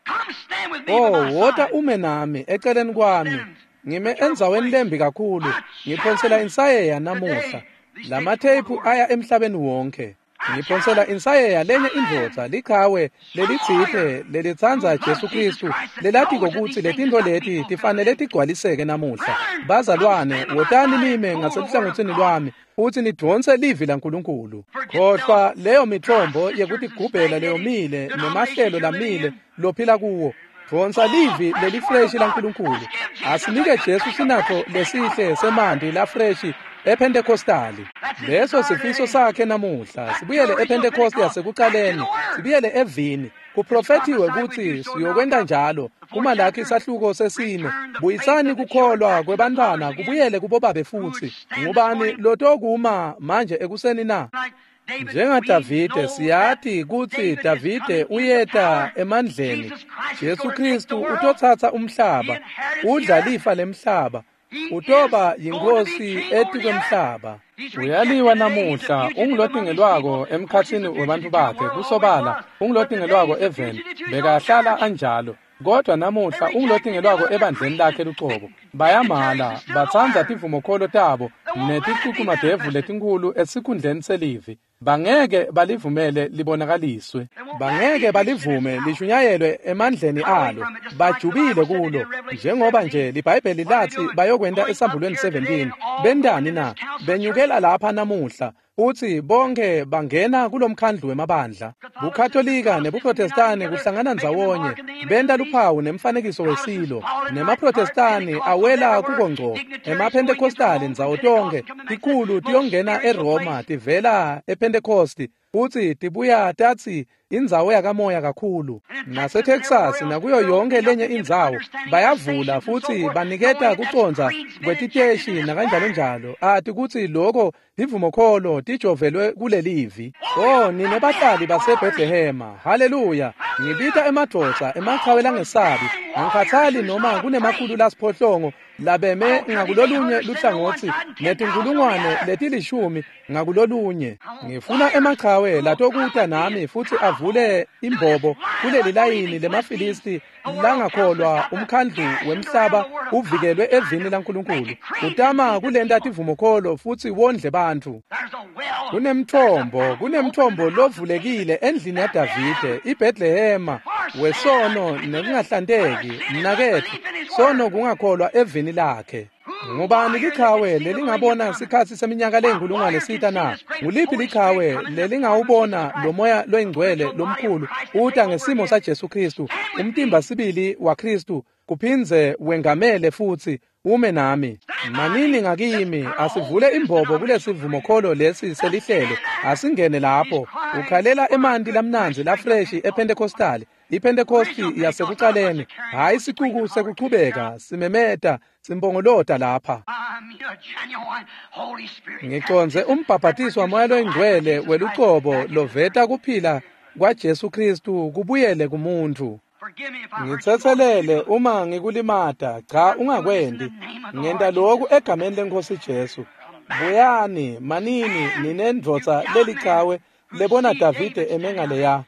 come stand with me by Oh, my wota side. ume nami eceleni kwami. Ngime endzaweni lembi kakhulu, ngiphonsela insayeya namuhla. Lamatheyiphu aya emhlabeni wonke. Ngiphonsela insayeya lenye indvodza lichawe lelitsite lelitsandza Jesu Kristu lelatiko kutsi letintfo leti tifanele tigcwaliseke namuhla. Bazalwane, wotani nime ngaseluhlangotsini lwami futsi nidvonse livi laNkulunkulu. Khohlwa leyo mithombo yekutigubhela leyomile nemahlelo lamile lophila kuwo. Dvonsa livi lelifreshi laNkulunkulu. Asinike Jesu sinatfo lesihle semanti lafreshi ePentecostali. Leso sifiso sakhe namuhla. Sibuyele ePentecost yasekucaleni, sibuyele evini. Kuprofethiwe kutsi siyokwenta njalo. Kumalakhi isahluko sesine, buyisani kukholwa kwebantfwana kubuyele kubobabe futsi. Ngubani lotokuma manje ekuseni na? Like David, NjengaDavide we know siyati that kutsi David is Davide coming into uyeta power. emandleni. Jesus Christ is Jesu gonna take Kristu the world. utotsatsa umhlaba, He inherits the udla earth. lifa lemhlaba, He utoba is going to be yinkosi king over the earth. etikwemhlaba. He's Uyaliwa rejected today. He's a namuhla, fugitive among his ungulotingelwako people. Of course, he's emkhatsini a webantfu fugitive to the bakhe, world, always kusobala, was. But today ungulotingelwako he's a eveni, fugitive to his own bekahlala church. anjalo. Kodwa namuhla They rejected him ungulotingelwako of their ebandleni creeds lakhe and lucobo. Bayamala, dignitaries instead of the batsandza word. tivumokholo tabo They won't let it be neticucumadevu manifested. letinkhulu esikhundleni selivi. Bangeke balivumele libonakaliswe, bangeke balivume lishunyayelwe emandleni alo. Bajubile kulo, njengoba nje liBhayibheli lathi bayokwenta esambulweni seventeen. Bentani na? Benyukela lapha namuhla uthi bonke bangena kulomkhandlu wemabandla. Bukatolika nebuProtestani kuhlangana ndzawonye, benta luphawu nemfanekiso wesilo. NemaProtestani awela kuko ngco, emaPentecostali ndzawo tonke. Tikhulu tiyongena eRoma tivela ePentecosti, futhi tibuya tatsi indzawo yakamoya kakhulu. NaseTexas nakuyo yonke lenye indzawo bayavula futhi baniketa kucondza kwetiteshi nakanjalo njalo. Ati kutsi loko tivumokholo tijovelwe kulelivi. Oh, nine bahlali baseBethlehema, haleluya! Ngibita emadvodza emachawe langesabi. Angikhathali noma kunemakhulu lasiphohlongo labeme ngakulolunye luhlangotsi netinkulungwane letilishumi ngakulolunye. Ngifuna emachawe latokuta nami futhi avule imbobo kuleli layini lemaFilisti langakholwa. Umkhandlu wemhlaba uvikelwe evini laNkulunkulu. Utama kulenta tivumokholo futhi wondle bantfu. Kunemthombo, kunemthombo lovulekile endlini yaDavide, iBethlehema, wesono nekungahlanteki. Mnaketfu, sono kungakholwa evini lakhe. Ngubani lichawe lelingabona sikhatsi seminyaka leyinkulungwane sita na? Nguliphi lichawe lelingawubona lo moya loyingcwele lomkhulu uta ngesimo saJesu Kristu, umtimba sibili waKristu, kuphindze wengamele futsi ume nami? Manini ngakimi, asivule imbobo kulesivumokholo lesi selihlelo, asingene lapho. Ukhalela emanti lamnandzi lafreshi ePentecostali, iPentecosti yasekucaleni, hhayi sicuku sekuchubeka simemeta simpongolota lapha. Ngiconze umbhabhatiso wamoya loyingcwele welucobo loveta kuphila kwaJesu Kristu kubuyele kumuntfu. Ngitsetselele uma ngikulimata, cha ungakwenti. Ngenta lokhu egameni leNkhosi Jesu. Buyani, manini ninendvodza lelichawe lebona Davide emengaleya.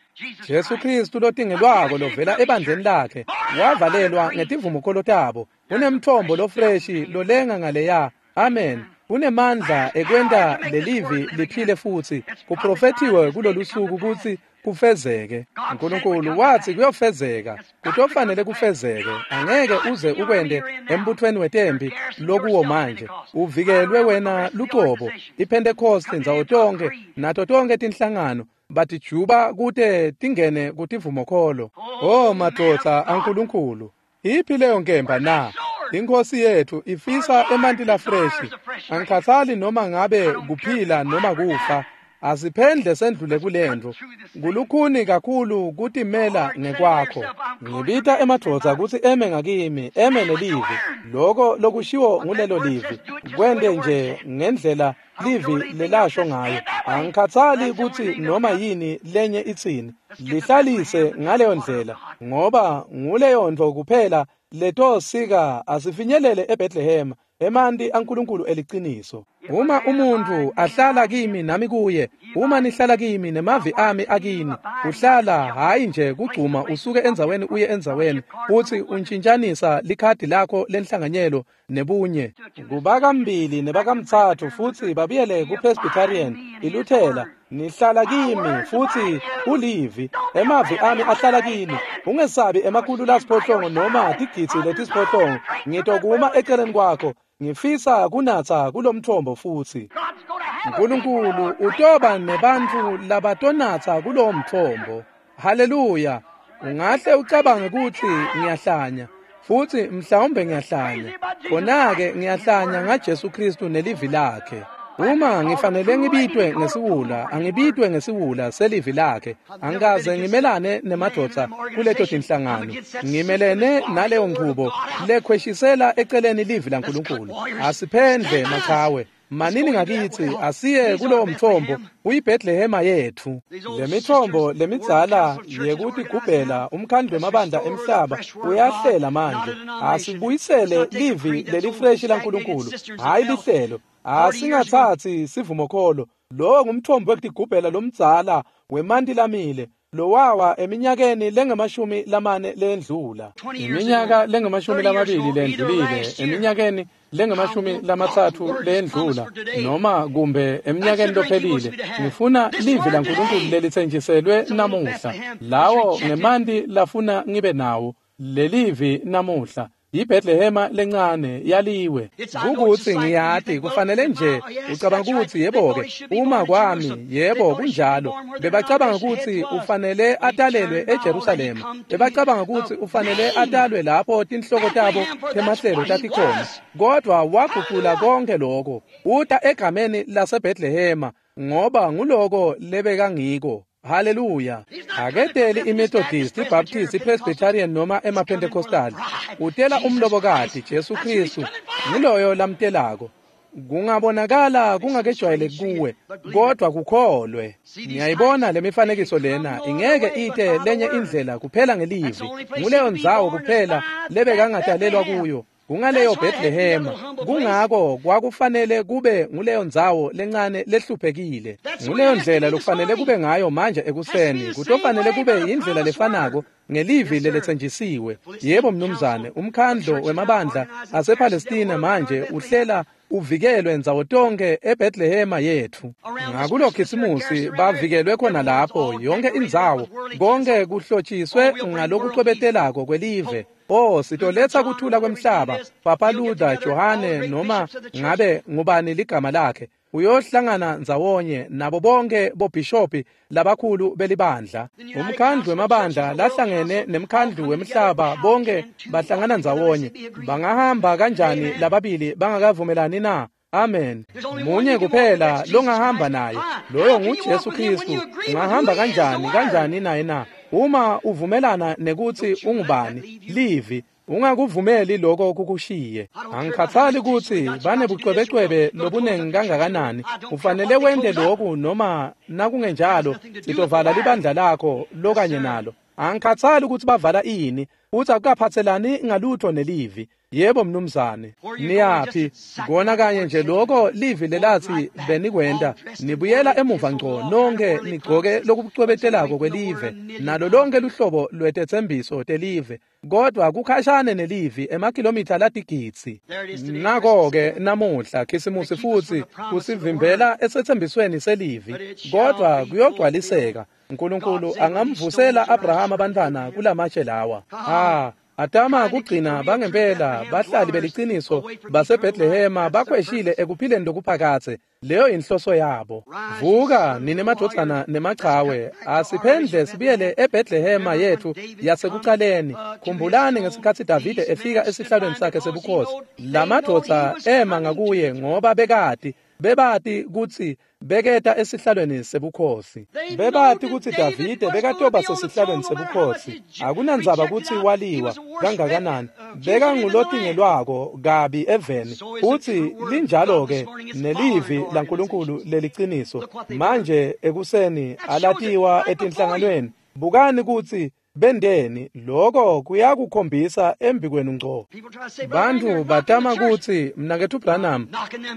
Jesu Kristu lotingelwako lovela ebandleni lakhe wavalelwa ngetivumokholo tabo. Kunemthombo lofreshi lolenga ngaleya. Amen. Kunemandla ekwenta lelivi liphile futsi. Kuprofethiwe kulolu suku kutsi kufezeke. uNkulunkulu wathi kuyofezeka, kutofanele kufezeke. Angeke uze ukwente embuthweni wetempi lokuwo manje. Uvikelwe wena lucobo. IPentecost ndzawo tonke nato tonke tinhlangano batijuba kute tingene kutivumokholo. Oh madvodza aNkulunkulu, iphi leyo nkemba na? Inkosi yethu ifisa emanti lafreshi. Angikhathali noma ngabe kuphila noma kufa. Asiphendle sendlule kulento. Kulukhuni kakhulu kutimela ngekwakho. Ngibita emadvodza kutsi eme ngakimi, eme nelivi. Loko lokushiwo ngulelo livi, kwente nje ngendlela livi lelasho ngayo. Angikhathali kutsi noma yini lenye itsini. Lihlalise ngaleyo ndlela, ngoba nguleyo ntfo kuphela letosika asifinyelele eBethlehema, emanti aNkulunkulu eliciniso. Uma umuntu ahlala kimi nami kuye, uma nihlala kimi nemavi ami akini, uhlala hayi nje kugcuma usuke endzaweni uye endzaweni, uthi untshintshanisa likhadi lakho lenhlanganyelo nebunye. Kubakamabili nebakamtsatfu futhi babuyele kuPresbyterian, iLuthela. Nihlala kimi futhi ulivi, emavi ami ahlala kini. Ungesabi emakhulu lasiphohlongo noma tigidzi letisiphohlongo. Ngitokuma eceleni kwakho. Ngifisa kunatsa kulomthombo futsi. uNkulunkulu utoba nebantfu labatonatsa kulowo mthombo. Haleluya! Ungahle ucabange kutsi ngiyahlanya, futhi mhlawumbe ngiyahlanya. Khona-ke ngiyahlanya ngaJesu Kristu nelivi lakhe. Uma ngifanele ngibitwe ngesiwula, angibitwe ngesiwula selivi lakhe. Angikaze ngimelane nemadvodza kuleto tinhlangano. Ngimelene naleyo nchubo lekhweshisela eceleni livi laNkulunkulu. Asiphendle machawe. Manini ngakithi asiye kulowo mthombo uyiBethlehema yethu. Lemithombo lemidzala yekutigubhela umkhandlu wemabandla emhlaba uyahlela manje. Asibuyisele livi lelifreshi laNkulunkulu, hhayi lihlelo. Asingathatsi sivumokholo. Lowo ngumthombo wekutigubhela lomdzala wemanti lamile. Lowawa eminyakeni lengamashumi lamane lendlula, iminyaka lengamashumi lamabili lendlulile, eminyakeni lengamashumi lamatsatfu lendlula, noma kumbe eminyakeni lophelile. Ngifuna livi laNkulunkulu lelitsenjiselwe namuhla, lawo ngemanti lafuna ngibe nawo lelivi namuhla. IBethlehema lencane yaliwe. Kukuthi ngiyati kufanele nje ucabanga ukuthi yebo-ke uma kwami, yebo kunjalo. Bebacabanga ukuthi ufanele atalelwe eJerusalema. Bebacabanga ukuthi ufanele atalwe lapho tinhloko tabo temahlelo tatikhona. Kodwa wagucula konke lokho. Uta egameni laseBethlehema ngoba nguloko lebekangiko. Hallelujah. Aketeli iMethodist, iBaptist, iPresbyterian noma emaPentecostal. Utela umlobokati Jesu Kristu. Ngiloyo lamtelako. Kungabonakala kungakejwayeleki kuwe, kodwa kukholwe. Ngiyayibona lemifanekiso lena ingeke ite lenye indlela kuphela ngelivi. Nguleyo ndzawo kuphela lebekangatalelwa kuyo. Kungaleyo Bethlehema. Kungako kwakufanele kube nguleyo ndzawo lencane lehluphekile. Nguleyo ndlela lokufanele kube ngayo manje ekuseni. Kutofanele kube indlela lefanako ngelivi leletsenjisiwe. Yebo mnumzane, umkhandlo wemabandla asePalestina manje uhlela uvikelwe ndzawo tonke eBethlehema yethu. Ngakulo Khisimusi bavikelwe khona lapho yonke indzawo, konke kuhlotshiswe ngalokucwebetelako kwelive. Oh, sitoletha kuthula kwemhlaba. Papa Luther, Johane noma ngabe ngubani ligama lakhe, uyohlangana ndzawonye nabo bonke bobhishopi labakhulu belibandla. Umkhandlu wemabandla lahlangene nemkhandlu wemhlaba bonke bahlangana ndzawonye. Bangahamba kanjani lababili bangakavumelani na? Amen. Munye kuphela longahamba naye, loyo nguJesu Kristu. Ungahamba kanjani kanjani naye na? Uma uvumelana nekuthi ungubani, livi, ungakuvumeli lokho kukushiye. Angikhathali ukuthi banebucwebecwebe lobunengi kangakanani, ufanele wente lokhu noma nakungenjalo sitovala libandla lakho lokanye nalo. Angikhathali ukuthi bavala ini, uthi akukaphathelani ngalutho nelivi. Yebo mnumzane, niyaphi? Kona kanye nje lokho livi lelathi benikwenda, nibuyela emuva ngco nonke nigcoke lokucwebetelako kwelive nalo lonke luhlobo lwetethembiso telive, kodwa kukhashane nelivi emakhilomitha latigitsi. Nako-ke namuhla Khisimusi futhi kusivimbela esethembisweni selivi, kodwa kuyogcwaliseka. uNkulunkulu angamvusela Abrahama abantwana kulamatshe lawa. Ah, atama kugcina bangempela bahlali beliciniso baseBethlehema bakhweshile ekuphileni lokuphakathe. Leyo inhloso yabo. Vuka nine madvodzana nemachawe, asiphendle sibuyele eBethlehema yethu yasekucaleni. Khumbulani ngesikhatsi Davide efika esihlalweni sakhe sebukhosi, lamadvodza ema ngakuye ngoba bekati bebati kutsi beketa esihlalweni sebukhosi. Bebati kutsi Davide bekatoba sesihlalweni sebukhosi. Akunandzaba kutsi waliwa kangakanani, bekangulotingelwako kabi eveni. Utsi linjalo-ke nelivi laNkulunkulu leliciniso manje ekuseni alatiwa etinhlanganweni. Bukani kutsi bendeni, lokho kuyakukhombisa embikwenu ngco. Bantu batama kutsi mnaketfu Branham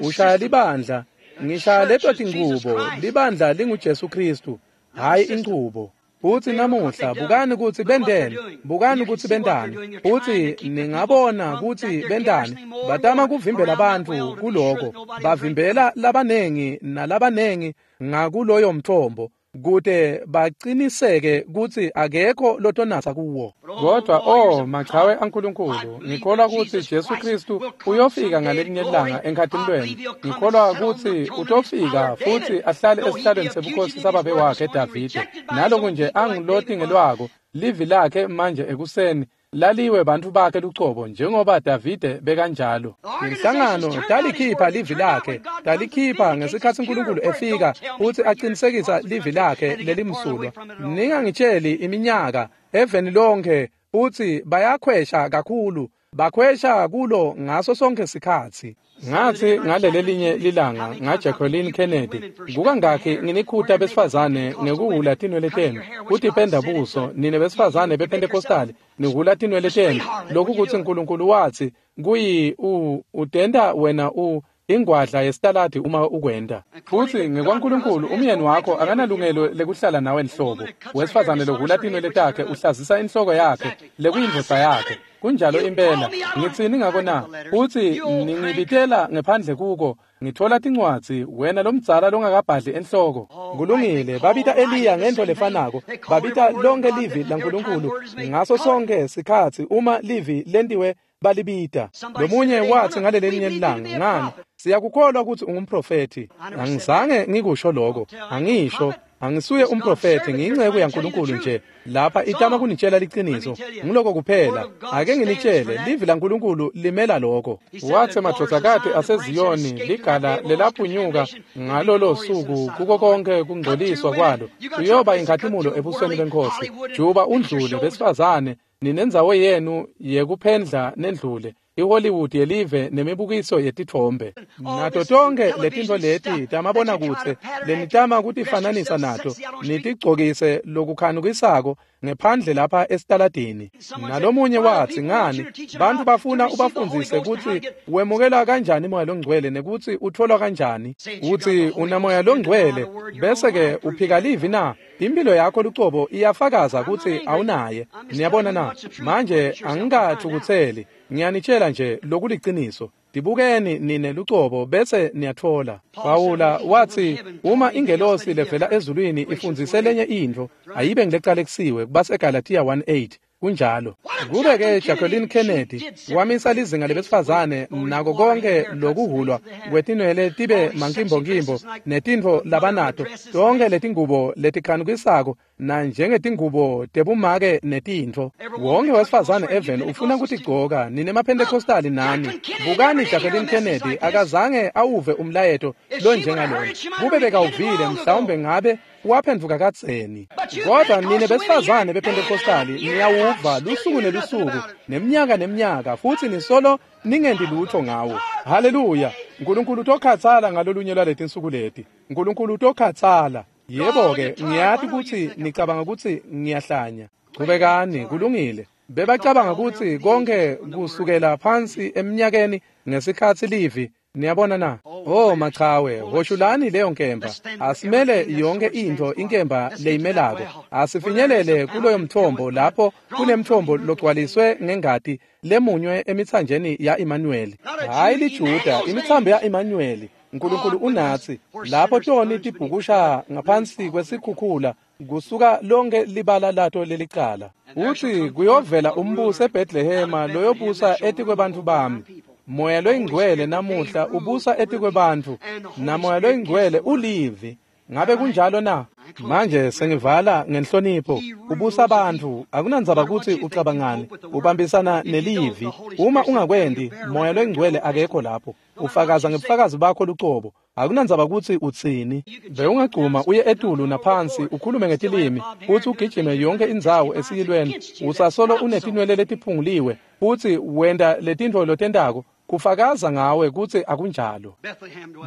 ushaya libandla. Ngishaya leto tingubo, libandla linguJesu Kristu, hayi inchubo. Uthi namuhla bukani kutsi bendeni, bukani kutsi bendani. Uthi ningabona kutsi bendani. Batama kuvimbela bantfu kuloko, bavimbela labanengi nalabanengi ngakuloyo mthombo, kute baqiniseke kutsi akekho lotonatsa kuwo. Kodwa oh machawe aNkulunkulu, ngikholwa kutsi Jesu Kristu uyofika ngalelinye ilanga enkhatimulweni. Ngikholwa kutsi utofika futhi ahlale esihlalweni sebukhosi sababe wakhe Davide. Naloku nje angilotingelwako, livi lakhe manje ekuseni laliwe bantfu bakhe lucobo njengoba Davide bekanjalo. Inhlangano talikhipha livi lakhe, talikhipha ngesikhatsi uNkulunkulu efika futhi aqinisekisa livi lakhe lelimsulwa. Ningangitsheli iminyaka eveni lonke uthi bayakhwesha kakhulu, bakhwesha kulo ngaso sonke sikhatsi. Ngathi ngalelelinye lilanga ngaJacqueline Kennedy, kukangakhi nginikhuta besifazane ngekuhula tinwele tenu, kutipenda buso, nine besifazane bePentecostal nihula tinwele tenu. Lokhu kutsi uNkulunkulu wathi kuyi u utenda wena u Ingwadla yesitaladi uma ukwenta. Futhi ngekwaNkulunkulu umyeni wakho akanalungelo lekuhlala nawe nhlobo. Wesifazane lohhula tinwele takhe uhlazisa inhloko yakhe lekuyindvodza yakhe. Kunjalo impela. Ngitsini ngako na? Uthi ningibitela ngephandle kuko ngithola tincwadzi wena lomdzala longakabhadli enhloko. Kulungile, babita Eliya ngento lefanako. Babita lonke livi laNkulunkulu ngaso sonke sikhatsi uma livi lentiwe balibita. Lomunye wathi ngalelelinye ilanga, ngani siyakukholwa ukuthi ungumprofethi. Angizange ngikusho lokho, angisho angisuye umprofethi, ngiyinceku yaNkulunkulu nje lapha itama kunitshela liciniso. Ngiloko kuphela. Ake nginitshele, livi laNkulunkulu limela lokho. Wathi madvodzakati aseZiyoni ligala lelaphunyuka ngalolo suku kuko konke kungcoliswa kwalo kuyoba inkhatimulo ebusweni benkosi. Juba undlule besifazane, ninendzawo yenu yekuphendla nendlule iHollywood yelive nemibukiso yetithombe nato tonke letintfo leti tamabonakudze lenitama kutifananisa nato nitigcokise lokukhanukisako ngephandle lapha esitaladini. Nalomunye wathi, ngani bantu bafuna ubafundzise kutsi wemukela kanjani moya longcwele nekutsi utholwa kanjani. Uthi unamoya longcwele bese ke uphika livi na? Impilo yakho lucobo iyafakaza kutsi awunaye. Niyabona na? Manje angikathukutseli, ngiyanitshela nje lokuliciniso. Tibukeni nine lucobo bese niyatfola. Pawula wathi uma ingelosi levela ezulwini ifundzise lenye intfo ayibe ngilecalekisiwe, kubaseGalatia one eight. Kunjalo. Kube ke Jacqueline Kennedy wamisa lizinga lebesifazane nako konke lokuhulwa kwetinwele tibe mankimbokimbo netintfo labanato tonke letingubo letikhanukisako na njengetingubo tebumake netintfo. Wonke wesifazane even ufuna kutigcoka nine maPentecostali nani. Bukani Jacqueline Kennedy akazange awuve umlayeto lonjengalona. Kube bekawuvile mhlawumbe ngabe waphenduka kadzeni. Kodwa nine besifazane bePentecostali niyawuva lusuku nelusuku neminyaka neminyaka futhi nisolo ningendi lutho ngawo. Haleluya! Nkulunkulu utokhatsala ngalolunye lwaletinsuku leti. Nkulunkulu utokhatsala. Yebo-ke, ngiyati kutsi nicabanga kutsi ngiyahlanya. Chubekani, kulungile. Bebacabanga kutsi konke kusukela phansi eminyakeni ngesikhatsi livi. Niyabona na? Oh machawe, hoshulani leyo nkemba. Asimele yonke intfo inkemba leyimelako. Asifinyelele kuloyo mthombo lapho kunemthombo logcwaliswe ngengati lemunywe emitsanjeni ya Emmanuel. Hayi liJuda, imitsambo ya Emmanuel. Nkulunkulu unatsi lapho toni tibhukusha ngaphansi kwesikhukhula kusuka lonke libala lato lelicala. Uthi kuyovela umbuso eBethlehema loyobusa etikwebantfu bami. Moya loyingcwele namuhla ubusa etikwebantfu, namoya loyingcwele ulivi. Ngabe kunjalo na? Manje sengivala ngenhlonipho. Ubusa abantu, akunandzaba kutsi ucabangani, ubambisana nelivi. Uma ungakwendi, moya loyingcwele akekho lapho. Ufakaza ngebufakazi bakho lucobo. Akunandzaba kutsi utsini. Bewungagcuma uye etulu naphansi ukhulume ngetilimi futhi ugijime yonke indzawo esiyilweni usasolo unetinwele letiphunguliwe futhi wenta letintfo lotentako kufakaza ngawe kutsi akunjalo.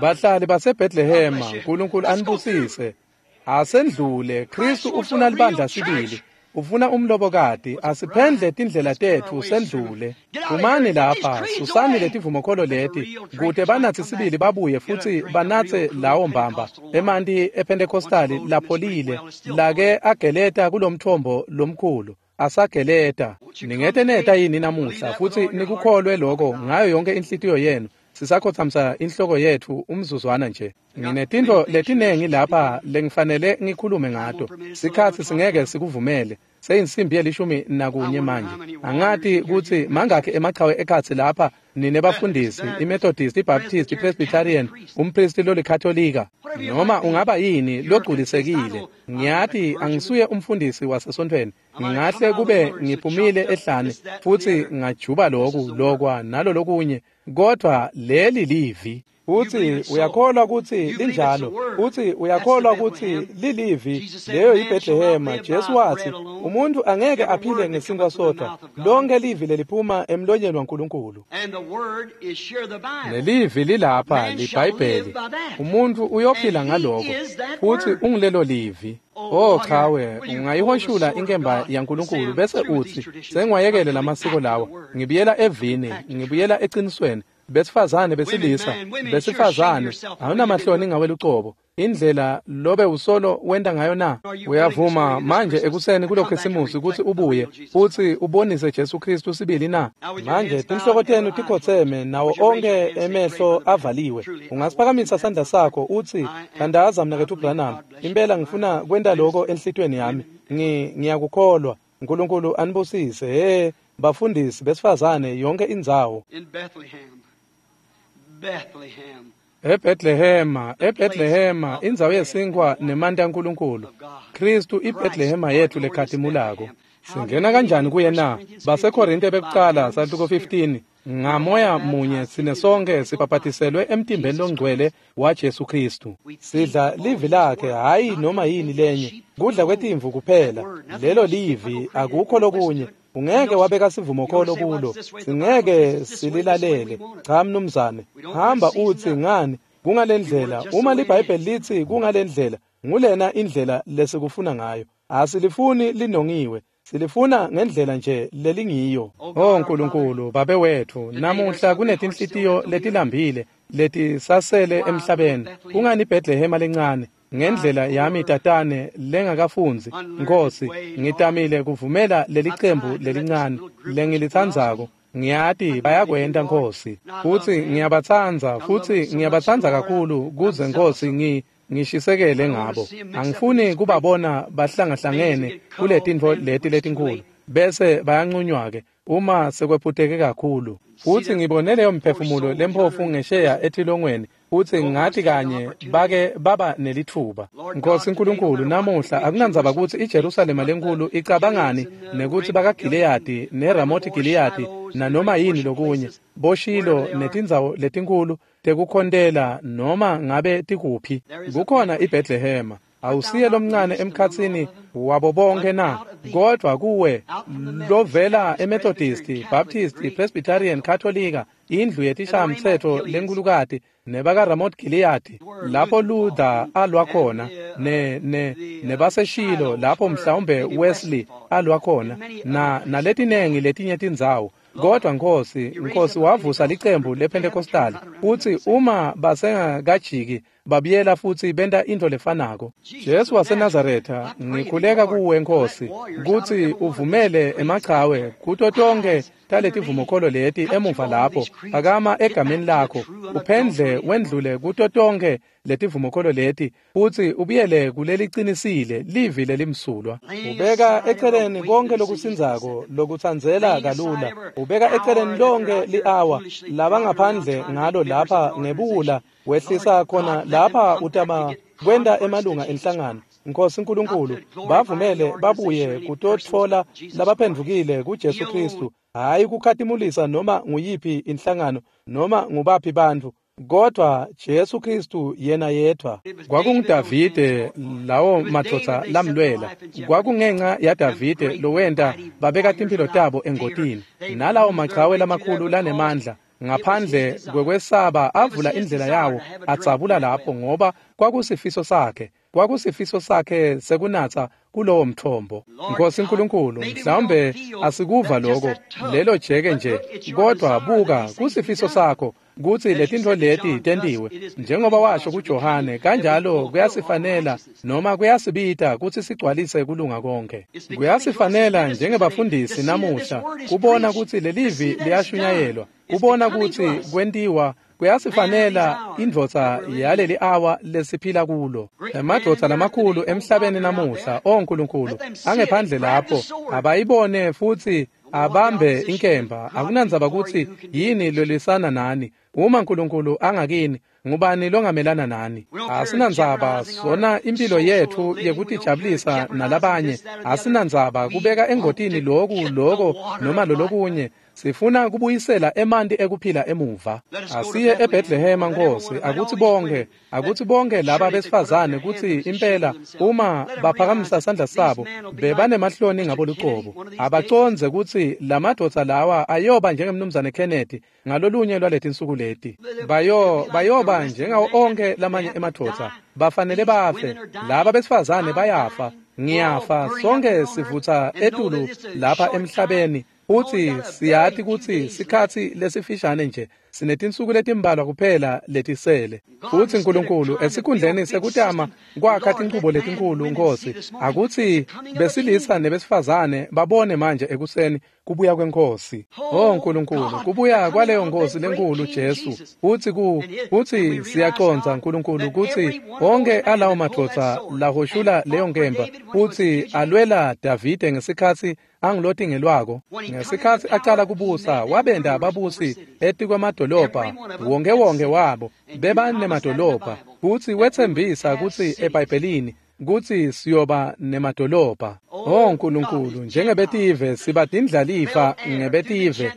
Bahlali baseBethlehema, Nkulunkulu anibusise. Asendlule, Kristu ufuna libandla sibili. Ufuna umlobokati, asiphendle tindlela tetfu sendlule. Phumani lapha, susani letivumokholo leti, kute banatsi sibili babuye futsi banatse lawo mbamba emanti ePentecostali lapholile lake ageleta kulomthombo lomkhulu. Asageleta. Ningete neta yini namuhla futsi nikukholwe lokho ngayo yonke inhlitiyo yenu? Sisakhothamisa inhloko yetfu umzuzwana nje. Nginetintfo letinengi lapha lengifanele ngikhulume ngato. Sikhatsi singeke sikuvumele. Seyinsimbi yelishumi nakunye manje. Angati kutsi mangakhi emachawe ekhatsi lapha nine bafundisi, iMethodist, iBaptist, iPresbyterian, umpristi lolikatolika, noma ungaba yini logculisekile. Ngiyati angisuye umfundisi wasesontfweni. Ngingahle kube ngiphumile ehlane futhi ngajuba loku lokwa nalolokunye, kodwa leli livi. Uthi uyakholwa kutsi linjalo. Uthi uyakholwa kutsi lilivi. Leyo yiBethlehema. Jesu wathi umuntu angeke aphile ngesinkwa sodwa, lonke livi leliphuma emlonyeni waNkulunkulu. Nelivi lilapha liBhayibheli. Umuntu uyophila ngaloko futhi ungilelo livi. Oh chawe, ungayihoshula inkemba yaNkulunkulu bese uthi sengiwayekele lamasiko lawa, ngibuyela evini, ngibuyela eqinisweni. Besifazane besilisa, besifazane, awunamahloni ngawe lucobo. Indlela lobe usolo wenta ngayo na? Uyavuma manje ekuseni kulo Khisimusi kutsi ubuye futsi ubonise Jesu Kristu sibili na? Manje tinhloko tenu tikhotseme nawo onke emehlo avaliwe. Ungasiphakamisa sandla sakho utsi, "Thandaza mnaketfu Branham, impela ngifuna kwenta lokho enhlitiyweni yami. Ngi ngiyakukholwa. Nkulunkulu anibusise." He, bafundisi besifazane yonke indzawo. In Bethlehem. Bethlehem. eBethlehema, eBethlehema, indzawo yesinkwa nemanti aNkulunkulu. Kristu iBethlehema yethu lekhatimulako. Singena kanjani kuye na? BaseKorinte bekucala sahluko fifteen. Ngamoya munye sine sonke sibhabhatiselwe emtimbeni longcwele waJesu Kristu. Sidla livi lakhe, hayi noma yini lenye. Kudla kwetimvu kuphela. Lelo livi, akukho lokunye. Ungeke wabeka sivumokholo kulo. Singeke sililalele. Cha mnumzane, hamba utsi ngani kungalendlela. Uma liBhayibheli litsi kungalendlela, ngulena indlela lesikufuna ngayo. Asilifuni linongiwe. Silifuna ngendlela nje lelingiyo. Oh Nkulunkulu, Babe wethu, namuhla kunetinhlitiyo letilambile letisasele emhlabeni. Kungani iBethlehema lencane? Ngendlela yami tatane lengakafundzi, Nkosi, ngitamile kuvumela lelicembu lelincane lengilitsandzako. Ngiyati bayakwenta Nkosi, futsi ngiyabatsandza, futsi ngiyabatsandza kakhulu kuze Nkosi ngi ngishisekele ngabo. Angifuni kubabona bahlangahlangene kuletintfo leti letinkhulu bese bayancunywa-ke uma sekwephuteke kakhulu. Futsi ngibone leyo mphefumulo lemphofu ngesheya etilongweni, futsi ngathi kanye bake baba nelitfuba. Nkosi Nkulunkulu, namuhla akunandzaba kutsi iJerusalema lenkulu icabangani nekutsi bakaGileyadi neRamothi Gileyadi nanoma yini lokunye, boShilo netindzawo letinkhulu tekukhontela noma ngabe tikuphi, kukhona iBethlehema. Awusiye lomncane emkhatsini wabo bonke na? Kodwa kuwe lovela eMethodist, Baptist, Presbyterian, Katolika, indlu yetishamtsetfo lenkulukati nebakaRamoth Gilead, lapho Luther alwa khona, ne ne nebaseshilo lapho mhlawumbe Wesley alwa khona, na naletinengi letinye tindzawo. Kodwa Nkosi, Nkosi wavusa licembu lePentecostal, futsi uma basengakajiki babuyela futsi benta intfo lefanako. Jesu waseNazaretha, ngikhuleka kuwe Nkosi kutsi uvumele emachawe kuto tonke taletivumokholo leti emuva lapho, phakama egameni lakho, uphendle wendlule kuto tonke letivumokholo leti, futsi ubuyele kulelicinisile livi lelimsulwa. Ubeka eceleni konke lokusindzako lokutsandzela kalula, ubeka eceleni lonke li-awa labangaphandle ngalo lapha ngebuwula, wehlisa khona lapha utama kwenta emalunga enhlangano. Nkosi Nkulunkulu, bavumele babuye kutotfola labaphendvukile kuJesu Kristu, hayi kukhatimulisa noma nguyiphi inhlangano noma ngubaphi bantfu, kodwa Jesu Kristu yena yedvwa. KwakunguDavide lawo madvodza lamlwela. Kwakungenca yaDavide lowenta babeka timphilo tabo engotini, nalawo machawe lamakhulu lanemandla ngaphandle kwekwesaba avula indlela yawo adzabula lapho, ngoba kwakusifiso sakhe, kwakusifiso sakhe sekunatsa kulowo mthombo. Nkosi Nkulunkulu, mhlawumbe asikuva lokho lelo jeke nje, kodwa buka kusifiso sakho kutsi letintfo leti tentiwe njengoba washo kuJohane, kanjalo kuyasifanela noma kuyasibita kutsi sigcwalise kulunga konke. Kuyasifanela njengebafundisi namuhla kubona kutsi lelivi liyashunyayelwa, kubona kutsi kwentiwa. Kuyasifanela indvodza yaleli awa lesiphila kulo. Emadvodza lamakhulu emhlabeni namuhla, o Nkulunkulu, angephandle lapho abayibone futsi abambe inkemba. Akunandzaba kutsi yini lwelisana nani. Uma Nkulunkulu angakini, ngubani longamelana nani? Asinandzaba sona impilo yetfu yekutijabulisa nalabanye. Asinandzaba kubeka engotini loku loko noma lolokunye. Sifuna kubuyisela emanti ekuphila emuva. Asiye eBethlehema Nkosi, akutsi bonke, akutsi bonke laba besifazane kutsi impela uma baphakamisa sandla sabo bebanemahloni ngabo lucobo. Abacondze kutsi lamadvodza lawa ayoba njengemnumzane Kennedy ngalolunye lwaletinsuku leti. Bayo bayoba njengawo onke lamanye emadvodza. Bafanele bafe. Laba besifazane bayafa. Ngiyafa. Sonke sivutsa etulu lapha emhlabeni. Futsi siyati kutsi sikhatsi lesifishane nje, sinetinsuku letimbalwa kuphela letisele. Futsi Nkulunkulu, esikhundleni sekutama kwakha tinchubo letinkulu, Nkosi, akutsi besilisa nebesifazane babone manje ekuseni kubuya kweNkhosi. Oh Nkulunkulu, kubuya kwaleyo Nkhosi lenkulu Jesu. Futsi ku futsi siyacondza Nkulunkulu kutsi wonke alawo madvodza lahoshula leyo nkemba futsi alwela Davide ngesikhatsi angilotingelwako. Ngesikhatsi acala kubusa, wabenda ababusi etikwemadolobha wonke wonke wabo bebanemadolobha, futsi wetsembisa kutsi eBhayibhelini kutsi siyoba nemadolobha. Oh Nkulunkulu, njengebetive siba tindlalifa ngebetive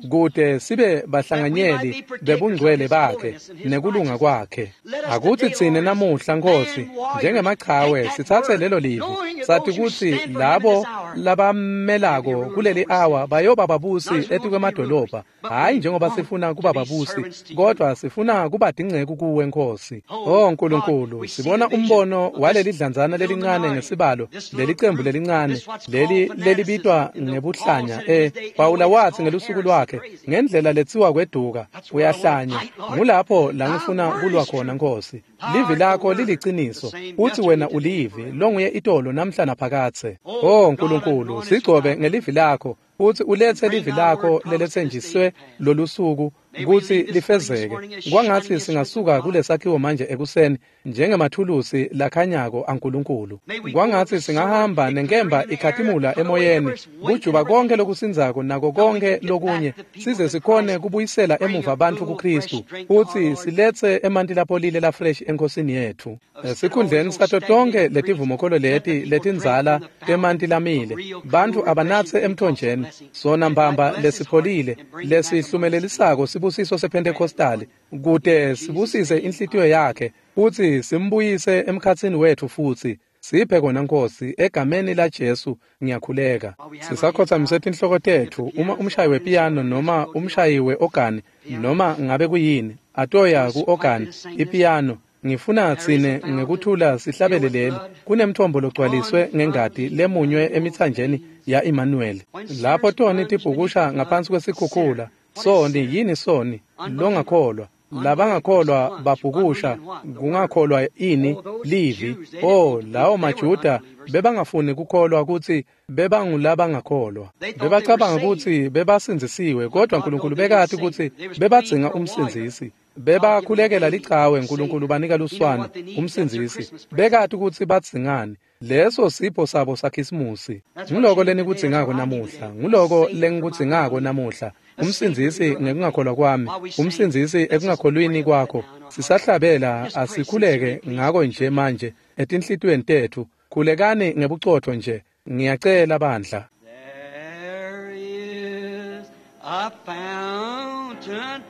kute sibe bahlanganyeli bebungcwele bakhe nekulunga kwakhe. Akutsi tsine namuhla, Nkosi, njengemachawe sitsatse lelo livi, sathi kutsi labo labamelako kuleli awa bayoba babusi etikwemadolobha, hhayi njengoba sifuna kuba babusi, kodwa sifuna kuba tinceku kuwe, Nkosi. Oh Nkulunkulu, sibona umbono waleli dlanzana lelincane ngesibalo, leli cembu lelincane, leli lelibitwa ngebuhlanya. Eh, Pawula wathi ngelusuku lwakhe, ngendlela letsiwa kweduka, uyahlanya. Ngulapho la ngifuna kulwa khona, Nkosi. Livi lakho liliciniso, futsi wena ulivi longuye itolo namhla naphakadze. Oh Nkulunkulu, sigcobe ngelivi lakho, futsi ulethe livi lakho leletsenjiswe lolusuku kutsi lifezeke. Kwangatsi singasuka kulesakhiwo manje ekuseni njengemathulusi lakhanyako aNkulunkulu. Kwangatsi singahamba nenkemba ikhatimula emoyeni, kujuba konke lokusindzako nako konke lokunye, size sikhone kubuyisela emuva bantfu kuKristu, futsi siletse emanti lapholile lafresh eNkhosini yetfu. Esikhundleni sato tonke letivumokholo leti letindzala temanti lamile, bantfu abanatse emthonjeni sona mbamba lesipholile lesihlumelelisako sibusiso sePentecostali, kute sibusise inhlitiyo yakhe futsi simbuyise emkhatsini wetfu futsi. Siphe kona, Nkosi, egameni la Jesu ngiyakhuleka. Sisakhotsamise tinhloko tetfu, uma umshayi wepiyano noma umshayi we-ogani noma ngabe kuyini atoya ku-ogani ipiyano, ngifuna tsine ngekuthula sihlabele leli. Kunemthombo logcwaliswe ngengati lemunywe emitsanjeni ya Emmanuel. Lapho toni tibhukusha ngaphansi kwesikhukhula. Soni yini soni? Longakholwa. Labangakholwa babhukusha kungakholwa ini? Livi. Oh, lawo maJuda bebangafuni kukholwa kutsi bebangulabangakholwa. Bebacabanga kutsi bebasindzisiwe, kodwa Nkulunkulu bekati kutsi bebadzinga umsindzisi. Bebakhulekela lichawe, Nkulunkulu banika luswane, umsindzisi. Bekati kutsi badzingani. Leso sipho sabo saKhisimusi. Nguloko lenikudzingako namuhla, nguloko lengikudzingako namuhla. Umsindzisi ngekungakholwa kwami, umsindzisi ekungakholwini kwakho. Sisahlabela, asikhuleke ngako nje manje etinhlitiyweni tetfu. Khulekani ngebucotfo nje. Ngiyacela bandla. There is a fountain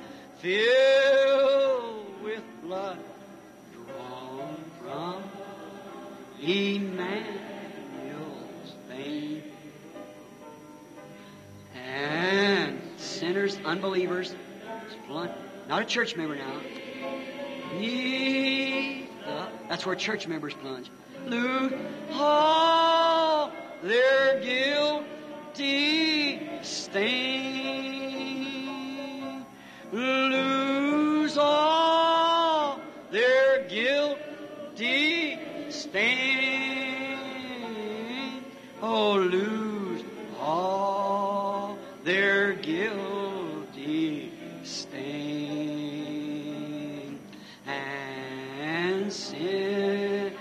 filled with blood drawn from Emmanuel's vein. And sinners, unbelievers, plunge, not a church member now. Neath the, that's where church members plunge. Lose all their guilty stain. Lose all their guilty stain. Oh, lose all their guilty stain. And sinner,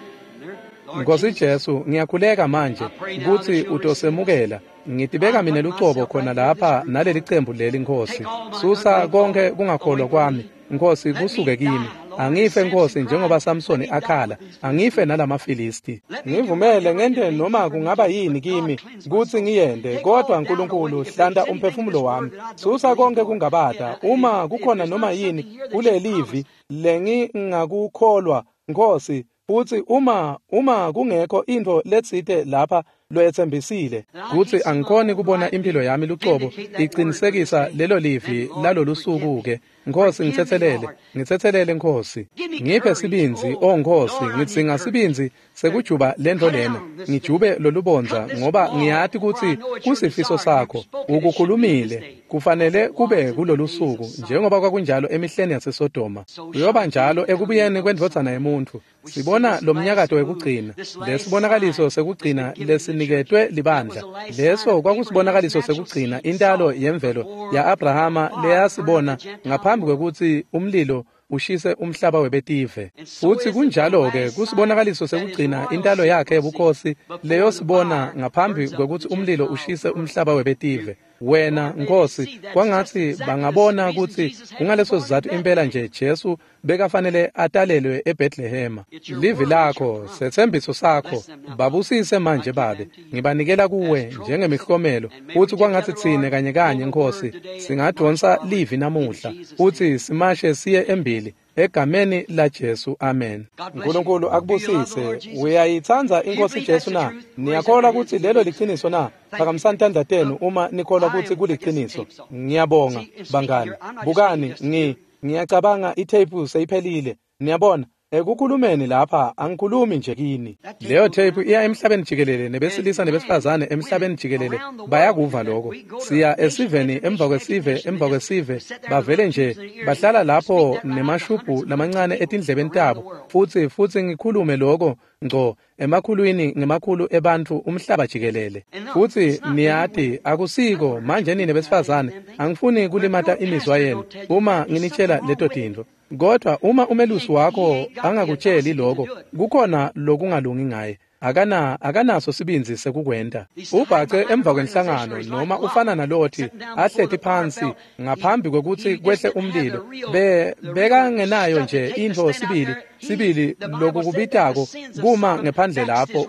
Lord Nkosi Jesus, Jesu, ngiyakhuleka manje kutsi utosemukela. Ngitibeka mina lucobo khona lapha naleli cembu leli, Nkosi. Susa konke kungakholwa kwami, Nkosi, kusuke kimi. Angife, Nkosi, njengoba Samsoni akhala, angife nalamaFilisti. Ngivumele ngente noma kungaba yini kimi kutsi ngiyente, kodwa Nkulunkulu hlanta umphefumulo wami. Susa konke kungabata. Uma kukhona noma yini kulelivi lengingakukholwa, Nkosi, futsi uma uma kungekho intfo letsite lapha loyetsembisile kutsi angikhoni kubona impilo yami lucobo iqinisekisa lelo livi lalolusuku ke. Nkosi ngitsetselele, ngitsetselele Nkosi. Ngiphe sibindzi, oh Nkosi, ngidzinga sibindzi sekujuba lento lena. Ngijube lolubondza ngoba ngiyati kutsi kusifiso sakho. Ukukhulumile, kufanele kube kulolusuku njengoba kwakunjalo emihleni yaseSodoma. Kuyoba njalo ekubuyeni kwendvodzana yemuntfu. Sibona lomnyakato wekugcina, lesibonakaliso sekugcina lesiniketwe libandla. Leso kwakusibonakaliso sekugcina intalo yemvelo ya-Abrahama leyasibona ngaphambi kwekutsi umlilo ushise umhlaba webetive. Futsi kunjalo-ke kusibonakaliso sekugcina intalo yakhe yebukhosi leyosibona ngaphambi kwekutsi umlilo ushise umhlaba webetive. Wena Nkosi, kwangatsi bangabona kutsi kungaleso sizatfu impela nje Jesu bekafanele atalelwe eBethlehema. Livi lakho, setsembiso sakho, babusise manje Babe. Ngibanikela kuwe njengemihlomelo, futsi kwangatsi tsine kanye kanye Nkosi singadonsa livi namuhla, futsi simashe siye embili egameni la Jesu, amen. Nkulunkulu akubusise. Uyayitsandza iNkosi Jesu na? Niyakholwa kutsi lelo liciniso na? Phakamisani tandla tenu uma nikholwa kutsi kuliciniso. Ngiyabonga bangani. Bukani, ngi ngiyacabanga itheyiphu seyiphelile. Niyabona, ekukhulumeni lapha angikhulumi nje kini. Leyo tape iya emhlabeni jikelele, nebesilisa nebesifazane emhlabeni jikelele bayakuva lokho. Siya esiveni emva kwesive emva kwesive, bavele nje bahlala lapho nemashubhu lamancane etindlebeni tabo, futsi futsi ngikhulume lokho ngco emakhulwini ngemakhulu ebantfu umhlaba jikelele. Futsi niyati akusiko manje nine besifazane, angifuni kulimata imizwa yenu uma nginitshela leto tintfo. Kodwa uma umelusi wakho angakutsheli lokho, kukhona lokungalungi ngaye. Akana akanaso sibindzi sekukwenta. Ubhace emva kwenhlangano noma ufana nalothi ahleti phansi ngaphambi kwekutsi kwehle umlilo. Be bekangenayo nje intfo sibili sibili lokukubitako kuma ngephandle lapho.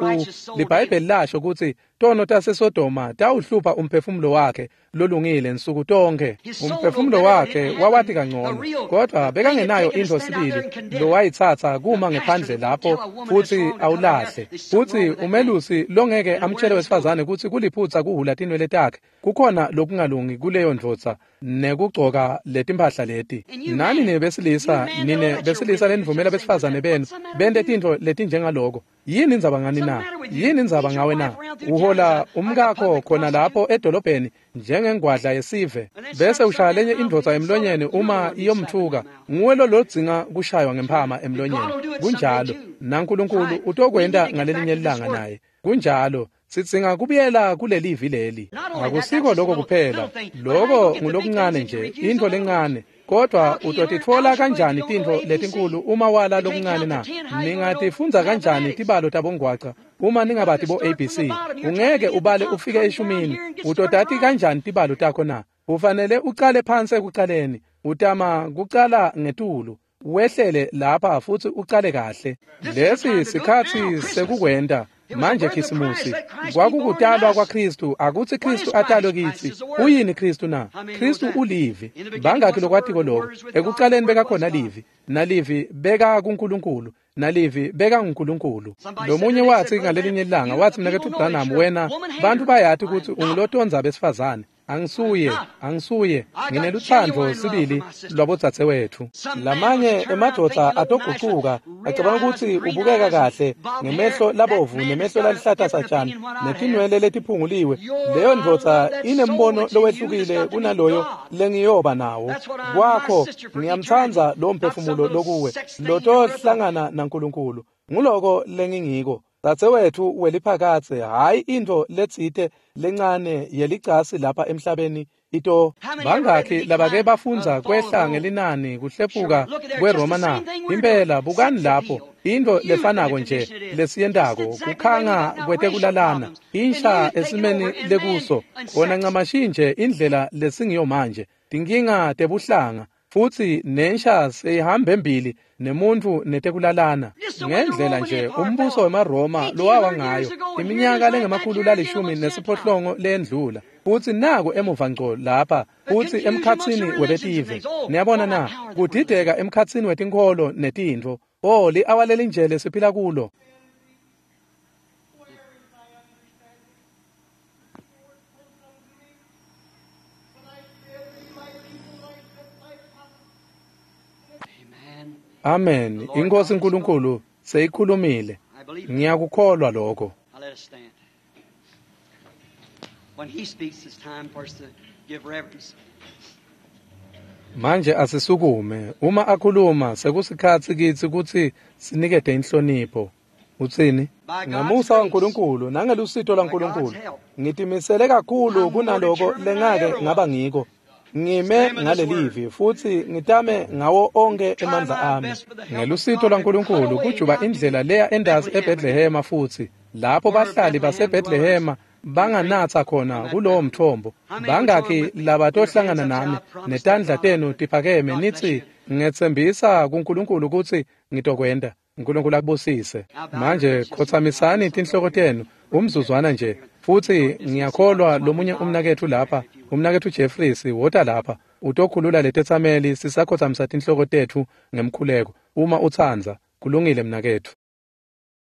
LiBhayibheli lasho kutsi tono taseSodoma tawuhlupha umphefumulo wakhe lolungile nsuku tonke. Umphefumulo wakhe wawati kangcono, kodwa bekangenayo intfo sibili lowayitsatsa kuma ngephandle lapho futsi awulahle. Futsi umelusi longeke amtshele wesifazane kutsi kuliphutsa kuhhula tinwele takhe, kukhona lokungalungi kuleyo ndvodza nekugcoka letimpahla leti. Nani nebesilisa, nine besilisa lenivumela besifazane benu bente tintfo letinjengaloko. Yini indzaba ngani na? Yini indzaba ngawe na? Uhola umkakho khona lapho edolobheni njengengwadla yesive, bese ushaya lenye indvodza emlonyeni uma iyomthuka. Nguwe lo lodzinga kushaywa ngemphama emlonyeni. Kunjalo, naNkulunkulu utokwenta ngalelinye ilanga naye. Kunjalo, sidzinga kubuyela kulelivi leli. Akusiko lokho kuphela, lokho ngulokuncane nje, intfo lencane. Kodwa utotitfola kanjani tintfo letinkulu uma wala lokuncane na? Ningatifundza kanjani tibalo tabongwaca uma ningabati bo A B C? Ungeke ubale ufike eshumini. Utotati kanjani tibalo takho na? Ufanele ucale phansi ekucaleni. Utama kucala ngetulu, wehlele lapha futsi ucale kahle. Lesi sikhatsi sekukwenta. Manje Khisimusi kwakukutalwa kwaKristu, akutsi Kristu atalwe kitsi. Uyini Kristu na? Kristu ulivi. Bangakhi lokwatiko lokho? Ekucaleni bekakhona livi, nalivi beka kuNkulunkulu, nalivi beka nguNkulunkulu. Lomunye watsi ngalelinye ilanga, watsi mnaketfu Branham, wena bantu bayati kutsi ungulotonza besifazane. Angisuye, angisuye, nginelutsandvo sibili lwabodzadzewethu. Lamanye emadvodza atogucuka, acabanga kutsi ubukeka kahle ngemehlo labovu nemehlo lalihlata satjani netinwele letiphunguliwe. Leyo ndvodza inembono lowehlukile kunaloyo lengiyoba nawo. Kwakho ngiyamtsandza lo mphefumulo lokuwe, lotohlangana naNkulunkulu. Nguloko lengingiko. Dzadzewethu weliphakatse, hhayi intfo letsite lencane yelicasi lapha emhlabeni ito. Bangakhi labake bafundza kwehla ngelinani kuhlephuka kweRoma na? Impela bukani lapho, intfo lefanako nje lesiyentako, kukhanga kwetekulalana, insha esimeni lekuso, khona ncamashi nje indlela lesingiyo manje, tinkinga tebuhlanga, futsi nensha seyihamba embili nemuntfu netekulalana. Ngendlela nje umbuso wemaRoma lowawa ngayo iminyaka lengemakhulu lalishumi nesiphohlongo leyendlula, futsi naku emuva ngco lapha futsi emkhatsini webetive. Niyabona na? Kudideka emkhatsini wetinkholo netintfo. Oh, li-awa lelinje lesiphila kulo. Amen. INkosi uNkulunkulu seyikhulumile. I believe it. Ngiyakukholwa lokho. Now let us stand. When he speaks, it's time for us to give reverence. Manje asisukume. Uma akhuluma sekusikhatsi kitsi kutsi sinikete inhlonipho. Utsini? Ngamusa waNkulunkulu nangelusito lwaNkulunkulu ngitimisele kakhulu kunaloko lengake ngaba ngiko. Ngime ngalelivi futsi ngitame ngawo onkhe emandla ami. Ngelusito lwaNkulunkulu kujuba indlela leya endasi eBethlehema futsi lapho bahlali baseBethlehema banganatsa khona kulowo mthombo. Bangakhi labatohlangana nami netandla tenu tiphakeme nitsi ngetsembisa kuNkulunkulu kutsi ngitokwenta. uNkulunkulu akubusise. Manje khotsamisani tinhloko tenu umzuzwana nje futsi ngiyakholwa lomunye umnaketfu lapha, umnaketfu Jeffries wota lapha utokhulula letetsameli sisakhotsamisa tinhloko tetfu ngemkhuleko uma utsandza. Kulungile mnaketfu.